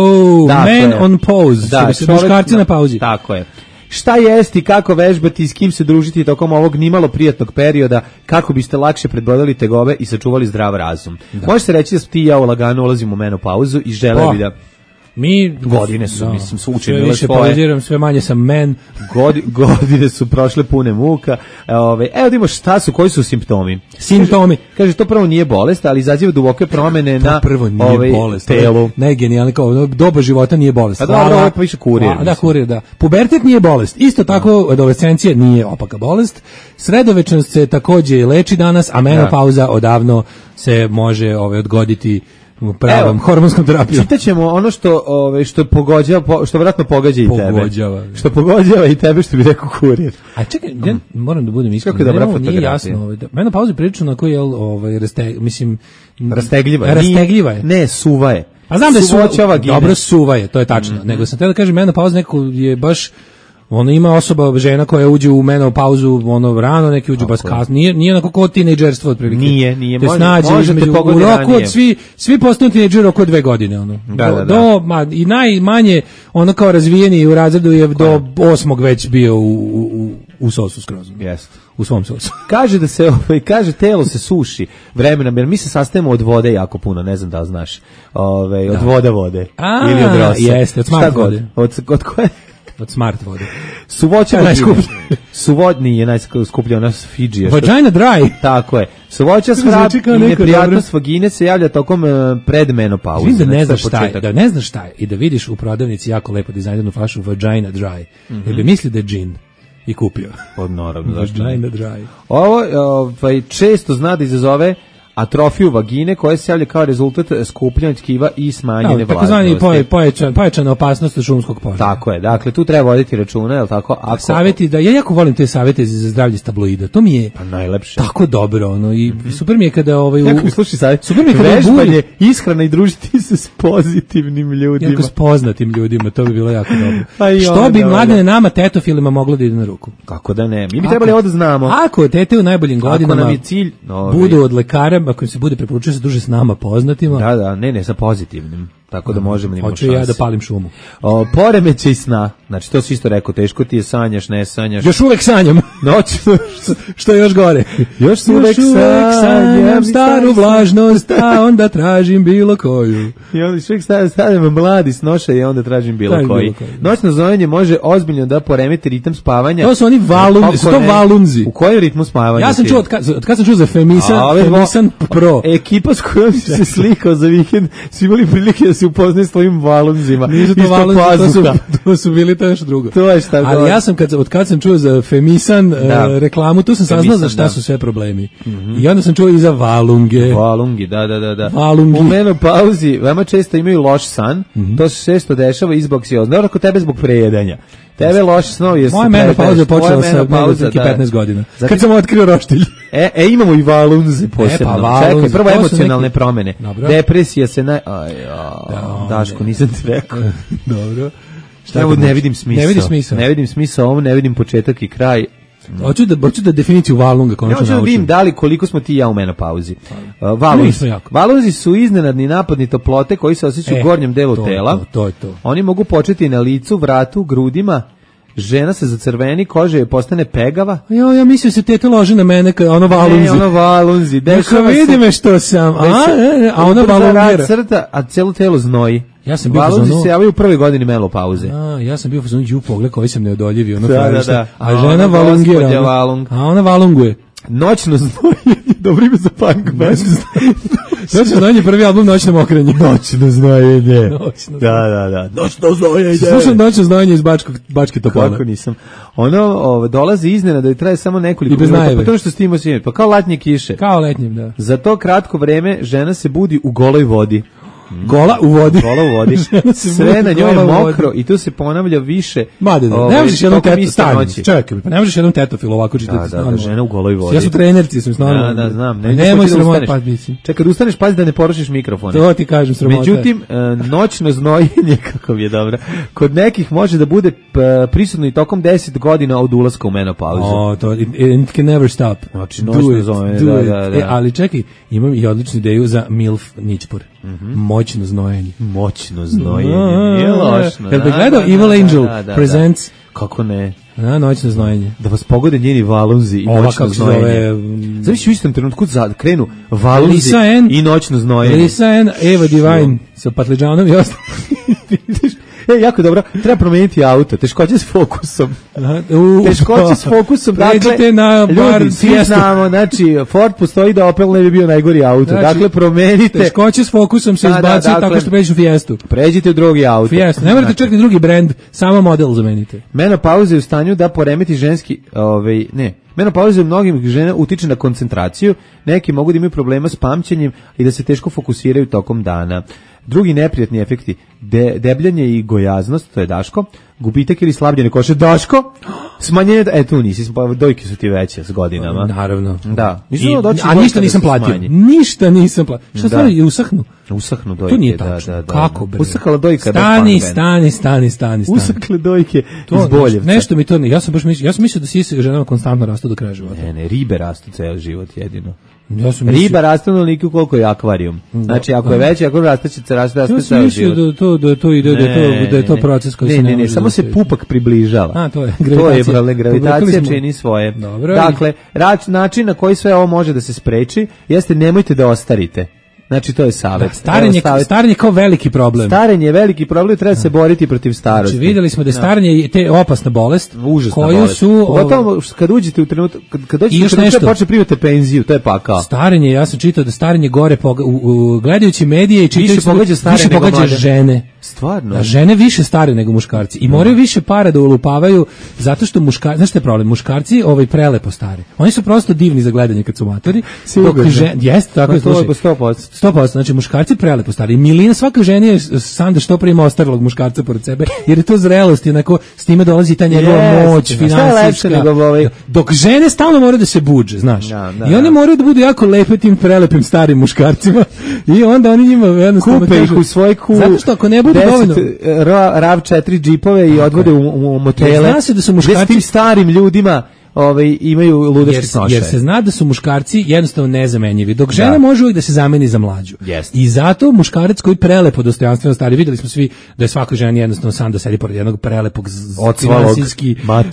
Man on pause. Da, muškarci na pauzi. Tako je. Šta jesti, kako vežbati i s kim se družiti tokom ovog nimalo prijatnog perioda, kako biste lakše predbrodili tegobe i sačuvali zdrav razum. Može se reći da ti i ja lagano ulazimo u menopauzu i žele bi da... Godine su, mislim, su učinile svoje. Sve više pauziram, sve manje sam men. Godine su prošle pune muka. Evo da imamo koji su simptomi. Kaže, to prvo nije bolest, ali izaziva duboke promene na telu. Najgenijalno, kao doba života nije bolest. A dobro, ovo pa više kurir. Da, kurir, da. Pubertet nije bolest. Isto tako, adolescencija nije opaka bolest. Sredovečnost se takođe leči danas, a menopauza odavno se može odgoditi pravom hormonskom terapijom. Čitaćemo ono što pogođava, što vjerojatno pogađa i tebe. Što pogođava i tebe, što bi rekao kurir. A čekaj, ja moram da budem iskren. Kako je dobra fotografija. Nije jasno. Menopauza je prilično onako, rastegljiva je. Ne, suva je. A znam da je dobro suva je, to je tačno. Nego sam teo da kažem, menopauza neko je baš... ima osoba, žena koja uđe u menopauzu rano, neki uđu baš kasno. Nije onako kao tinejdžerstvo otprilike. Nije. Možete pogoditi ranije. Svi postanu tinejdžeri oko 2 godine. I najmanje, kao razvijeni u razredu je do 8. već bio u sosu skroz. Jeste. U svom sosu. Kaže da se, telo se suši vremenom, jer mi se sastajemo od vode jako puno, ne znam da li znaš. Od vode. Ili od rosa. Jeste, od smart vode. Od koje? Od smart vode. Suvoća Suvodni je najskuplja, ona Fidži. Vagina dry. Tako je. Suvoća svrab i neprijatnost vagine se javlja tokom predmenopauze. Vidim da ne znaš šta je i da vidiš u prodavnici jako lepo dizajniranu flašu Vagina dry. Jer bi misli da je džin i kupio. Naravno, zašto Vagina dry. Ovo često zna da izazove atrofiju vagine koja se javlja kao rezultat skupljanja tkiva i smanjene vlažnosti. Takozvani pojačana opasnost od šumskog požara. Tako je, dakle tu treba voditi računa, je li tako? Ako... Savjeti, da ja jako volim te savjete za zdravlje tabloida, to mi je najlepše. Tako dobro, ono, i super mi je kada jako mi sluši savjet, super mi je kada vežbanje, ishrana i družiti se s pozitivnim ljudima. Jako s poznatim ljudima, to bi bilo jako dobro. Što bi mladene nama tetofilima moglo da ide na ruku? Kako da ne? Mi bi trebali ovo da znamo. Ako tete u najboljim godinama nam je cilj, budu od lekara, ako im se bude preporučio se duže s nama poznatima. Da, ne, sa pozitivnim. Tako da možemo da imamo šanse. Hoću ja da palim šumu. Poremećaj sna. Znači, to si isto rekao, teško ti je, sanjaš, ne sanjaš. Još uvek sanjam. Noćno. Što je još gore? Još uvek sanjam staru vlažnost, a onda tražim bilo koju. I onda uvek stavljam mladi snoša i onda tražim bilo koji. Noćno znojenje može ozbiljno da poremeti ritam spavanja. To su oni valunzi. U kojem ritmu spavanja? Ja sam čuo, kad sam čuo za Femisan Pro. Ekipa s kojom si se slikao za vikend, su imali prilike da se upoznaje s tvojim valunzima. Nisu to valunzi, to su bili to još drugo. To je šta. Ali ja sam, kad sam čuo za Femisan reklamu, tu sam saznao za šta su sve problemi. I onda sam čuo i za valunge. Valungi, da. Valungi. U menopauzi veoma često imaju loš san, to se često dešava i zbog si oznao, kod tebe zbog prejedanja. Tebe loši snovi jesu. Moja menopauza je počela sa 15 godina. Kad sam otkrio roštilj. Imamo i valunze posebno. Čekaj, prvo emocionalne promene. Depresija se Daško, nisam ti rekao. Dobro. Ne vidim smisao. Ne vidim smisao ovom, ne vidim početak i kraj. Hoću da definiciju valunga konačno naučim. Ja hoću da vidim da li koliko smo ti i ja u menopauzi. Valunzi su iznenadni napadni toplote koji se osjećaju u gornjem delu tela. To. Oni mogu početi na licu, vratu, grudima. Žena se zacrveni, koža je postane pegava. Ja mislim se tete loži na mene ono valunzi. Ne, ono valunzi. Neka vidi me što sam. A ona valungira. Crta, a celo telo znoji. Ja sam bio valunzi se javaju u prvoj godini menopauze. Ja sam bio u pogled koji sam neodoljivi. Da. A žena valungira. A ona valunguje. Noćno znojenje, dobro ime za punk band. Noćno znojenje, prvi album Noćno mokrenje. Noćno znojenje. Da. Noćno znojenje. Slušam Noćno znojenje iz Bačke Topole. Kako nisam. Ono dolazi iznenada i traje samo nekoliko minuta. Pa to što s tim osjećam, pa kao letnje kiše. Kao letnjem, da. Za to kratko vreme žena se budi u goloj vodi. Gola u vodi. Sve na njoj je mokro i tu se ponavlja više. Ne možeš jednom ne možeš jednom tetofil ovako čitati. Da, žena u goloj vodi. Ja su trenerci, sam stvarno. Da, znam. Nemoj sramota pa biti. Čekaj, da ustaneš, pazi da ne porušiš mikrofon. To ti kažem, sramota. Međutim, noćno znojenje, kako je dobro, kod nekih može da bude prisutno i tokom 10 godina od ulaska u menopauzu. To it can never stop. Znači, noćno znojenje, da. Ali čekaj, imam i odličnu ideju za MILF Ničpor. Moćno znojenje. Nije lošno. Jel bi gledao Evil Angel Presents? Kako ne? Noćno znojenje. Da vas pogode njeni valunzi i noćno znojenje. Zaviš u istom trenutku krenu valunzi i noćno znojenje. Lisa N, Eva Divine sa patliđanom i ostalo. Jako dobro, treba promijeniti auto, teškoće s fokusom. Dakle, na ljudi, svi znamo, znači, Ford postoji da Opel ne bi bio najgori auto. Dakle, promenite. Teškoće s fokusom se izbaci tako što pređeš u Fiestu. Pređite u drugi auto. Fiesta, ne morate čekati drugi brend, samo model zamenite. Menopauza je u stanju da poremeti ženski, menopauza u mnogim žena utiče na koncentraciju, neki mogu da imaju problema s pamćenjem i da se teško fokusiraju tokom dana. Drugi neprijatni efekti, debljanje i gojaznost, to je Daško, gubitak ili slabljenje kože, Daško, smanjenje, tu nisi, dojke su ti veće s godinama. Naravno. Da. A ništa nisam platio. Ništa nisam platio. Šta stvari, usahnu dojke. To nije tačno. Kako bre? Usahla dojka. Stani. Usahle dojke iz Boljevca. Nešto mi to ne, ja sam mislio da sise ženama konstantno rastu do kraja života. Ne, ribe rastu ceo život jedino. Riba raste onoliko koliko je akvarijum. Znači, ako je veći, ako raste će ceo život. Ja sam mislio da je to proces koji se ne, samo se pupak približava. To je gravitacija čini svoje. Dakle, način na koji sve ovo može da se spreči jeste nemojte da ostarite. Znači, to je savjet. Starenje kao veliki problem. Starenje je veliki problem, treba se boriti protiv starosti. Znači, vidjeli smo da je starenje te opasna bolest. Užasna koju bolest. Pogotovo kad uđete u trenutak, kad dođete u trenutak počne primati penziju, to je pakao. Starenje, ja sam čitao da starenje gore, gledajući medije i čitajući više pogađa žene. Stvarno? Da žene više stare nego muškarci i moraju više para da ulupavaju zato što muškarci, znaš šta je problem? Muškarci prelepo stare. Oni su prosto divni za gledanje kad su matori. Jeste, tako je, slušaj. 100%, znači muškarci prelepo stari. Milina, svaka žena je sanda što prima ostarelog muškarca pored sebe, jer je to zrelost, onako s time dolazi ta njegova moć, finansijska. Dok žene stalno moraju da se budže, znaš. I one moraju da budu jako lepe tim prelepim starim muškarcima i onda oni njima jednostavno kupe ih u svoj kul. Zato što ako ne budu dovoljno RAV4 džipove i odvode u motele. Zna se da su muškarci tim starim ljudima imaju ludački snošaje. Jer se zna da su muškarci jednostavno nezamenjivi, dok žena može uvijek da se zameni za mlađu. I zato muškarac koji prelepo dostojanstveno stari, videli smo svi da je svaka žena jednostavno sam da sedi pored jednog prelepog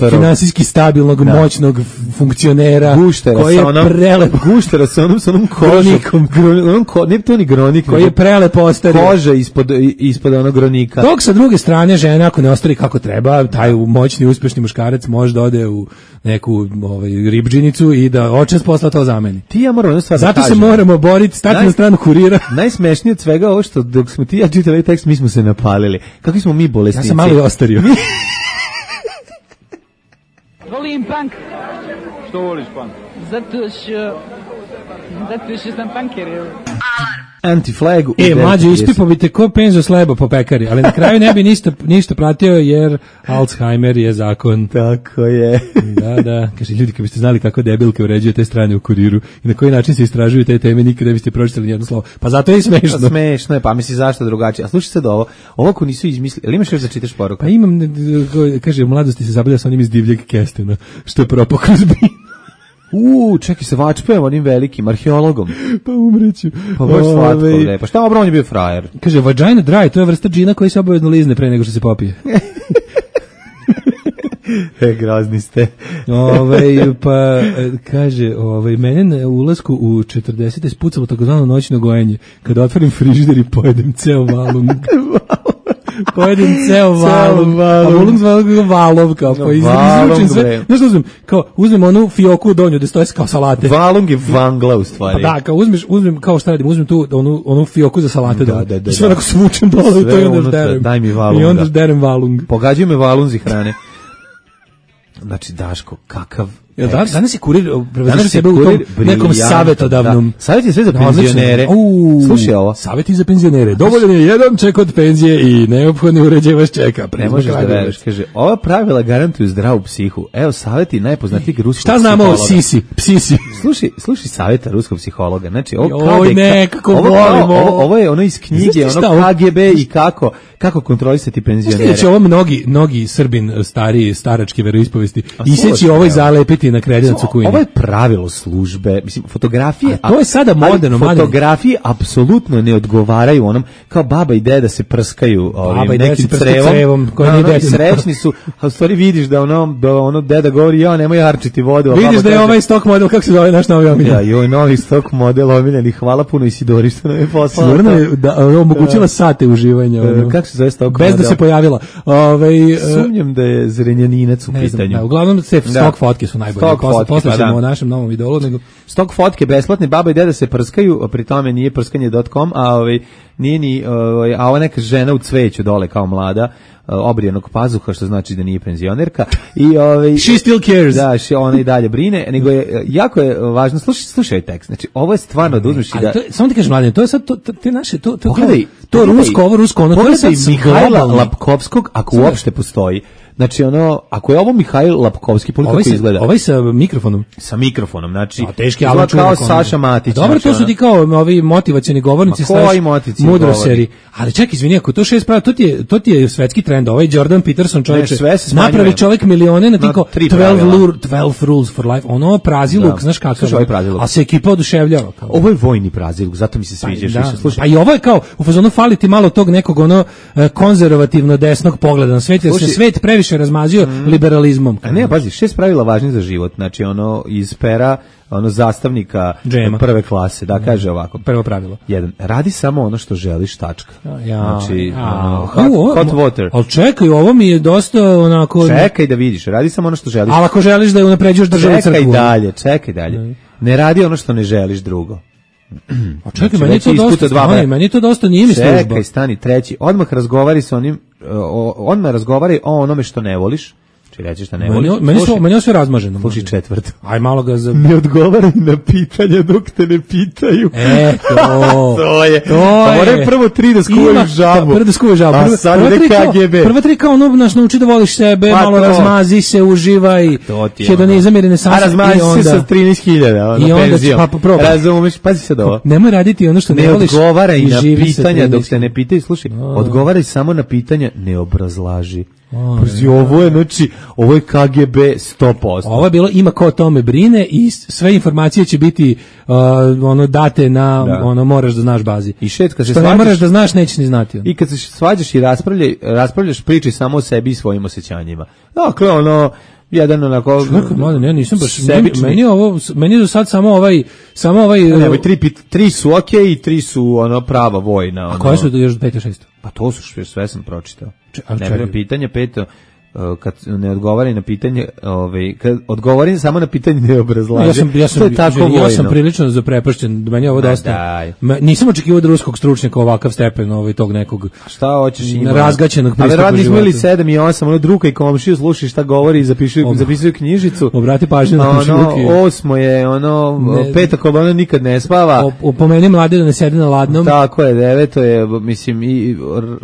finansijski stabilnog, moćnog funkcionera koji je prelep. Guštera sa onom kronikom. Nije to ni kronik. Koji je prelep ostario. Koža ispod onog kronika. Dok sa druge strane žena ako ne ostari kako treba, taj moćni, uspješni muškarac može da ode u neku ribdžinicu i da očas posla to zameni. Zato se moramo boriti, stati na stranu kurira. Najsmešnije od svega ovo što dok smo ti ja čitali ovaj tekst, mi smo se napalili. Kakvi smo mi bolesnici? Ja sam malo i ostario. Volim punk. Što voliš punk? Zato što sam punker. Anti-flag. Mlađe, ispipao bi te ko penzo slebo po pekari, ali na kraju ne bi ništa platio jer Alzheimer je zakon. Tako je. Da. Kaže, ljudi, kad biste znali kako debilke uređuje te strane u kuriru i na koji način se istražuju te teme, nikada ne biste pročitali nijedno slovo. Pa zato je i smešno. Smešno je, pa misli zašto drugačije. A slušaj sad ovo ako nisu izmislili, ali imaš još da čitaš poruku? Pa imam, kaže, u mladosti se zabavlja sa onim iz divljeg kestena, što je propao kroz bin. Čekaj se vačpujem onim velikim arheologom. Pa umreću. Pa baš slatko, ne. Pa šta obro, on je bio frajer. Kaže, vagina dry, to je vrsta džina koji se obavezno lizne pre nego što se popije. Grozni ste. Pa kaže, mene na ulasku u 40. spucalo takozvano noćno gojenje. Kada otvorim frižider i pojedem ceo valum. Pojedem ceo valum. A valum zvalo valov, kao pa izručim sve. Znaš što uzmem? Kao, uzmem onu fioku u donju, gde stoje kao salate. Valung je vangla u stvari. Pa da, kao uzmem, kao šta radim, uzmem tu onu fioku za salate dole. I sve onako svučem dole i to i onda derem. Daj mi valung. I onda derem valung. Pogađaju me valunzi hrane. Znači, Daško, kakav... Danas je kurir prevezio sebe u tom nekom savjetodavnom. Savjet je sve za penzionere. Slušaj ovo. Savjeti za penzionere. Dovoljan je jedan ček od penzije i neophodni uređaj vas čeka. Ne možeš da veruješ. Kaže, ova pravila garantuju zdravu psihu. Evo savjeti najpoznatijeg ruskog psihologa. Šta znamo o psisi? Slušaj savjeta ruskog psihologa. Znači, ovo je ono iz knjige, ono KGB i kako kontrolisati penzionere. Znači, ovo mnogi Srbin staračke veroispovesti iseći ovo i zalepiti na kredinac u kujini. Ovo je pravilo službe, mislim, fotografije... A to je sada moderno. Fotografije apsolutno ne odgovaraju onom, kao baba i deda se prskaju nekim crevom. Srećni su, a u stvari vidiš da ono deda govori, ja, nemoj harčiti vodu. Vidiš da je ovaj stok model, kako se zove naš novi omiljen? Ja, i ovaj novi stok model omiljeni, hvala puno Isidori što nam je poslala. Sigurno je da omogućila sate uživanja. Kako se zove stok model? Bez da se pojavila. Sumnjam da je Zrenjaninac u pitanju. Uglavnom se stok fotke su najbolje. Posle ćemo o našem novom idolu. Stok fotke besplatne, baba i deda se prskaju, pri tome nije prskanje.com, nije ni, a ova neka žena u cveću dole kao mlada, obrijenog pazuha, što znači da nije penzionerka. She still cares. Da, ona i dalje brine, nego je, jako je važno, slušaj tekst, znači ovo je stvarno da uzmeš i da... Samo ti kažem, mladen, to je sad, te naše, pogledaj, to rusko, ovo rusko, ono, pogledaj Mihajla Lapkovskog, ako uopšte postoji. Znači ako je ovo Mihajl Lapkovski, kako izgleda? Ovaj sa mikrofonom. Sa mikrofonom, znači teški Alan kao Saša Matić. Dobro, to su ti kao ovi motivacioni govornici, mudroseri. Ali čekaj, izvini, ako to 6 pravi, to ti je svetski trend. Ovaj Jordan Peterson, čovječe, napravi čovjek milione na tiko 12 rules for life. Ono praziluk, znaš kakav. A se ekipa oduševljava. Ovo je vojni praziluk, zato mi se sviđa. Pa i ovo je kao, u fazonu fali ti malo tog nekog konzervativno desnog pogleda na svet, jer se svet previše razmazio liberalizmom. A ne, pazi, 6 pravila važnih za život. Znači, iz pera, zastavnika prve klase, da kaže ovako. Prvo pravilo. 1. Radi samo ono što želiš, tačka. Znači, hot water. Ali čekaj, ovo mi je dosta onako... Čekaj da vidiš, radi samo ono što želiš. Ali ako želiš da unapređuješ državu crkvu. Čekaj dalje. Ne radi ono što ne želiš drugo. A čekaj, meni je to dosta nije mi služba. Čekaj, stani, treći. Odmah razgovari sa onim, odmah razgovari o onome što ne voliš. Či reći šta ne voliš. Meni je sve razmaženo. Sluši četvrto. Aj malo ga za... Ne odgovaraj na pitanja dok te ne pitaju. To je. Pa moraju prvo 3 da skuvaju žabu. Prvo da skuvaju žabu. A sad ide KGB. Prva 3 kao ono nas nauči da voliš sebe, pa malo razmazi se, uživaj. Hedonizam i renesansa. A razmazi se sa 13.000. I onda pa probaj. Razumeš, pazi sad ovo. Nemoj raditi ono što ne voliš. Ne odgovaraj na pitanja dok te ne pitaju. Slušaj, odgovaraj samo na pitanja, ne obrazlaži. Ovo je, znači, ovo je KGB 100%. Ovo je bilo ima ko o tome brine i sve informacije će biti date na moraš da znaš bazi. I kad se što ne moraš da znaš, nećeš ni znati. I kad se svađaš i raspravljaš, priči samo o sebi i svojim osjećanjima. Dakle, jedan onako ne, nisam baš meni je do sad samo ovaj tri su okej i 3 su prava vojna. A koje su još 5 i 6? Pa to su sve sam pročitao. Ne pitanje 5, kad ne odgovori na pitanje, kad odgovori samo na pitanje ne obrazlaže. Ja sam prilično zaprepašćen, meni je ovo dosta. Nisam očekivao od ruskog stručnjaka ovakav stepen tog nekog. Šta hoćeš razgaćenog pristupa životu. Ali nismo imali 7 i 8, druga i komšiju sluši šta govori i zapisuju knjižicu. Obrati pažnju na komšiluke. 8 je peta kolona nikad ne spava. Pomeni mlade da ne sede na ladnom. Tako je, 9 je, mislim, i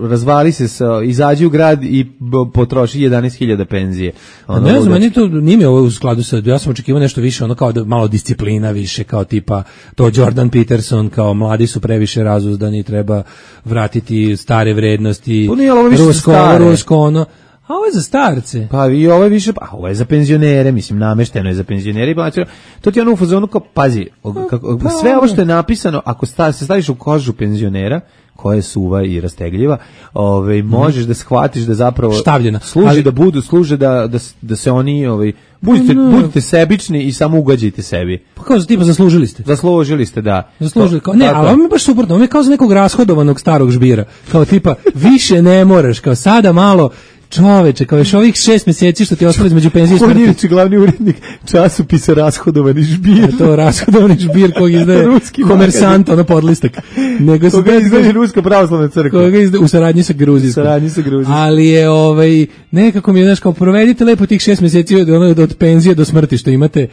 razvali se, izađi u grad i potroši 11.000 penzije. Ne znam, meni to nije ovo u skladu sa, ja sam očekivao nešto više, kao da malo disciplina više, kao tipa to Jordan Peterson, kao mladi su previše razuzdani, treba vratiti stare vrednosti, rusko, a ovo je za starce. Pa i ovo je više, ovo je za penzionere, mislim, namešteno je za penzionere. To ti je u fazonu kao, pazi, sve ovo što je napisano, ako se staviš u kožu penzionera, koja je suva i rastegljiva, možeš da shvatiš da zapravo štavljena. Služe da se oni, budite sebični i samo ugađajte sebi. Pa kao tipa zaslužili ste. Zaslužili ste, da. Zaslužili, ali ovo mi je baš suprotno, ovo je kao za nekog rashodovanog starog žbira. Kao tipa, više ne moraš, kao sada malo, čoveče, kao još ovih 6 mjeseci što ti ostalo između penzije i smrti. On je glavni urednik časopisa Rashodovani žbir. To rashodovani žbir kojeg izdaje Komersant, podlistak. Nego koga izdaje Ruska pravoslavna crkva. Koga izdaje u saradnji sa Gruzijskom. Ali je nekako mi je, kao provedite lepo tih 6 mjeseci od penzije do smrti što imate.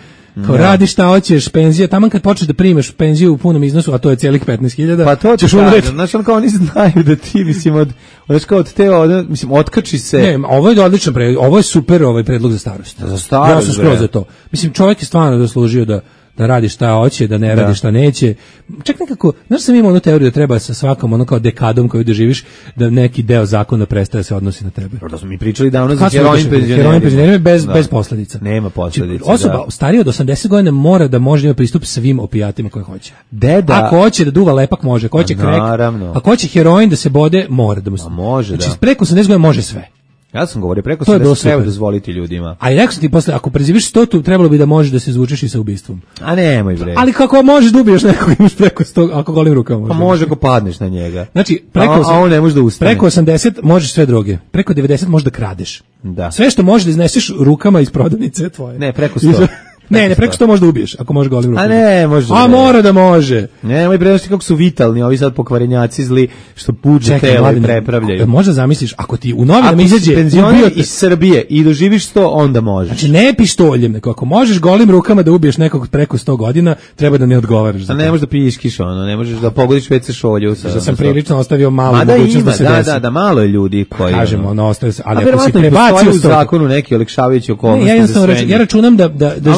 Kao radiš šta hoćeš, penzija, taman kad počneš da primeš penziju u punom iznosu, a to je cijelih 15.000. Pa to ćeš umreti. Znači, kao oni znaju da ti, mislim, otkači se. Ne, ovo je odličan predlog, ovo je super predlog za starost. Za starost, ja sam skroz za to. Mislim, čovjek je stvarno zaslužio da radi šta hoće, da ne radi šta neće. Čak nekako, znaš sam imao onu teoriju da treba sa svakom kao dekadom koju doživiš, da neki deo zakona prestaje se odnosi na tebe. Da smo mi pričali davno za herojnim penzionerima bez posljedica. Nema posljedica. Osoba starija od 80 godina mora da može imati pristup svim opijatima koje hoće. Deda. Ako hoće da duva lepak može, ako hoće krek, ako hoće heroin da se bode, mora da mu se. Može, znači, preko 80 godina može sve. Ja sam govorio, preko 80 treba dozvoliti ljudima. A rekao sam ti posle, ako preživiš 100, trebalo bi da možeš da se izvučeš i sa ubistvom. A nemoj bre. Ali kako možeš da ubiješ nekog, imaš preko 100, ako golim rukama možeš. Pa može ako padneš na njega. Znači, on ne može da ustane. Preko 80 možeš sve droge, preko 90 možeš da kradeš. Da. Sve što možeš da izneseš rukama iz prodavnice je tvoje. Ne, preko 100. Ne, preko 100 može da ubiješ, ako može golim rukama. A ne, može. A mora da može. Nemoj prenošti kako su vitalni, ovi sad pokvarenjaci zli, što puđe telo i prepravljaju. Možda zamisliš, ako ti u novinama izađe penzioner iz Srbije i doživiš 100, onda možeš. Znači ne pištoljem, nego ako možeš golim rukama da ubiješ nekog preko 100 godina, treba da ne odgovaraš za to. A ne možeš da piškiš ne možeš da pogodiš WC šolju. Da sam prilično ostavio malo mogućnost da se desi. Da, malo je ljudi koji... Kažemo, ostaje se, ali ako si prebacio u zakonu neki olakšavajući okolnosti za sve. Ja računam da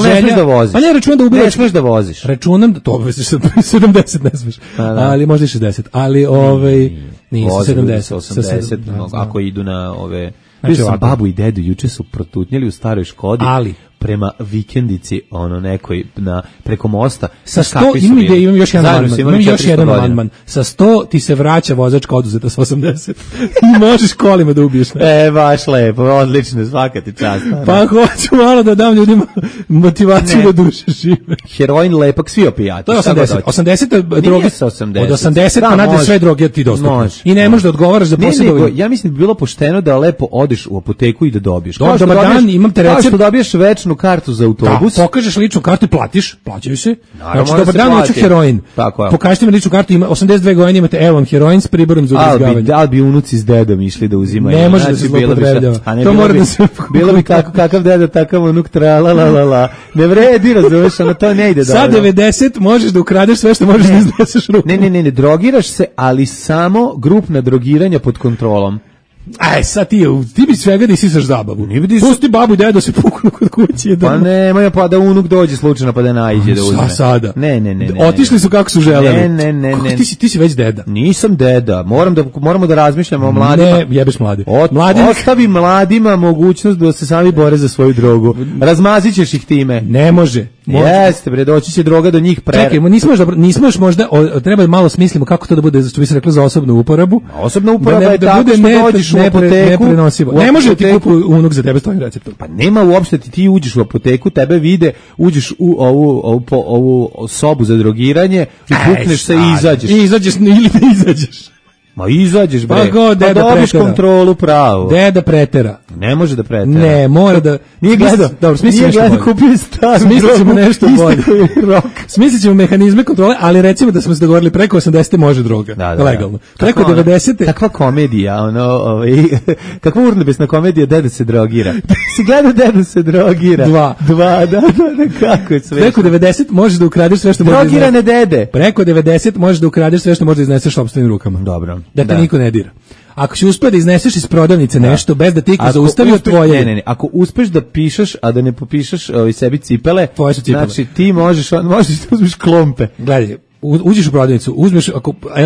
želja... računam da ubirač... Ne smiješ da voziš. Računam da to 70 ne smiješ. Ali možda i 60. Ali nisu 70. 80, ako idu na ove... Znači, babu i dedu juče su protutnjeli u staroj Škodi. Ali prema vikendici nekoj preko mosta sa 100 imam još jedan amandman sa 100 ti se vraća vozačka oduzeta sa 80 i možeš kolima da ubiješ baš lepo, odlično, svaka ti čast. Pa hoću malo da dam ljudima motivaciju da duše žive. Heroin, lepak, svi opijati, to je 80 droge od 80 pa nadalje sve droge ti dostupne i ne možeš da odgovaraš za posebno. Ja mislim da bi bilo pošteno da lepo odeš u apoteku i da dobiješ. Dobar dan, imam te recept, što dobiješ večno ličnu kartu za autobus. Da, pokažeš ličnu kartu i plaćaju se. Naravno, znači, dobar dan, hoću heroin. Pokažite mi ličnu kartu, ima 82 godine, imate evo vam heroin s priborom za ubrizgavanje. Da li bi unuci s dedom išli da uzimaju? Ne može da se zloupotrebljava. To mora da se... Bilo bi kakav deda, takav unuk, la. Ne vredi, razumeš, ono to ne ide dobro. Sa 90 možeš da ukradeš sve što možeš da izneseš rukom. Ne, drogiraš se, ali samo grupna drogiranja pod kontrolom. Aj, sad ti bi svega da isisaš zabavu. Pusti babu i dedu se puknu kod kuće. Pa nemoj, pa da unuk dođe slučajno pa da naiđe da uzme. Sada? Ne. Otišli su kako su želeli. Ne. Ti si već deda. Nisam deda. Moramo da razmišljamo o mladima. Ne, jebeš mladi. Ostavi mladima mogućnost da se sami bore za svoju drogu. Razmazit ćeš ih time. Ne može. Jeste, bre, doći će droga do njih pre. Čekaj, nismo još možda, treba malo smislimo kako to da bude, što bi se reklo, za osobnu uporabu. Osobna uporaba je tako što dođeš u apoteku. Ne može ti kupu unuk za tebe s tvojim receptom. Pa nema uopšte, ti uđeš u apoteku, tebe vide, uđeš u ovu sobu za drogiranje i pukneš se i izađeš. I izađeš ili ne izađeš. Ma izađeš, bre. Pa dobiš kontrolu pravu. Deda pretera. Ne može da pretera. Ne, mora da... Nije gledao. Dobro, smislit ćemo nešto bolje. Smislit ćemo mehanizme kontrole, ali recimo da smo se dogovorili preko 80. može droga. Da. Legalno. Preko 90. Takva komedija, kakva urnebesna komedija Deda se drogira. Si gledao Deda se drogira? Dva, da, kako je sve. Preko 90 možeš da ukradeš sve što možeš da izneseš. Drogirane dede. Preko 90 možeš da ukradeš sve što možeš da izneseš sopstvenim rukama. Dobro. Da te niko ne dira. Ako si uspeo da izneseš iz prodavnice nešto bez da ti iko zaustavio tvoje... Ne. Ako uspeš da pišeš, a da ne popišeš sebi cipele, tvoje su cipele. Znači ti možeš da uzmeš klompe. Gledaj, uđeš u prodavnicu, uzmeš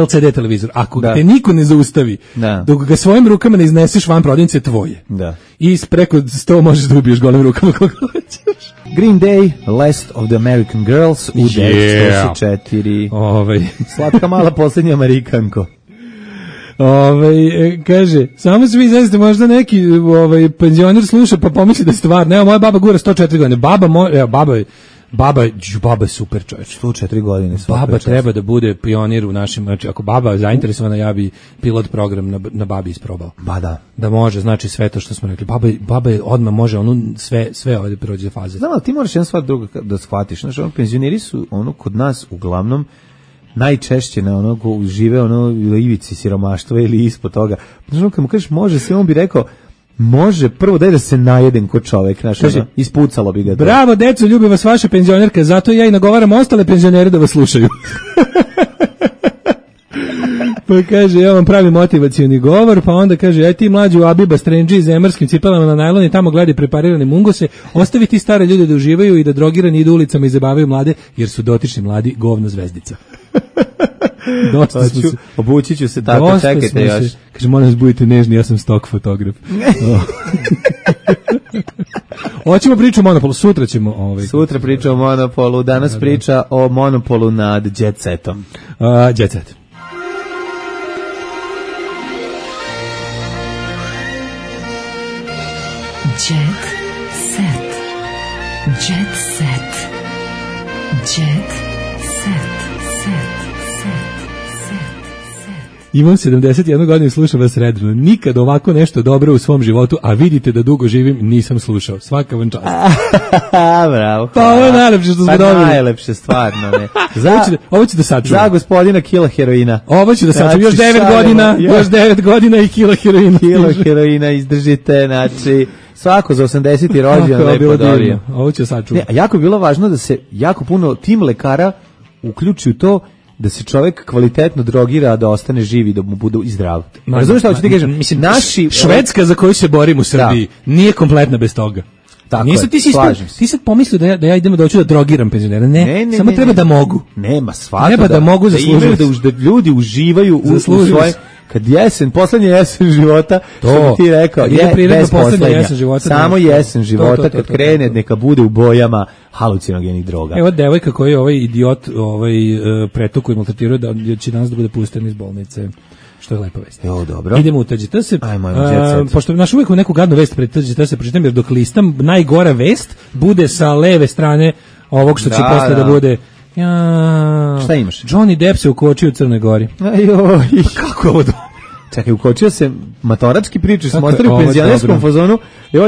LCD televizor, ako te niko ne zaustavi, dok ga svojim rukama ne izneseš van prodavnice, tvoje. Da. I preko 100 možeš da ubiješ golim rukama koga hoćeš. Green Day, Last of the American Girls u 904. Slatka mala posljednja Amerikanko. Kaže, samo se vi zaista možda neki penzioner sluša pa pomisli da je stvar. Evo, moja baba gura 104 godine. Baba je super čovječ. 104 godine. Baba treba da bude pionir u našim, znači ako baba zainteresovana, ja bi pilot program na babi isprobao. Ba da. Da može, znači sve to što smo rekli. Baba je odmah može sve ovdje prođe faze. Znam, ali ti moraš jedan stvar druga da shvatiš. Znači, penzioneri su kod nas uglavnom najčešće na žive na ivici siromaštva ili ispod toga. Znači, kad mu kažeš može se, on bi rekao može, prvo daj da se najedem ko čovek, znači, ispucalo bi ga. Bravo, deco, ljubi vas vaša penzionerka, zato ja i nagovaram ostale penzionere da vas slušaju. Pa kaže, ja vam pravi motivacioni govor, pa onda kaže, aj ti mlađu Abiba strendži zemarskim cipelama na najlon i tamo gledaj preparirane mungose, ostavi ti stare ljude da uživaju i da drogirani idu ulicama i zabavaju mlade, jer su dotični mladi govna zvezdica. Obući ću se tako, čekajte još. Kaže, moram vas budite nežni, ja sam stock fotograf. Hoćemo priču o Monopolu, sutra ćemo... Sutra priča o Monopolu, danas priča o Monopolu nad Jet Setom. Jet Set. Jet Set. Jet Set. Jet Set. Imam 71 godinu i slušam vas redovno. Nikad ovako nešto dobro u svom životu, a vidite da dugo živim, nisam slušao. Svaka vam čast. Bravo. Pa ovo je najlepše što smo dobili. Najlepše, stvarno, ne. Ovo ću da sačuvam. Za gospodina kila heroina. Ovo ću da sačuvam. Još 9 godina i kila heroina. Kila heroina izdržite, znači... Svako za 80. rođendan da je podario. Ovo ću sačuvam. Jako je bilo važno da se jako puno tim lekara uključi u to da se čovjek kvalitetno drogira, da ostane živi, da mu bude i zdrav. Razumiješ šta hoću ti kažem? Mislim, Švedska za koju se borim u Srbiji nije kompletna bez toga. Tako je, ti sad pomislio da ja idem doći da drogiram penzionera. Ne, samo treba da mogu. Nema, svako treba da mogu zaslužiti. Da ljudi uživaju u svoje... Kad poslednja jesen života, što bi ti rekao, bez poslednja, samo jesen života, kad krene, neka bude u bojama halucinogenih droga. Evo devojka koji je ovaj idiot pretuku i maltretirao da će danas da bude pušten iz bolnice. Što je lepa vest. Jo, dobro. Idemo u TGT. Pošto naš uvijek u neku gadnu vest pred TGT se pročitam, jer dok listam, najgora vest bude sa leve strane ovog što će posle da bude... Šta imaš? Johnny Depp se ukočio u Crnoj Gori. Ajoj. Kako je ovo Čekaj, ukočio se matorački priču, smo ostali u penzionerskom fazonu,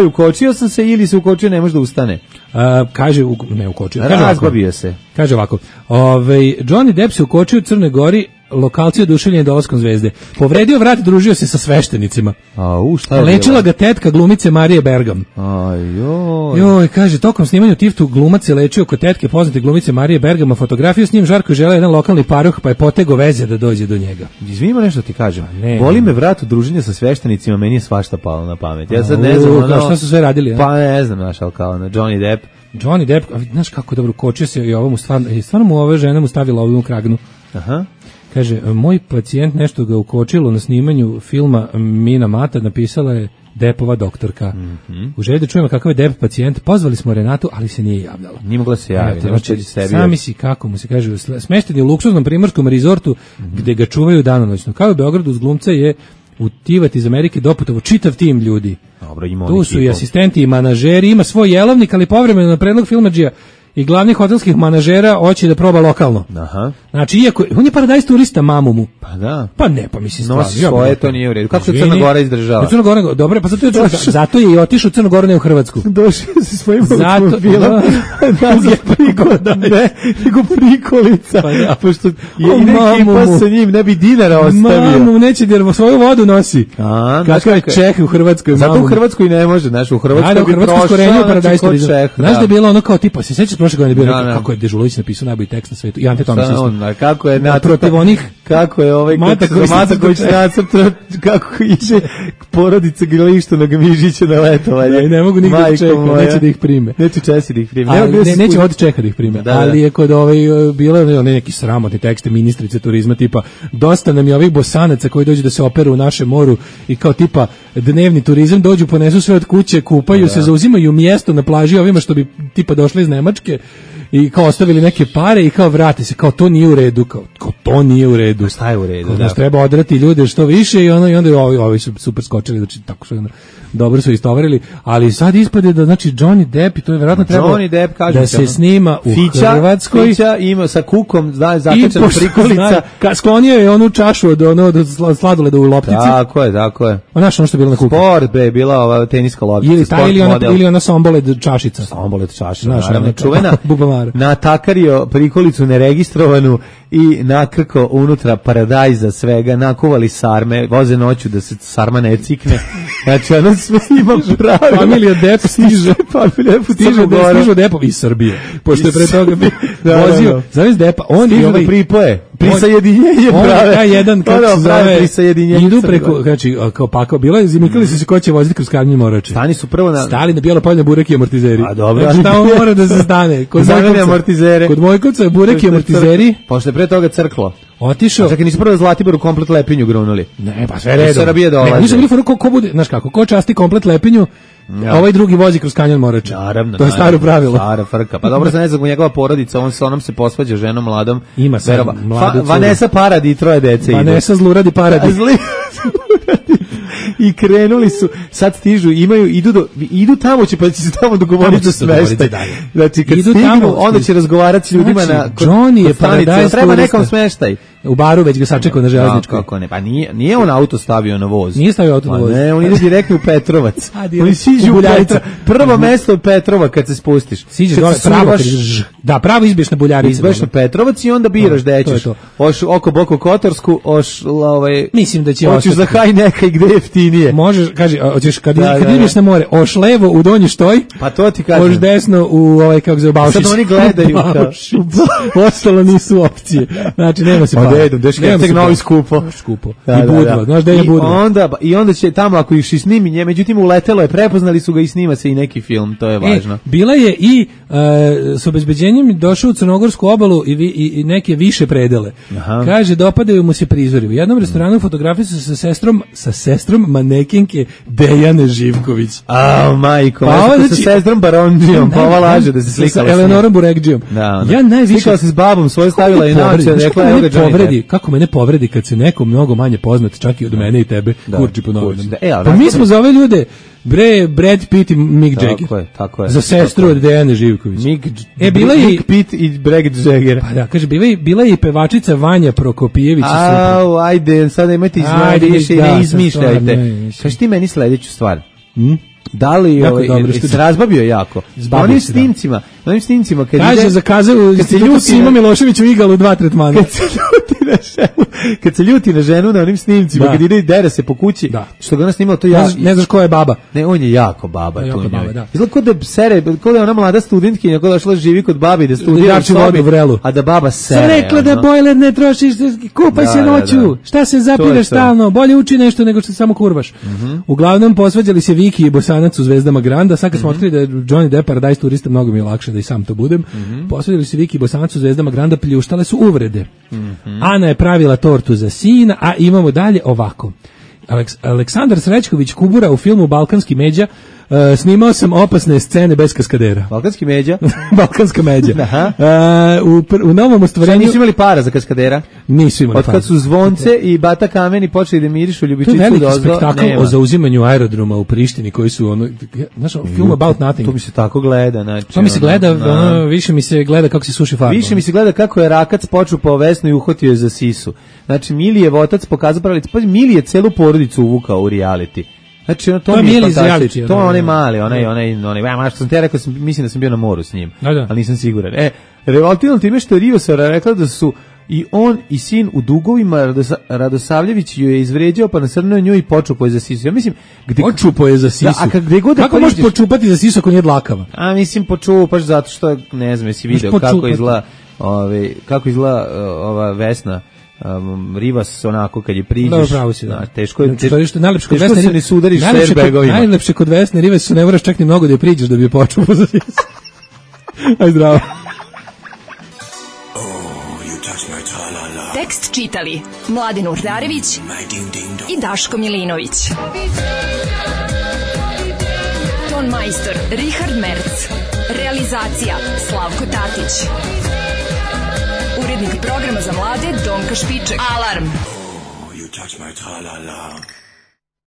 ukočio sam se ili se ukočio, ne može da ustane. Kaže, ne ukočio. Razbavio se. Kaže ovako, Johnny Depp se ukočio u Crnoj Gori, lokalci oduševljeni dolaskom zvezde. Povredio vrat, družio se sa sveštenicima. Šta je lečila ga tetka glumice Marije Bergam. Joj, kaže, tokom snimanja u Tiftu glumac se lečio kod tetke poznate glumice Marije Bergam, a fotografiju s njim Žarko želeo jedan lokalni paroh, pa je potego veze da dođe do njega. Izvinimo nešto ti kažem. Boli me vrat u druženju sa sveštenicima, meni je svašta palo na pamet. Ja sad ne znam, šta su sve radili? Pa ne znam, znaš, ali kao Johnny Depp, znaš kako dobro kočio se i ovo mu stvarno mu ova žena mu stavila ovu kragnu. Aha. Kaže, moj pacijent nešto ga ukočilo na snimanju filma Mina Mata, napisala je Deppova doktorka. U želji da čujemo kakav je Depp pacijent, pozvali smo Renatu, ali se nije javljala. Nije mogla se javiti. Sami si, kako mu se kaže, smešten je u luksuznom primorskom rezortu gde ga čuvaju danonoćno. Kao u Beogradu uz glumca je u Tivat iz Amerike doputovo čitav tim ljudi. Dobro, ima tu su i asistenti i manažeri, ima svoj jelovnik, ali povremeno na predlog filmadžija i glavnih hotelskih manažera hoće da proba lokalno. Aha. Znači, iako on je paradajz turista, mamu mu. Pa da. Pa ne, pa mislim stvarno. Nosi svoje, to nije u redu. Kako se Crna Gora izdržava? Crna Gora, dobro, pa zato je i otišao u Crnu Goru, ne u Hrvatsku. Došao se svojim automobilom. Nego prikolica. Pa da. Pošto je ekipa sa njim, ne bi dinara ostavio. Mamu neće jer svoju vodu nosi. Kakav je Čeh u Hrvatskoj, zato u Hrvatskoj ne može, znaš, u Hrvatskoj bi prošao. Znaš da je bilo ono kao tipa, se sećaš prošle godine bio kako je Dežulović napisao najbolji tekst na svetu i Ante Tomić isto. Kako je protiv onih, kako je ovaj Mataković nacrtao, kako ide porodica Grlištu na Gmižića na letovanje. Ne mogu nigde da čekati, neće da ih prime. Neće Česi da ih prime. Neće od Čeha da ih prime. Ali je kod bilo neki sramotni tekste ministrice turizma tipa dosta nam je ovih Bosanaca koji dođu da se operu u našem moru i kao tipa dnevni turizam dođu, ponesu sve od kuće, kupaju se, zauzimaju mjesto na plaži ovima što bi tipa došli iz Nemačke i kao ostavili neke pare i kao vrate se, kao to nije u redu, kao to nije u redu. Šta je u redu? Znači treba odrati ljude što više i onda ovi su super skočili, znači tako što dobro su istovarili, ali sad ispade da znači Johnny Depp, i to je verovatno trebalo da se snima u Hrvatskoj. Fića ima sa kukom, zatečena prikolica. Sklonio je onu čašu od sladoleda u loptici. Tako je. Ono što je bilo na kuku. Sport, bila ova teniska loptica. Ili ona somboled čašica. Somboled čašica, naravno, čuvena. Natakario prikolicu neregistrovanu i nakrko unutra paradajza svega, nakuvali sarme, voze noću da se sarma ne cikne. Znači, ono sve ima pravila. Familija Depp stiže Deppov iz Srbije. Pošto je pre toga vozio, zavis Deppa, on je ovaj pripoje. Prisajedinjenje prave. Taj jedan, kako se zove, idu preko, znači, kao pakao, bilo je, zimikali su se ko će voziti kroz Karnji Morače. Stani su prvo stali na bijelo polje burek i amortizeri. A dobro. Znači, tamo mora da se stane. Kod Mojkovca je burek i amortizeri. Pošto je pre toga crklo. Otišao. Čekaj, nisu prvo Zlatiboru komplet Lepinju grunuli. Ne, pa sve redom. Srbije dolaze. Nisu bili ko bude, znaš kako, ko časti komplet Lepinju, ovaj drugi vozi kroz Kanjon Morača. Naravno. To je staro pravilo. Stara frka. Pa dobro, ne znam, njegova porodica, on se posvađa ženom mladom. Ima se mladu. Vanessa Paradis i 3 dece ide. Vanessa Zluradi Paradis. I krenuli su, sad stižu, idu tamo će, pa će se tamo dogovoriti za smeštaj. Znači, kad stignu, onda će razgovarati s ljudima na Johnny je paradajz, treba nekom smeštaj. U baru već ga sačekao na železničkoj. Kako ne, pa nije on auto stavio na voz. Nije stavio auto na voz. Ne, on ide direktno u Petrovac. Oni siđu u Buljavica. Prvo mesto je Petrova kad se spustiš. Siđeš dole pravo, pravo izbiješ na Buljarice. Izbiješ na Petrovac i onda biraš da ćeš. Oš oko Boko Kotorsku, mislim da će ostati. Hoćeš za haj nekaj gde je jeftinije. Možeš, kaže, hoćeš kad ideš na more, oš levo u Donji Štoj. Pa to ti kažem. Oš desno u kako se Baušić. Sad oni gledaju ostalo nisu opcije. Znači nema se novi skupo. I Budva, znaš da je Budva. I onda će tamo, ako ih snimi, međutim uletelo je, prepoznali su ga i snima se i neki film, to je važno. Bila je i s obezbeđenjem došao u Crnogorsku obalu i neke više predele. Kaže, dopadaju mu se prizori. U jednom restoranu fotografije su sa sestrom manekenke Dejane Živković. Majko, sa sestrom Barondžijom, pa ova laže da se slikala sa Eleonorom Burekđijom. Ja najviše slikala se s babom, svoje stavila i naoče, rekla je kako mene povredi kad se neko mnogo manje poznat, čak i od mene i tebe, kurči po novinama. Pa mi smo za ove ljude Bre, Brad Pitt i Mick Jagger. Tako je. Za sestru od Dejane Živković. Bila je Mick Pitt i Brad Jagger. Pa da, kaže, bila je i pevačica Vanja Prokopijević. Ajde, sada imajte više i ne izmišljajte. Kaži ti meni sledeću stvar. Da li se razbavio jako? Onim snimcima kad kaže, zakazao Simo Milošević u Igalu 2 tretmana. Kad se ljuti na ženu na onim snimcima, kad ide i dere se po kući, što ga ona snimala, to ja... Ne znaš ko je baba. Ne, on je jako baba. Izgleda kod da je ona mlada studentkinja, kod da šla živi kod babi, da studira u sobi, a da baba sere. Sam rekla da bojler ne trošiš, kupaj se noću, šta se zapiraš stalno, bolje uči nešto nego što samo kurvaš. Uglavnom, posvađali se Viki i Bosanac u Zvezdama Granda, sad kad smo otkrili da je Johnny Depp Paradise turista, mnogo mi je lakše da i sam to budem, posvađali se Viki i Bosanac u Zvezdama Granda, pljuštale su uvrede. Ana je pravila tortu za sina, a imamo dalje ovako. Aleksandar Srećković Kubura u filmu Balkanski međa, snimao sam opasne scene bez kaskadera. Balkanski međa? Balkanska međa. U novom ostvarenju... Šta nisu imali para za kaskadera? Nisu imali para. Od kad su Zvonce i Bata Kameni počeli da mirišu Ljubičicu dozdo, to je veliki spektakl o zauzimanju aerodroma u Prištini koji su znaš, film About Nothing. To mi se tako gleda. Znači, to mi se gleda, više mi se gleda kako se suši farba. Više mi se gleda kako je Rakac počupao Vesnu i uhvatio je za sisu. Znači, Milijev otac pokazao pravicu. Pa Milije celu porodicu uvukao u reality. Znači, to mi je fantastično. To je onaj mali, onaj, što sam te rekao, mislim da sam bio na moru s njim, ali nisam siguran. Revoltirano time što je Rivosara rekla da su i on i sin u dugovima, Radosavljević ju je izvređao, pa nasrnuo nju i počupao je za sisu. Ja mislim, počupao je za sisu. Kako možeš počupati za sisu ako nije dlakava? A mislim, počupaš zato što, ne znam, jesi video kako izgleda ova Vesna. Rivas onako kad je priđeš, teško je, najlepše kod Vesne ni sudariš s airbagovima. Najlepše kod Vesne Rivas su ne moraš čak ni mnogo da je priđeš da bi je počupao za sisu. Aj zdravo. Tekst čitali Mladen Urdarević i Daško Milinović. Ton majstor Richard Merc. Realizacija Slavko Tatić. Urednik programa za mlade Donka Špiček. Alarm! Oh, you touch my tra-la-la.